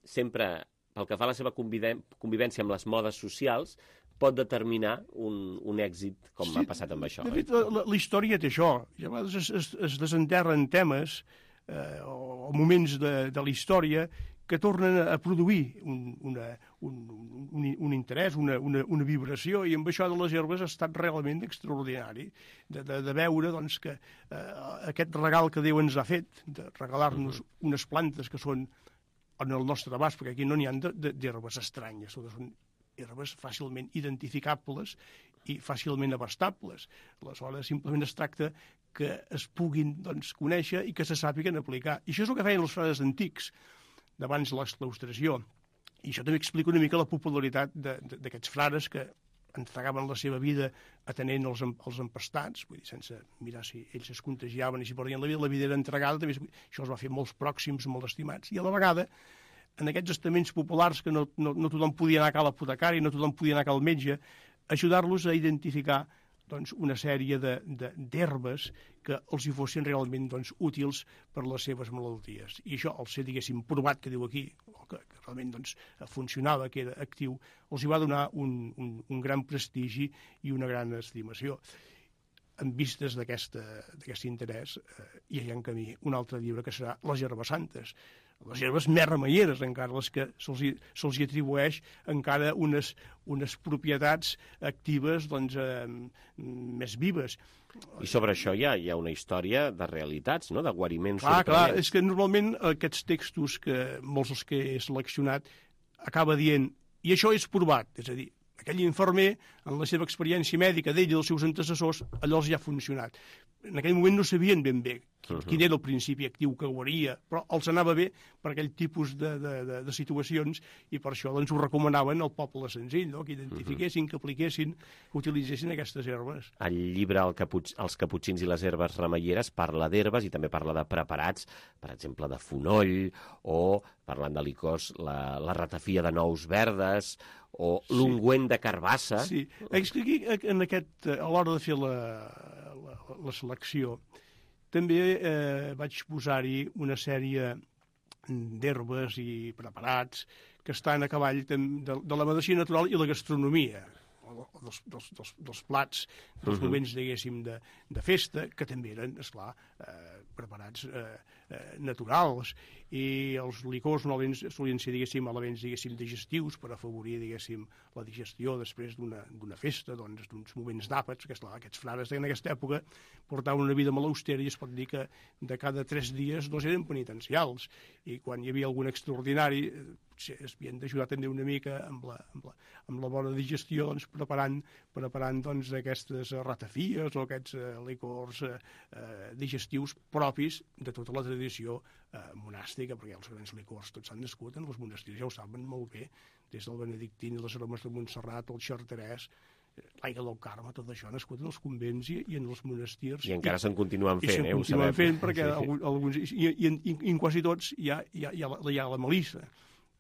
sempre, pel que fa a la seva convivència amb les modes socials, pot determinar un, un èxit, com sí, ha passat amb això. De fet, la, la història té això. I a vegades es, es, es desenterren temes eh, o moments de, de la història que tornen a produir un, una, un, un, un interès, una, una, una vibració, i amb això de les herbes ha estat realment extraordinari, de, de, de veure doncs, que eh, aquest regal que Déu ens ha fet, de regalar-nos uh-huh. unes plantes que són en el nostre abast, perquè aquí no n'hi ha d'herbes estranyes, són herbes fàcilment identificables i fàcilment abastables. Aleshores, simplement es tracta que es puguin doncs, conèixer i que se sàpiguen aplicar. I això és el que feien els frares antics, d'abans de l'exclaustració. I això també explica una mica la popularitat d'aquests frares que entregaven la seva vida atenent els, els empastats, vull dir, sense mirar si ells es contagiaven i si perdien la vida, la vida era entregada, també això es va fer molts pròxims, molt estimats, i a la vegada, en aquests estaments populars que no, no, no tothom podia anar a cal apotecari, no tothom podia anar a cal metge, ajudar-los a identificar doncs, una sèrie d'herbes que els hi fossin realment doncs, útils per les seves malalties. I això, al ser, diguéssim, provat, que diu aquí, que, que realment doncs, funcionava, que era actiu, els hi va donar un, un, un gran prestigi i una gran estimació. En vistes d'aquest interès, eh, hi ha en camí un altre llibre que serà Les herbes santes. Les herbes més remeieres, encara, les que se'ls se hi atribueix encara unes, unes propietats actives doncs, eh, més vives. I sobre això hi ha, hi ha una història de realitats, no? De guariments clar, sorprenents. Clar, és que normalment aquests textos, que molts dels que he seleccionat, acaba dient, i això és provat, és a dir, aquell infermer, en la seva experiència mèdica d'ell i dels seus antecessors, allò els ja ha funcionat. En aquell moment no sabien ben bé quin, quin era el principi actiu que guaria, però els anava bé per aquell tipus de, de, de, de situacions i per això doncs, ho recomanaven al poble senzill, no? Que identifiquessin, que apliquessin, que utilitzessin aquestes herbes. El llibre el Capuig, Els caputxins i les herbes remeieres parla d'herbes i també parla de preparats, per exemple, de fonoll, o, parlant de licors, la, la ratafia de nous verdes, o sí. L'ungüent de carbassa. Sí, és que aquí, en aquest, a l'hora de fer la, la, la selecció, també eh, vaig posar-hi una sèrie d'herbes i preparats que estan a cavall de, de la medicina natural i la gastronomia, dels, dels, dels, dels plats, dels uh-huh. moments, diguéssim, de, de festa, que també eren, esclar, eh, preparats eh, eh, naturals, i els licors normalment solien ser, diguéssim, elements, diguéssim, digestius per afavorir, diguéssim, la digestió després d'una festa, doncs, d'uns moments d'àpats, que, esclar, aquests frares en aquesta època portaven una vida molt austera i es pot dir que de cada tres dies dos eren penitencials, i quan hi havia algun extraordinari es havien d'ajudar també una mica amb la, amb la, amb la bona digestió, doncs, preparant, preparant doncs, aquestes ratafies o aquests eh, licors eh, eh, digestius propis de tota la tradició eh, monàstica, perquè els grans licors tots s'han nascut en els monestirs, ja ho saben molt bé, des del benedictí, les aromes de Montserrat, el Charterès, l'aigua del Carme, tot això ha nascut en els convents i, i en els monestirs. I encara se'n continuen fent, eh? I se'n continuen fent, perquè sí, sí. Alguns, i, i, i, i en quasi tots hi ha, hi ha, hi ha, hi ha la melissa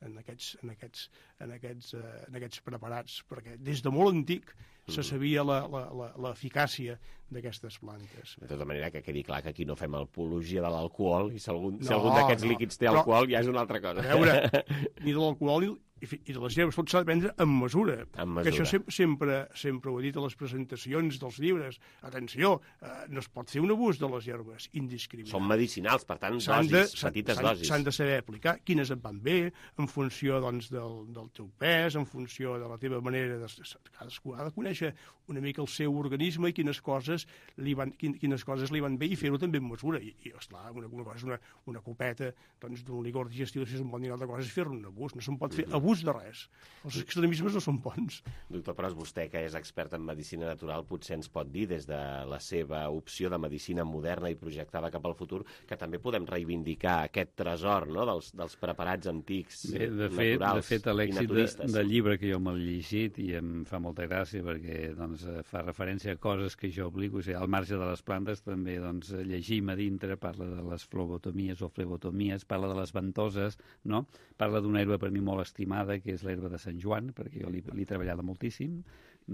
en aquests, en aquests, en aquests, uh, en aquests preparats, perquè des de molt antic se sabia l'eficàcia d'aquestes plantes. De tota manera, que quedi clar que aquí no fem apologia de l'alcohol, i si algun, no, si algun d'aquests no, líquids té alcohol, ja és una altra cosa. A veure, ni de l'alcohol ni, i de les herbes, tot s'ha de prendre amb mesura. Amb mesura. Que això sempre, sempre, sempre ho he dit a les presentacions dels llibres. Atenció, eh, no es pot fer un abús de les herbes indiscriminat. Són medicinals, per tant, dosis, de, petites dosis. S'han de saber aplicar quines et van bé, en funció doncs, del, del teu pes, en funció de la teva manera de... Cadascú ha de conèixer una mica el seu organisme i quines coses li van, quines coses li van bé i fer-ho també amb mesura. I, i esclar, una, una cosa és una, una copeta doncs, d'un licor digestiu, si és un bon i altra cosa és fer-ne un abús. No se'n pot fer abús de res. Els extremismes no són bons. Doctor Pros, vostè, que és expert en medicina natural, potser ens pot dir, des de la seva opció de medicina moderna i projectada cap al futur, que també podem reivindicar aquest tresor, no?, dels, dels preparats antics, Bé, de fet, naturals, de fet, l'èxit i naturistes. del llibre que jo m'he llegit, i em fa molta gràcia perquè doncs, fa referència a coses que jo aplico, o sigui, al marge de les plantes també doncs, llegim a dintre, parla de les flebotomies o flebotomies, parla de les ventoses, no? Parla d'una herba per mi molt estimada, que és l'herba de Sant Joan, perquè jo l'he he treballat moltíssim,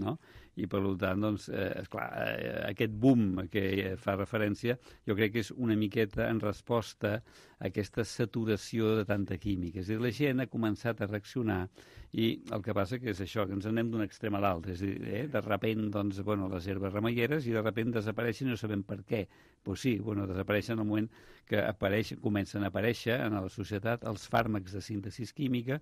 no? I per tant, doncs, eh, esclar, eh, aquest boom a què fa referència, jo crec que és una miqueta en resposta a aquesta saturació de tanta química. És a dir, la gent ha començat a reaccionar i el que passa que és això, que ens anem d'un extrem a l'altre. És a dir, eh, de repent, doncs, bueno, les herbes remeieres i de repent desapareixen i no sabem per què. Pues sí, bueno, desapareixen al moment que apareix, comencen a aparèixer en la societat els fàrmacs de síntesi química,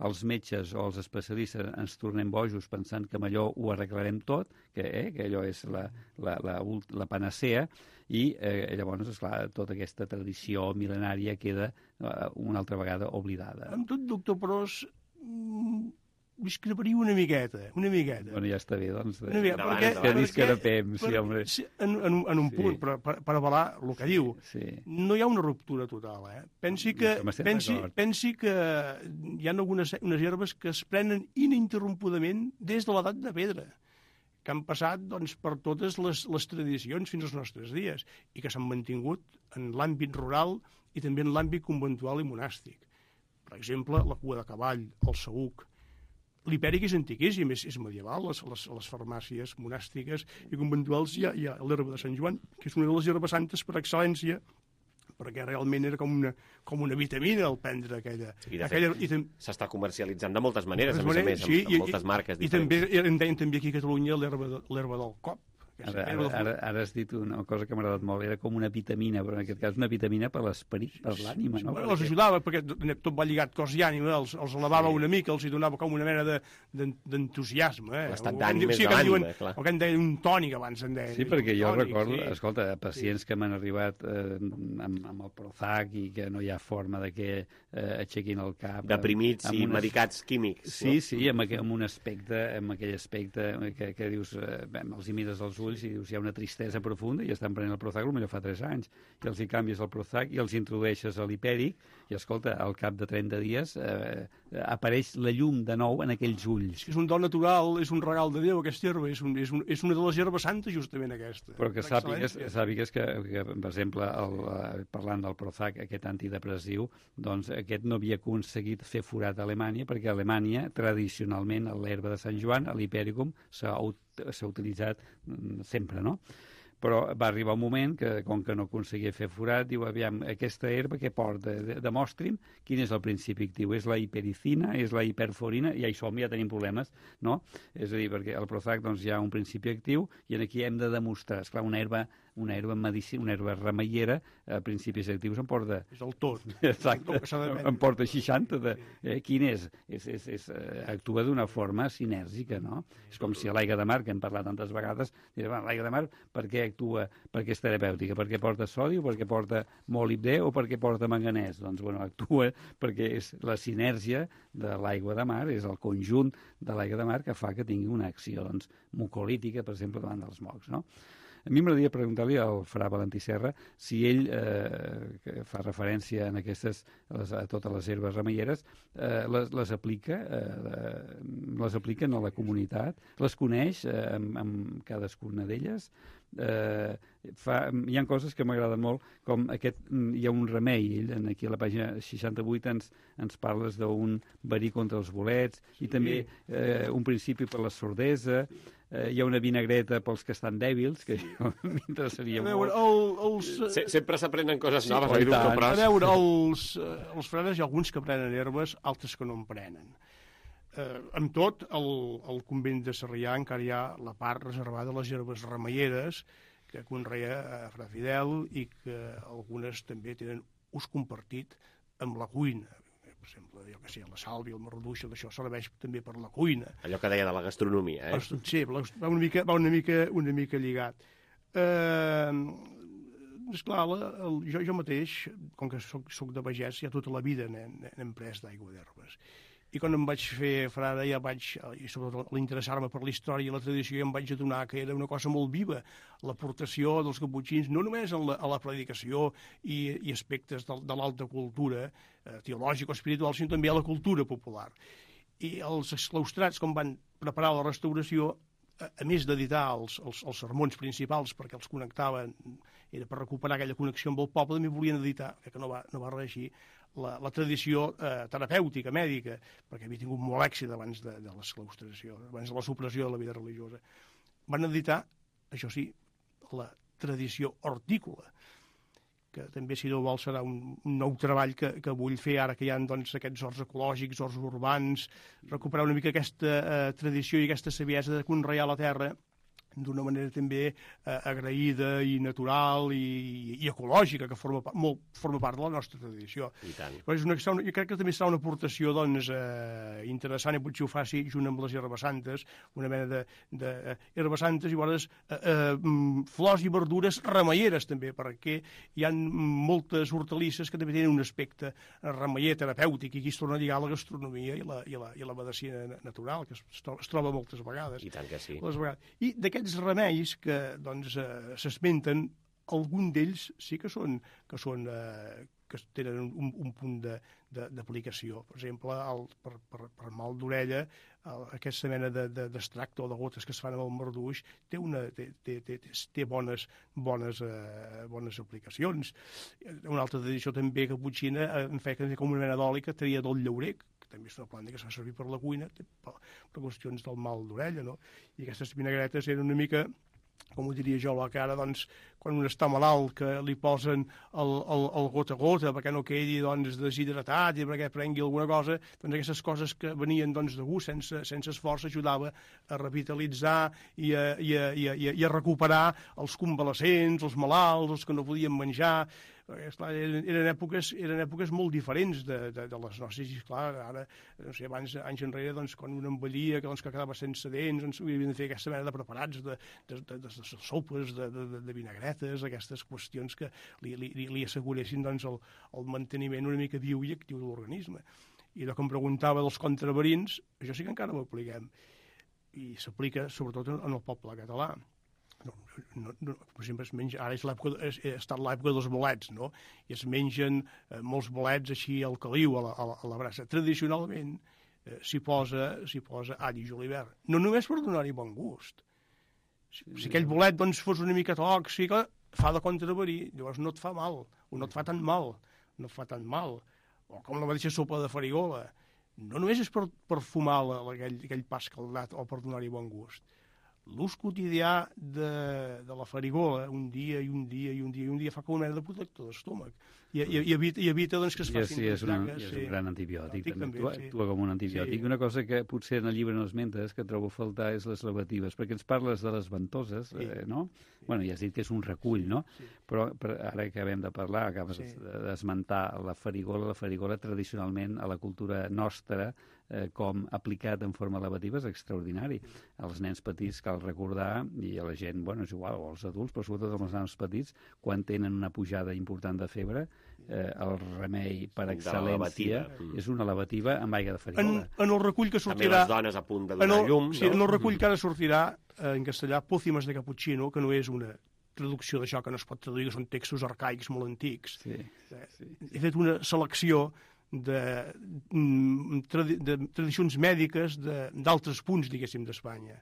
els metges o els especialistes ens tornem bojos pensant que amb allò ho arreglarem tot, que, eh, que allò és la, la, la, la panacea, i eh, llavors, esclar, tota aquesta tradició mil·lenària queda eh, una altra vegada oblidada. Amb tot, doctor Pros, discreparia una miqueta, una miqueta. Bueno, ja està bé, doncs. Una miqueta, perquè, que discrepem, sí, home. Sí, en, en, en un punt, sí. per, per, per avalar el que diu. Sí. No hi ha una ruptura total, eh? Pensi que, pensi, pensi que hi ha algunes unes herbes que es prenen ininterrompudament des de l'edat de pedra, que han passat doncs, per totes les, les tradicions fins als nostres dies i que s'han mantingut en l'àmbit rural i també en l'àmbit conventual i monàstic. Per exemple, la cua de cavall, el saüc. L'hipèric és antiquíssim, és, és medieval, les, les, les farmàcies monàstiques i conventuals hi ha, hi ha l'herba de Sant Joan, que és una de les herbes santes per excel·lència, perquè realment era com una, com una vitamina el prendre aquella... I de aquella, fet, i s'està comercialitzant de moltes maneres, de a més a més, sí, amb, amb i, moltes marques i, diferents. I també, en deien també aquí a Catalunya l'herba de, l'herba del cop. Ara, ara, ara, ara has dit una cosa que m'ha agradat molt, era com una vitamina, però en aquest cas una vitamina per l'esperit, per l'ànima, no? Bueno, els ajudava, perquè tot va lligat cos i ànima, els, els elevava sí. una mica, els hi donava com una mena d'entusiasme. De, eh? L'estat d'ànim és sí, de l'ànima, clar. O que en deien un tònic abans, en deien. Sí, perquè jo tònic, recordo, sí. escolta, pacients sí. que m'han arribat eh, amb, amb el Prozac i que no hi ha forma de que eh, aixequin el cap. Deprimits amb, amb i unes... medicats químics. Sí, no? sí, amb, amb un aspecte, amb aquell aspecte que, que dius, eh, els hi mires als ulls i dius, hi ha una tristesa profunda i estan prenent el Prozac potser fa tres anys i els hi canvies el Prozac i els introdueixes a l'hipèric i escolta, al cap de trenta dies eh, apareix la llum de nou en aquells ulls. És un do natural, és un regal de Déu aquesta herba, és, un, és, un, és una de les herbes santes justament aquesta. Però que sàpigues, sàpigues que, que, per exemple, el, parlant del Prozac, aquest antidepressiu, doncs aquest no havia aconseguit fer forat a Alemanya perquè a Alemanya, tradicionalment, a l'herba de Sant Joan, a l'hipèricum, s'ha utilitzat sempre, no? Però va arribar un moment que, com que no aconseguia fer forat, diu, aviam, aquesta herba que porta, demostri'm quin és el principi actiu. És la hipericina, és la hiperforina, i ja hi som, ja tenim problemes, no? És a dir, perquè el Prozac doncs, hi ha un principi actiu i aquí hem de demostrar, esclar, una herba, una herba medicina, una herba remeiera, a principis actius em porta... És el tot. Exacte, em porta seixanta. De, eh, quin és? és, és, és actua d'una forma sinèrgica, no? És com si a l'aigua de mar, que hem parlat tantes vegades, diré, bueno, l'aigua de mar, per què actua, perquè és terapèutica, perquè porta sodi o perquè porta molibdè o perquè porta manganès. Doncs, bueno, actua perquè és la sinèrgia de l'aigua de mar, és el conjunt de l'aigua de mar que fa que tingui una acció, doncs, mucolítica, per exemple, davant dels mocs, no? A mi m'agradaria preguntar-li al fra Valentí Serra si ell, eh, que fa referència en aquestes, les, a totes les herbes remeieres, eh, les, les aplica, eh, les apliquen a la comunitat, les coneix eh, amb, amb cadascuna d'elles. Eh, fa, hi ha coses que m'agraden molt, com aquest, hi ha un remei, ell aquí a la pàgina seixanta-vuit ens, ens parles d'un verí contra els bolets, i també eh, un principi per la sordesa, eh, hi ha una vinagreta pels que estan dèbils, que m'interessaria molt. El, els... Se, sempre s'aprenen coses sí, noves. A veure, els, els frenes hi ha alguns que prenen herbes, altres que no en prenen. Eh, amb tot, al, al convent de Sarrià encara hi ha la part reservada a les herbes remeieres que conrea a Fra Fidel i que algunes també tenen ús compartit amb la cuina. Per exemple, jo que sé, la sàlvia, el marduix, això serveix també per la cuina. Allò que deia de la gastronomia, eh? Sí, va una mica, va una mica, una mica lligat. Eh, esclar, la, el, jo, jo mateix, com que soc, soc de pagès, ja tota la vida n'hem pres d'aigua d'herbes. I quan em vaig fer frare ja vaig, i sobretot l'interessar-me per la història i la tradició, ja em vaig adonar que era una cosa molt viva, l'aportació dels caputxins, no només en la, a la predicació i, i aspectes de, de l'alta cultura eh, teològica o espiritual, sinó també a la cultura popular. I els exclaustrats, com van preparar la restauració, a, a més d'editar els, els, els sermons principals perquè els connectaven, era per recuperar aquella connexió amb el poble, també volien editar, que no va, no va reeixir, La, la tradició eh, terapèutica, mèdica, perquè havia tingut molt èxit abans de, de l'esclaustració, abans de la supressió de la vida religiosa. Van editar, això sí, la tradició hortícola, que també, si no vol, serà un, un nou treball que, que vull fer ara que hi ha doncs, aquests horts ecològics, horts urbans, recuperar una mica aquesta eh, tradició i aquesta saviesa de conrear la terra d'una manera també eh, agraïda i natural i, i ecològica, que forma, molt, forma part de la nostra tradició. I tant. Però és una, jo crec que també serà una aportació doncs, eh, interessant, i potser ho faci junt amb les herbes santes, una mena de, de eh, herbes santes i llavors eh, eh, flors i verdures remeieres també, perquè hi ha moltes hortalisses que també tenen un aspecte remeier terapèutic, i aquí es torna a lligar la gastronomia i la, i la, i la medicina natural, que es, es troba moltes vegades. I tant que sí. Les vegades. I d'aquests remeis que doncs, eh, s'esmenten, algun d'ells sí que són, que són eh, que tenen un, un punt d'aplicació. Per exemple, el, per, per, per mal d'orella, aquesta mena d'extracte de, de, o de gotes que es fan amb el marduix té, una, té, té, té, té bones, bones, eh, bones aplicacions. Una altra tradició també caputxina en feia com una mena d'oli que tenia del llaurer, que també és una planta que es fa servir per la cuina, per, per qüestions del mal d'orella, no? I aquestes vinagretes eren una mica, com ho diria jo, la cara, doncs, quan un està malalt, que li posen el, el, el gota a gota perquè no quedi doncs, deshidratat i perquè prengui alguna cosa, doncs aquestes coses que venien doncs, de gust, sense, sense esforç, ajudava a revitalitzar i a, i, a, i, a, i a recuperar els convalescents, els malalts, els que no podien menjar. Esclar, eren, eren, èpoques, eren èpoques molt diferents de, de, de les nostres, i esclar, ara, no sé, abans, anys enrere, doncs, quan un envellia, que, doncs, que quedava sense dents, doncs, havien de fer aquesta mena de preparats, de, de, de, de, de sopes, de, de, de vinagretes, aquestes qüestions que li, li, li asseguressin doncs, el, el manteniment una mica viu i actiu de l'organisme. I allò que em preguntava dels contraverins, això sí que encara ho apliquem, i s'aplica sobretot en el poble català. No, no, no, per exemple, es menja, ara és és, ha estat l'època dels bolets, no? I es mengen eh, molts bolets així al caliu, a la, a la, a la brasa. Tradicionalment eh, s'hi posa, s'hi posa all i julivert. No només per donar-hi bon gust. Si, si aquell bolet doncs, fos una mica tòxica, fa de contraverí, llavors no et fa mal, o no et fa tan mal, no et fa tan mal. O com la mateixa sopa de farigola. No només és per, per fumar la, aquell, aquell pa escaldat o per donar-hi bon gust. L'ús quotidià de, de la farigola, un dia i un dia i un dia i un dia, fa com una mena de protector d'estómac. I, i, i, evita, i evita doncs, que es facin... Sí, és, una, és un gran antibiòtic. També. També, actua, sí. actua com un antibiòtic. Sí. Una cosa que potser en el llibre no esmentes, que trobo a faltar, és les lavatives, perquè ens parles de les ventoses, sí. eh, no? Sí. Bueno, ja has dit que és un recull, no? Sí. Però, però ara que acabem de parlar, acabes sí. d'esmentar la farigola. La farigola, tradicionalment, a la cultura nostra, eh, com aplicat en forma lavativa, és extraordinari. Els nens petits, cal recordar, i a la gent, bueno, és igual, o els adults, però sobretot els nens petits, quan tenen una pujada important de febre, eh, el remei per excel·lència és una lavativa amb aigua de farigola. En, en el recull que sortirà... També les dones a punt de donar el, llum, sí, no? En el recull que ara sortirà, eh, en castellà, Pócimas de Cappuccino, que no és una traducció d'això que no es pot traduir, que són textos arcaics molt antics. Sí, sí. He fet una selecció de, de, de tradicions mèdiques d'altres punts, diguéssim, d'Espanya.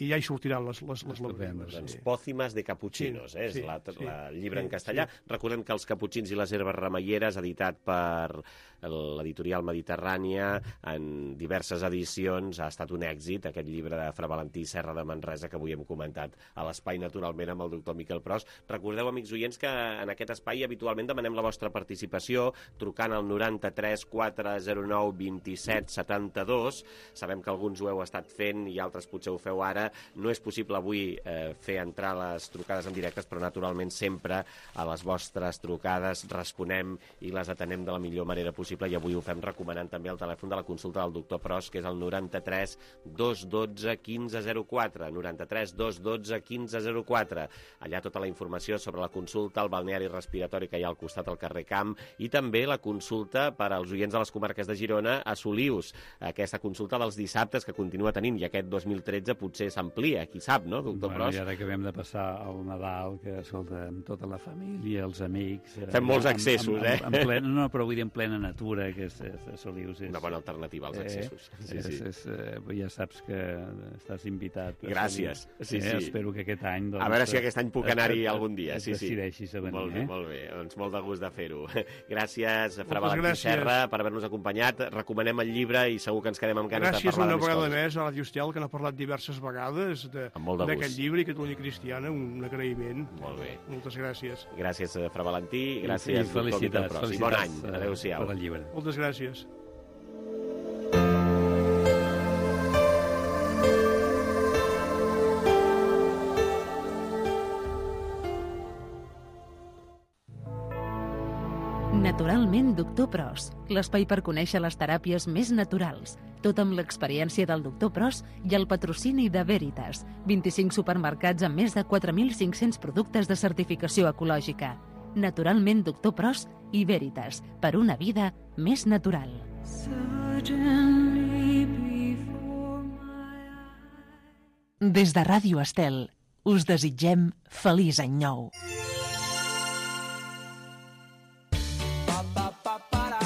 I ja hi sortiran les, les, les lavatives. Doncs sí. Pócimas de Cappuccinos, sí, eh? és sí, la, sí, la llibre sí, en castellà. Sí. Recordem que Els caputxins i les herbes remeieres, editat per l'editorial Mediterrània, en diverses edicions, ha estat un èxit, aquest llibre de Fra Valentí Serra de Manresa, que avui hem comentat a l'espai, naturalment, amb el doctor Miquel Pros. Recordeu, amics oients, que en aquest espai habitualment demanem la vostra participació, trucant al noranta-tres quatre zero nou vint set setanta dos. Sabem que alguns ho heu estat fent i altres potser ho feu ara. No és possible avui eh, fer entrar les trucades en directes, però naturalment sempre a les vostres trucades responem i les atenem de la millor manera possible, i avui ho fem recomanant també el telèfon de la consulta del doctor Pros, que és el noranta-tres dos dotze quinze zero quatre, noranta-tres dos dotze quinze zero quatre. Allà tota la informació sobre la consulta, el balneari respiratori que hi ha al costat al carrer Camp, i també la consulta per als oients de les comarques de Girona a Solius, aquesta consulta dels dissabtes que continua tenint, i aquest dos mil tretze potser s'amplia, qui sap, no, doctor bueno, Pros? I ara que acabem de passar el Nadal, que, escolta, amb tota la família, els amics... Fem molts accessos, en, en, eh? en plena, no, però vull dir en plena natura, que és, és, és Solius. És, una bona alternativa als accessos. Eh, sí, és, sí. És, és, ja saps que estàs invitat. Gràcies. Sí, eh, sí. Espero que aquest any... Doncs, a veure si aquest any puc anar-hi algun dia. Et sí, sí. decideixis a venir. Molt bé, eh? molt bé. Doncs molt de gust de fer-ho. Gràcies, Fra Moltes Valentí gràcies. Serra, per haver-nos acompanyat. Recomanem el llibre i segur que ens quedem amb ganes gràcies de parlar de més coses. Gràcies una vegada més a Ràdio Estel, que n'ha parlat diverses vegades d'aquest llibre, i Catalunya Cristiana, un agraïment. Molt bé. Moltes gràcies. Gràcies, Fra Valentí, gràcies, I felicitats, doctor Miquel Pros. I bon any. Adéu-siau. Per al llibre. Moltes gràcies. Naturalment Doctor Pros, l'espai per conèixer les teràpies més naturals, tot amb l'experiència del Doctor Pros i el patrocini de Veritas, vint-i-cinc supermercats amb més de quatre mil cinc-cents productes de certificació ecològica. Naturalment Doctor Pros i Veritas, per una vida més natural. Des de Ràdio Estel, us desitgem feliç any nou.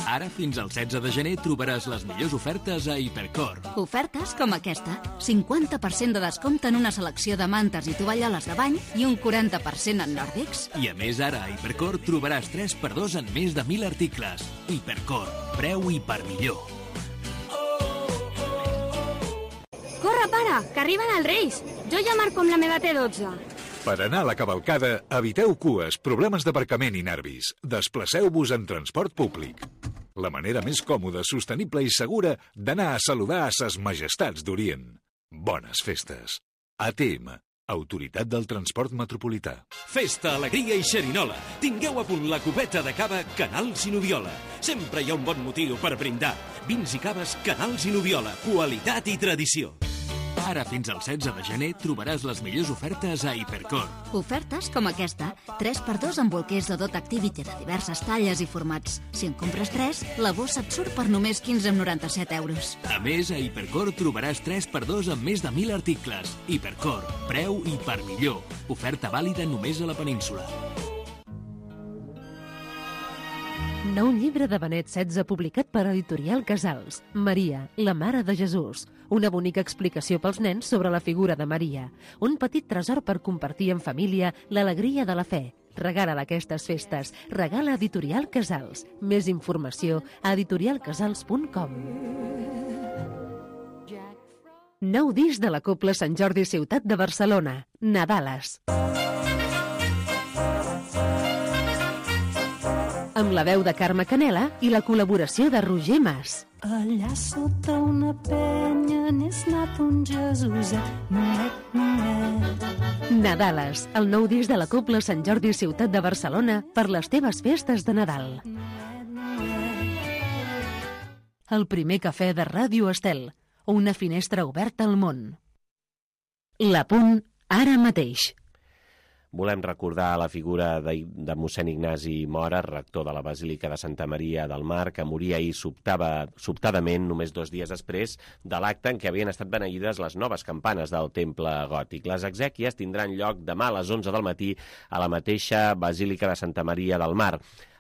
Ara, fins al setze de gener, trobaràs les millors ofertes a Hipercor. Ofertes com aquesta. cinquanta per cent de descompte en una selecció de mantes i tovalloles de bany i un quaranta per cent en nòrdics. I a més, ara a Hipercor trobaràs tres per dos en més de mil articles. Hipercor. Preu i per millor. Corre, pare, que arriben els Reis. Jo ja marco amb la meva T dotze. Per anar a la cavalcada, eviteu cues, problemes d'aparcament i nervis. Desplaceu-vos en transport públic. La manera més còmoda, sostenible i segura d'anar a saludar a ses majestats d'Orient. Bones festes. A T M, Autoritat del Transport Metropolità. Festa, alegria i xerinola. Tingueu a punt la copeta de cava Canals i Noviola. Sempre hi ha un bon motiu per brindar. Vins i caves Canals i Noviola. Qualitat i tradició. Ara, fins al setze de gener, trobaràs les millors ofertes a Hipercor. Ofertes com aquesta. tres per dos amb bolquers de Dot Activity de diverses talles i formats. Si en compres tres, la bossa et surt per només quinze coma noranta-set euros. A més, a Hipercor trobaràs tres per dos amb més de mil articles. Hipercor. Preu i per millor. Oferta vàlida només a la península. Nou llibre de Benet setze publicat per Editorial Casals. Maria, la mare de Jesús. Una bonica explicació pels nens sobre la figura de Maria. Un petit tresor per compartir en família l'alegria de la fe. Regala aquestes festes. Regala Editorial Casals. Més informació a editorial casals punt com. Nou disc de la Cobla Sant Jordi Ciutat de Barcelona. Nadales. Amb la veu de Carme Canela i la col·laboració de Roger Mas. Allà sota una penya n'és nat un Jesuset, noet, noet. Nadales, el nou disc de la Cobla Sant Jordi Ciutat de Barcelona per les teves festes de Nadal. El primer cafè de Ràdio Estel, una finestra oberta al món. L'Apunt ara mateix. Volem recordar la figura de, de mossèn Ignasi Mora, rector de la Basílica de Santa Maria del Mar, que moria ahir sobtava, sobtadament només dos dies després de l'acte en què havien estat beneïdes les noves campanes del temple gòtic. Les exèquies tindran lloc demà a les onze del matí a la mateixa Basílica de Santa Maria del Mar.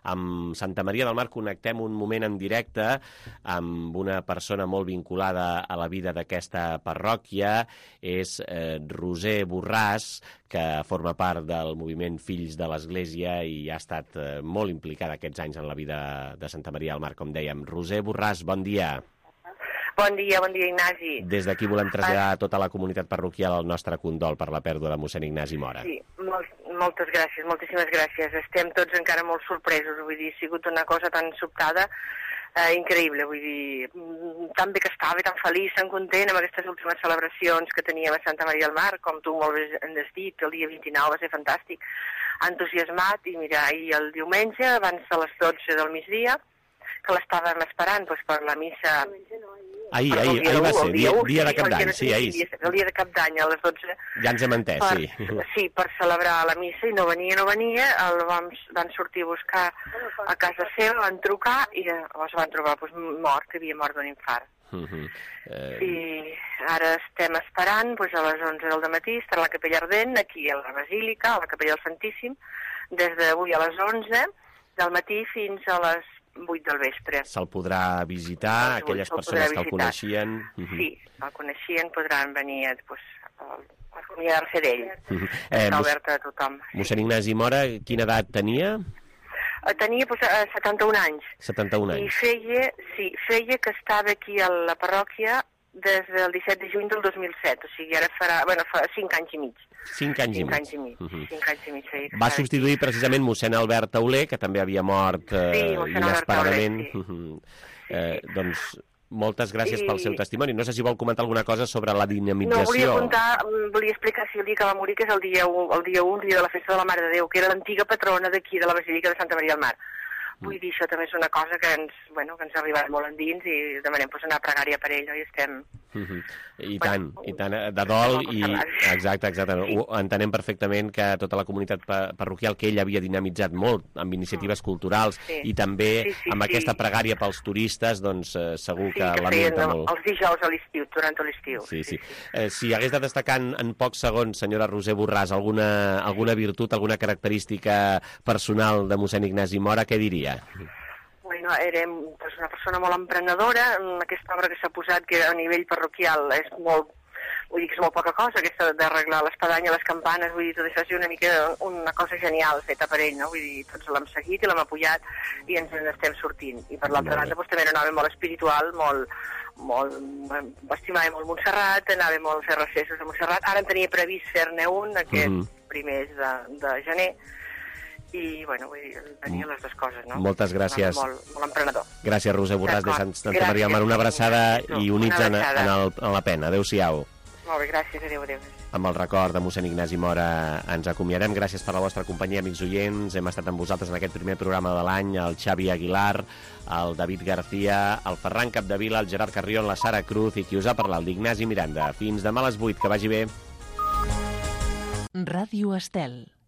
Amb Santa Maria del Mar connectem un moment en directe amb una persona molt vinculada a la vida d'aquesta parròquia. És eh, Roser Borràs, que forma part del moviment Fills de l'Església i ha estat eh, molt implicada aquests anys en la vida de Santa Maria del Mar, com dèiem. Roser Borràs, bon dia. Bon dia, bon dia, Ignasi. Des d'aquí volem traslladar a tota la comunitat parroquial el nostre condol per la pèrdua de mossèn Ignasi Mora. Sí, molt, moltes gràcies, moltíssimes gràcies. Estem tots encara molt sorpresos, vull dir, ha sigut una cosa tan sobtada, eh, increïble, vull dir, tan bé que estava, tan feliç, tan content amb aquestes últimes celebracions que teníem a Santa Maria del Mar, com tu molt bé has dit, el dia vint-i-nou va ser fantàstic, entusiasmat, i mira, ahir el diumenge, abans de les dotze del migdia, que l'estàvem esperant doncs, per la missa... Ahir, ahir, ahir va ser, dia, dia de cap d'any, sí, ahir. El dia de cap d'any, a les dotze. Ja ens hem entès, per, sí. Sí, per celebrar la missa, i no venia, no venia, el vam, van sortir a buscar a casa seva, van trucar, i es van trobar doncs, mort, que havia mort d'un infart. Uh -huh. eh... I ara estem esperant, doncs, a les onze del matí, estarà a la Capella Ardent, aquí a la Basílica, a la Capella del Santíssim, des d'avui a les onze del matí fins a les vuit del vespre. Se'l podrà visitar, doncs, aquelles persones que el coneixien. Uh -huh. Sí, el coneixien, podran venir pues, a acomiadar-se d'ell. Uh -huh. eh, Està oberta a tothom. Mossèn Ignasi Mora, quina edat tenia? Tenia pues, setanta-un anys. setanta-un anys. I feia, sí, feia que estava aquí a la parròquia des del disset de juny del dos mil set, o sigui, ara farà, bueno, fa cinc anys i mig. Cinc anys i mig. Cinc anys i mig, uh -huh. cinc anys i mig. Sí, va substituir aquí. precisament mossèn Albert Tauler, que també havia mort eh, sí, inesperadament. Sí. Uh -huh. eh, doncs moltes gràcies I... pel seu testimoni. No sé si vol comentar alguna cosa sobre la dinamització. No, volia contar, volia explicar si el dia que va morir, que és el dia u, el dia u, el dia de la festa de la Mare de Déu, que era l'antiga patrona d'aquí, de la Basílica de Santa Maria del Mar. Vull dir, això també és una cosa que ens, bueno, que ens ha arribat molt endins i demanem pues, una pregària per ell, no? I estem... Uh -huh. I tant, bueno, i tant, de dol, i exacte, exacte. Sí. Ho entenem perfectament que tota la comunitat parroquial que ell havia dinamitzat molt amb iniciatives mm. culturals sí. i també sí, sí, amb sí. aquesta pregària pels turistes, doncs eh, segur sí, que, que lamenta feien, molt. Els dijous a l'estiu, durant l'estiu. Sí, sí. sí. Eh, si hagués de destacar en, en pocs segons, senyora Roser Borràs, alguna, alguna virtut, alguna característica personal de mossèn Ignasi Mora, què diria? Bueno, era pues, una persona molt emprenedora, en aquesta obra que s'ha posat, que a nivell parroquial és molt, vull dir que és molt poca cosa, aquesta d'arreglar l'espadanya, les campanes, vull dir, tot això és una mica una cosa genial feta per ell, no? Vull dir, tots l'hem seguit i l'hem apoyat i ens n'estem sortint. I per l'altra banda, doncs, també era un home molt espiritual, molt, molt, estimava molt Montserrat, anava molt a fer recessos a Montserrat, ara en tenia previst fer-ne un, aquest mm -hmm. primers de, de gener, i, bueno, vull dir, tenia les dues coses, no? Moltes gràcies. Molt, molt emprenedor. Gràcies, Roser Borràs de Sant Santa Maria del Mar. Una abraçada i units en, en, el, en la pena. Adéu-siau. Molt bé, gràcies. Adéu, adéu. Amb el record de mossèn Ignasi Mora ens acomiadem. Gràcies per la vostra companyia, amics oients. Hem estat amb vosaltres en aquest primer programa de l'any, el Xavi Aguilar, el David García, el Ferran Capdevila, el Gerard Carrión, la Sara Cruz i qui us ha parlat, l'Ignasi Miranda. Fins demà a les vuit, que vagi bé. Ràdio Estel.